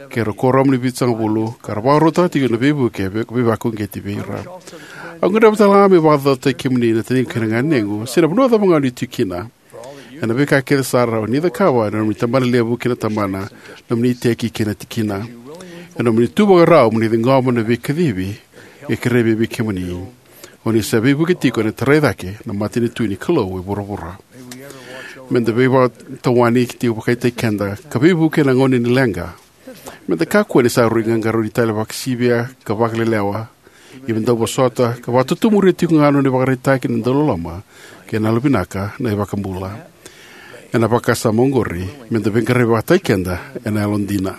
kei ira na Kuoramu ni Vitusagavulu, ka ra vakarautaka tiko na veivuke vei, veivakauqeti vei ira. Au gadreva tale ga meu vakacaucautaki kemuni na taciqu kei na ganequ, se na vanua cava ga o ni tu kina, ena veika kece sara o ni cakava ena nomuni tabanalevu kei na tabana, nomuni iteki kei na tikina. Ena nomuni tu vakarau mo ni ciqoma na veikacivi e kerea vei kemuni, o ni sa veivuke tiko ena tarai cake na matanitu ni Kalou e vuravura. Meda veivakatawani tiko vakataki keda ka veivuke ena gauna ni leqa. Meda kakua ni sa rui qaqarauni tale vakasivia ka vakalelewa. Ia meda dau vosota ka vakatotomuria tiko ga na nona ivakaraitaki na dauloloma kei na yalovinaka na iVakabula. Ena vakasama oqori, meda veiqaravi vakataki keda ena yalodina.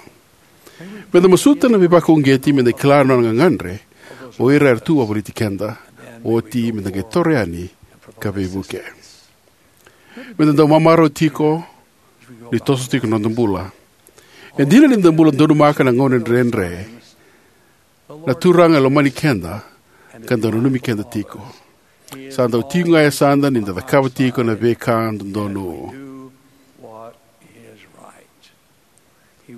Meda masuta na veivakauqeti, meda kila na nona gagadre o ira era tu wavoliti keda, oti meda qai toro yani ka veivuke. Meda dau mamarau tiko ni toso tiko na noda bula. E dina ni da bula donumaka na gauna dredre, na Turaga e lomani keda ka dau nanumi keda tiko. Sa dau tiko ga e yasada ni da cakava tiko na veika dodonu.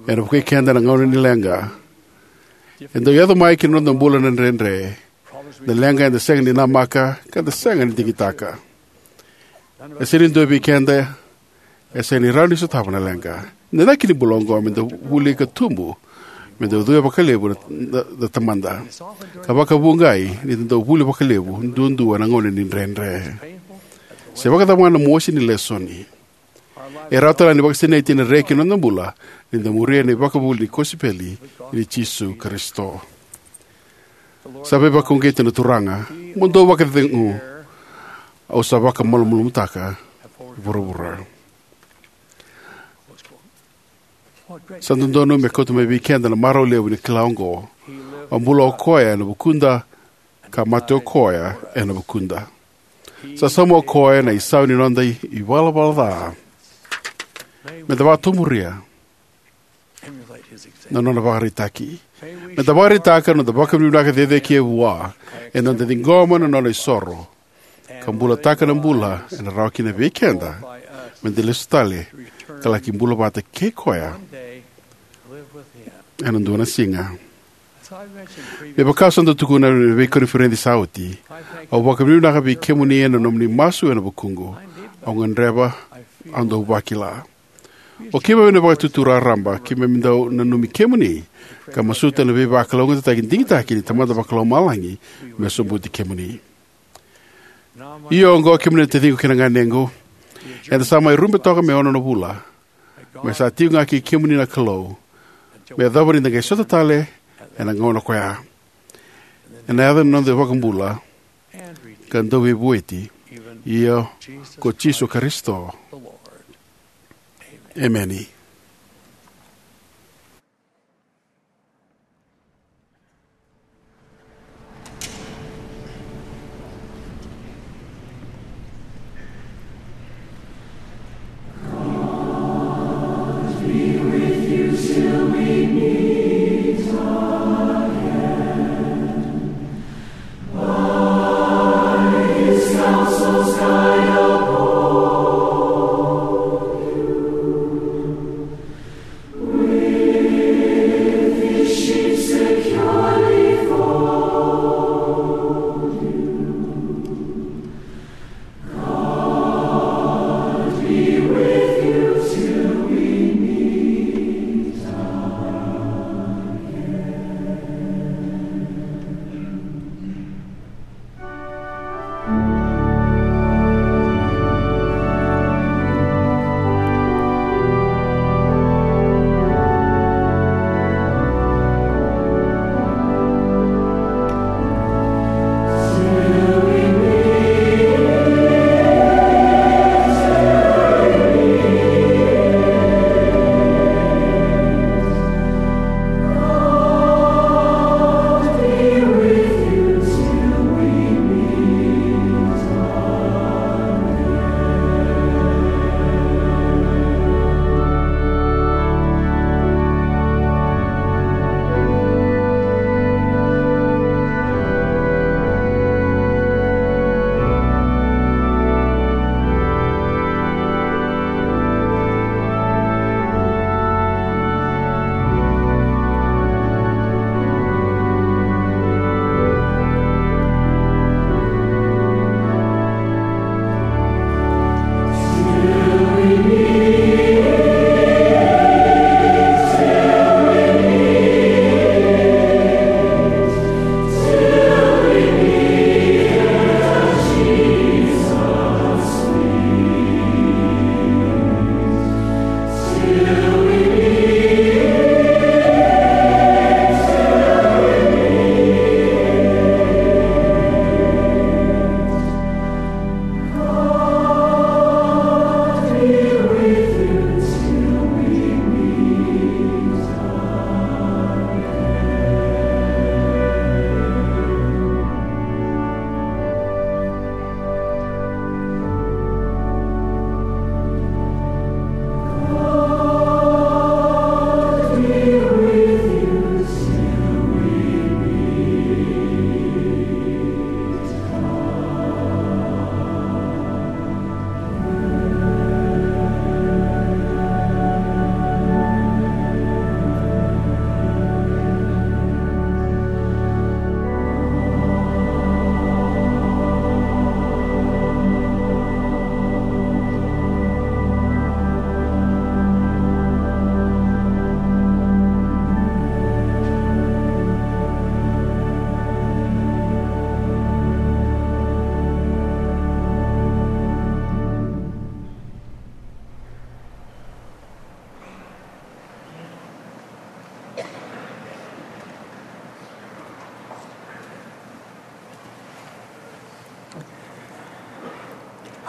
Ena vukei keda na gauna ni leqa. E dau yaco mai ki na noda bula na dredre, na leqa eda sega ni namaka ka da sega ni digitaka. E sega ni dua vei keda e sega ni rawa ni sotava na leqa. Na inaki ni bula oqo meda vuli ka tubu, meda ucuya vakalevu na, na, na Tamada, ka vakavuqa ni da dau vuli vakalevu duadua ena gauna ni dredre. Se vakacava ga na mosi ni lesoni, e rawa tale ga ni vakasinaiti ena reki na noda bula ni da muria na ivakavuvuli ni kosipeli i Jisu Karisito. Sa veivakauqeti na Turaga: Mo dou vakacegu, au sa vakamalumalumutaka vuravura. Sa dodonu me kauta mai vei keda na marau levu ni kila oqo: a bula o koya ena vukuda, ka mate o koya ena vukuda. Sa sauma o koya na isau ni noda ivalavala ca. Meda vakatomuria na nona vakaraitaki. Meda vakaraitaka na noda vakavinavinaka cecere vua ena noda ciqoma na nona isoro ka bulataka na bula ena rawa kina vei keda meda lesu tale ka laki bula vata kei koya ena dua na siga. Me vaka sa dau tukuna ena veikoniferedi sa oti, au vakavinavinaka vei kemuni ena nomuni masu ena vukuqu. Au gadreva, au dau vakila. O keimami na Vakaitutu Raraba, keimami dau nanumi kemuni ka masuta na veivakalougatataki digitaki ni Tamada Vakalomalagi me sobuti kemuni. Ia oqo, kemuni na taciqu kei na ganequ, eda sa mai rube toka me ono na vula, me sa tiko ga kei kemuni na Kalou, me yacova ni da qai sota tale ena gauna koya. Ena yaca ni noda iVakabula ka Dauveivueti, io ko Jisu Karisito. Emeni.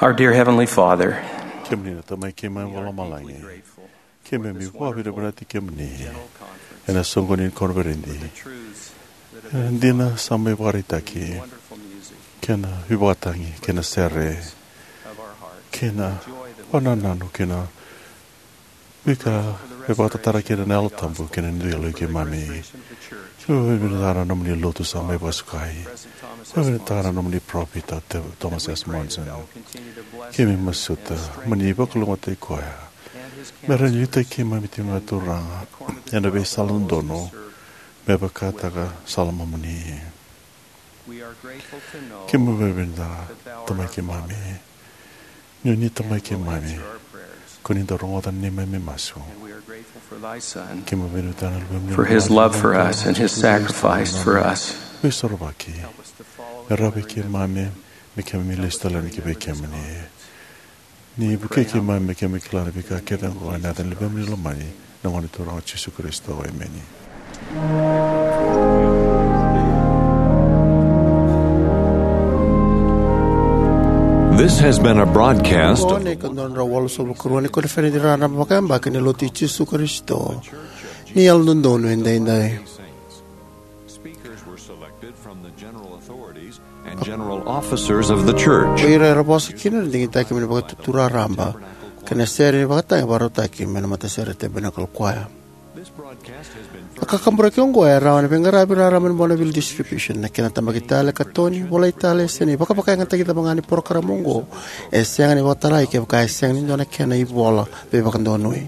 Our dear Heavenly Father, kemuni na Tamai keimami vakalomalagi, keimami vakavinavinakataki kemuni ena soqoni ni koniferedi, ena dina sa mai vakaraitaki, kei na veivakatagi, kei na sere, kei na vakanananu, kei na veika e vakatatara kina na Yalo Tabu kei na dui yaloi keimami. Keimami vakavinavinakataka na nomuni lotu sa mai vakasukai. Keimami vakavinavinakataka na nomuni parofita o Te-, Thomas S. Monson. Keimami masuta mo ni vakalougatataki koya me rawa ni liutaki keimami tiko ga, Turaga, ena veisala dodonu me vakataka sala mamuni. Keimami vakavinavinakataka, Tamai keimami, ni o ni Tamai keimami, ko ni dau rogoca na neimami masu. Keimami vakavinavinakataka na luvemuni, for his love for us and his sacrifice for us. Veisorovaki me rawa vei keimami, me keimami lesu tale yani ki vei kemuni. Ni vukei keimami me keimami kila na veika kece oqo ena yaca ni luvemuni lomani, na Gone Turaga o Jisu Karisito. Emeni. This has been a broadcast. Oqo na ika dua na drau walusagavulu ka rua ni koniferedi raraba vakayabaki ni Lotu i Jisu Karisito ni Yalododonu Edaidai. Speakers were selected from the general authorities and general officers of the church. O ira era vosa kina era digitaki mai na Vakaitutu Raraba kei na sere ni vakatagi vakarautaki mai na matasere Tabernacle Choir. This broadcast has been, a kakaburaki oqo e rawa ena veiqaravi raraba ni Bonneville Distribution. Na kena tabaki tale, katoni, volai tale, se na ivakavakayagataki cava ga ni porokaramu oqo, e sega ni vakatarai kevaka e sega ni dua na kena ivola veivakadonui.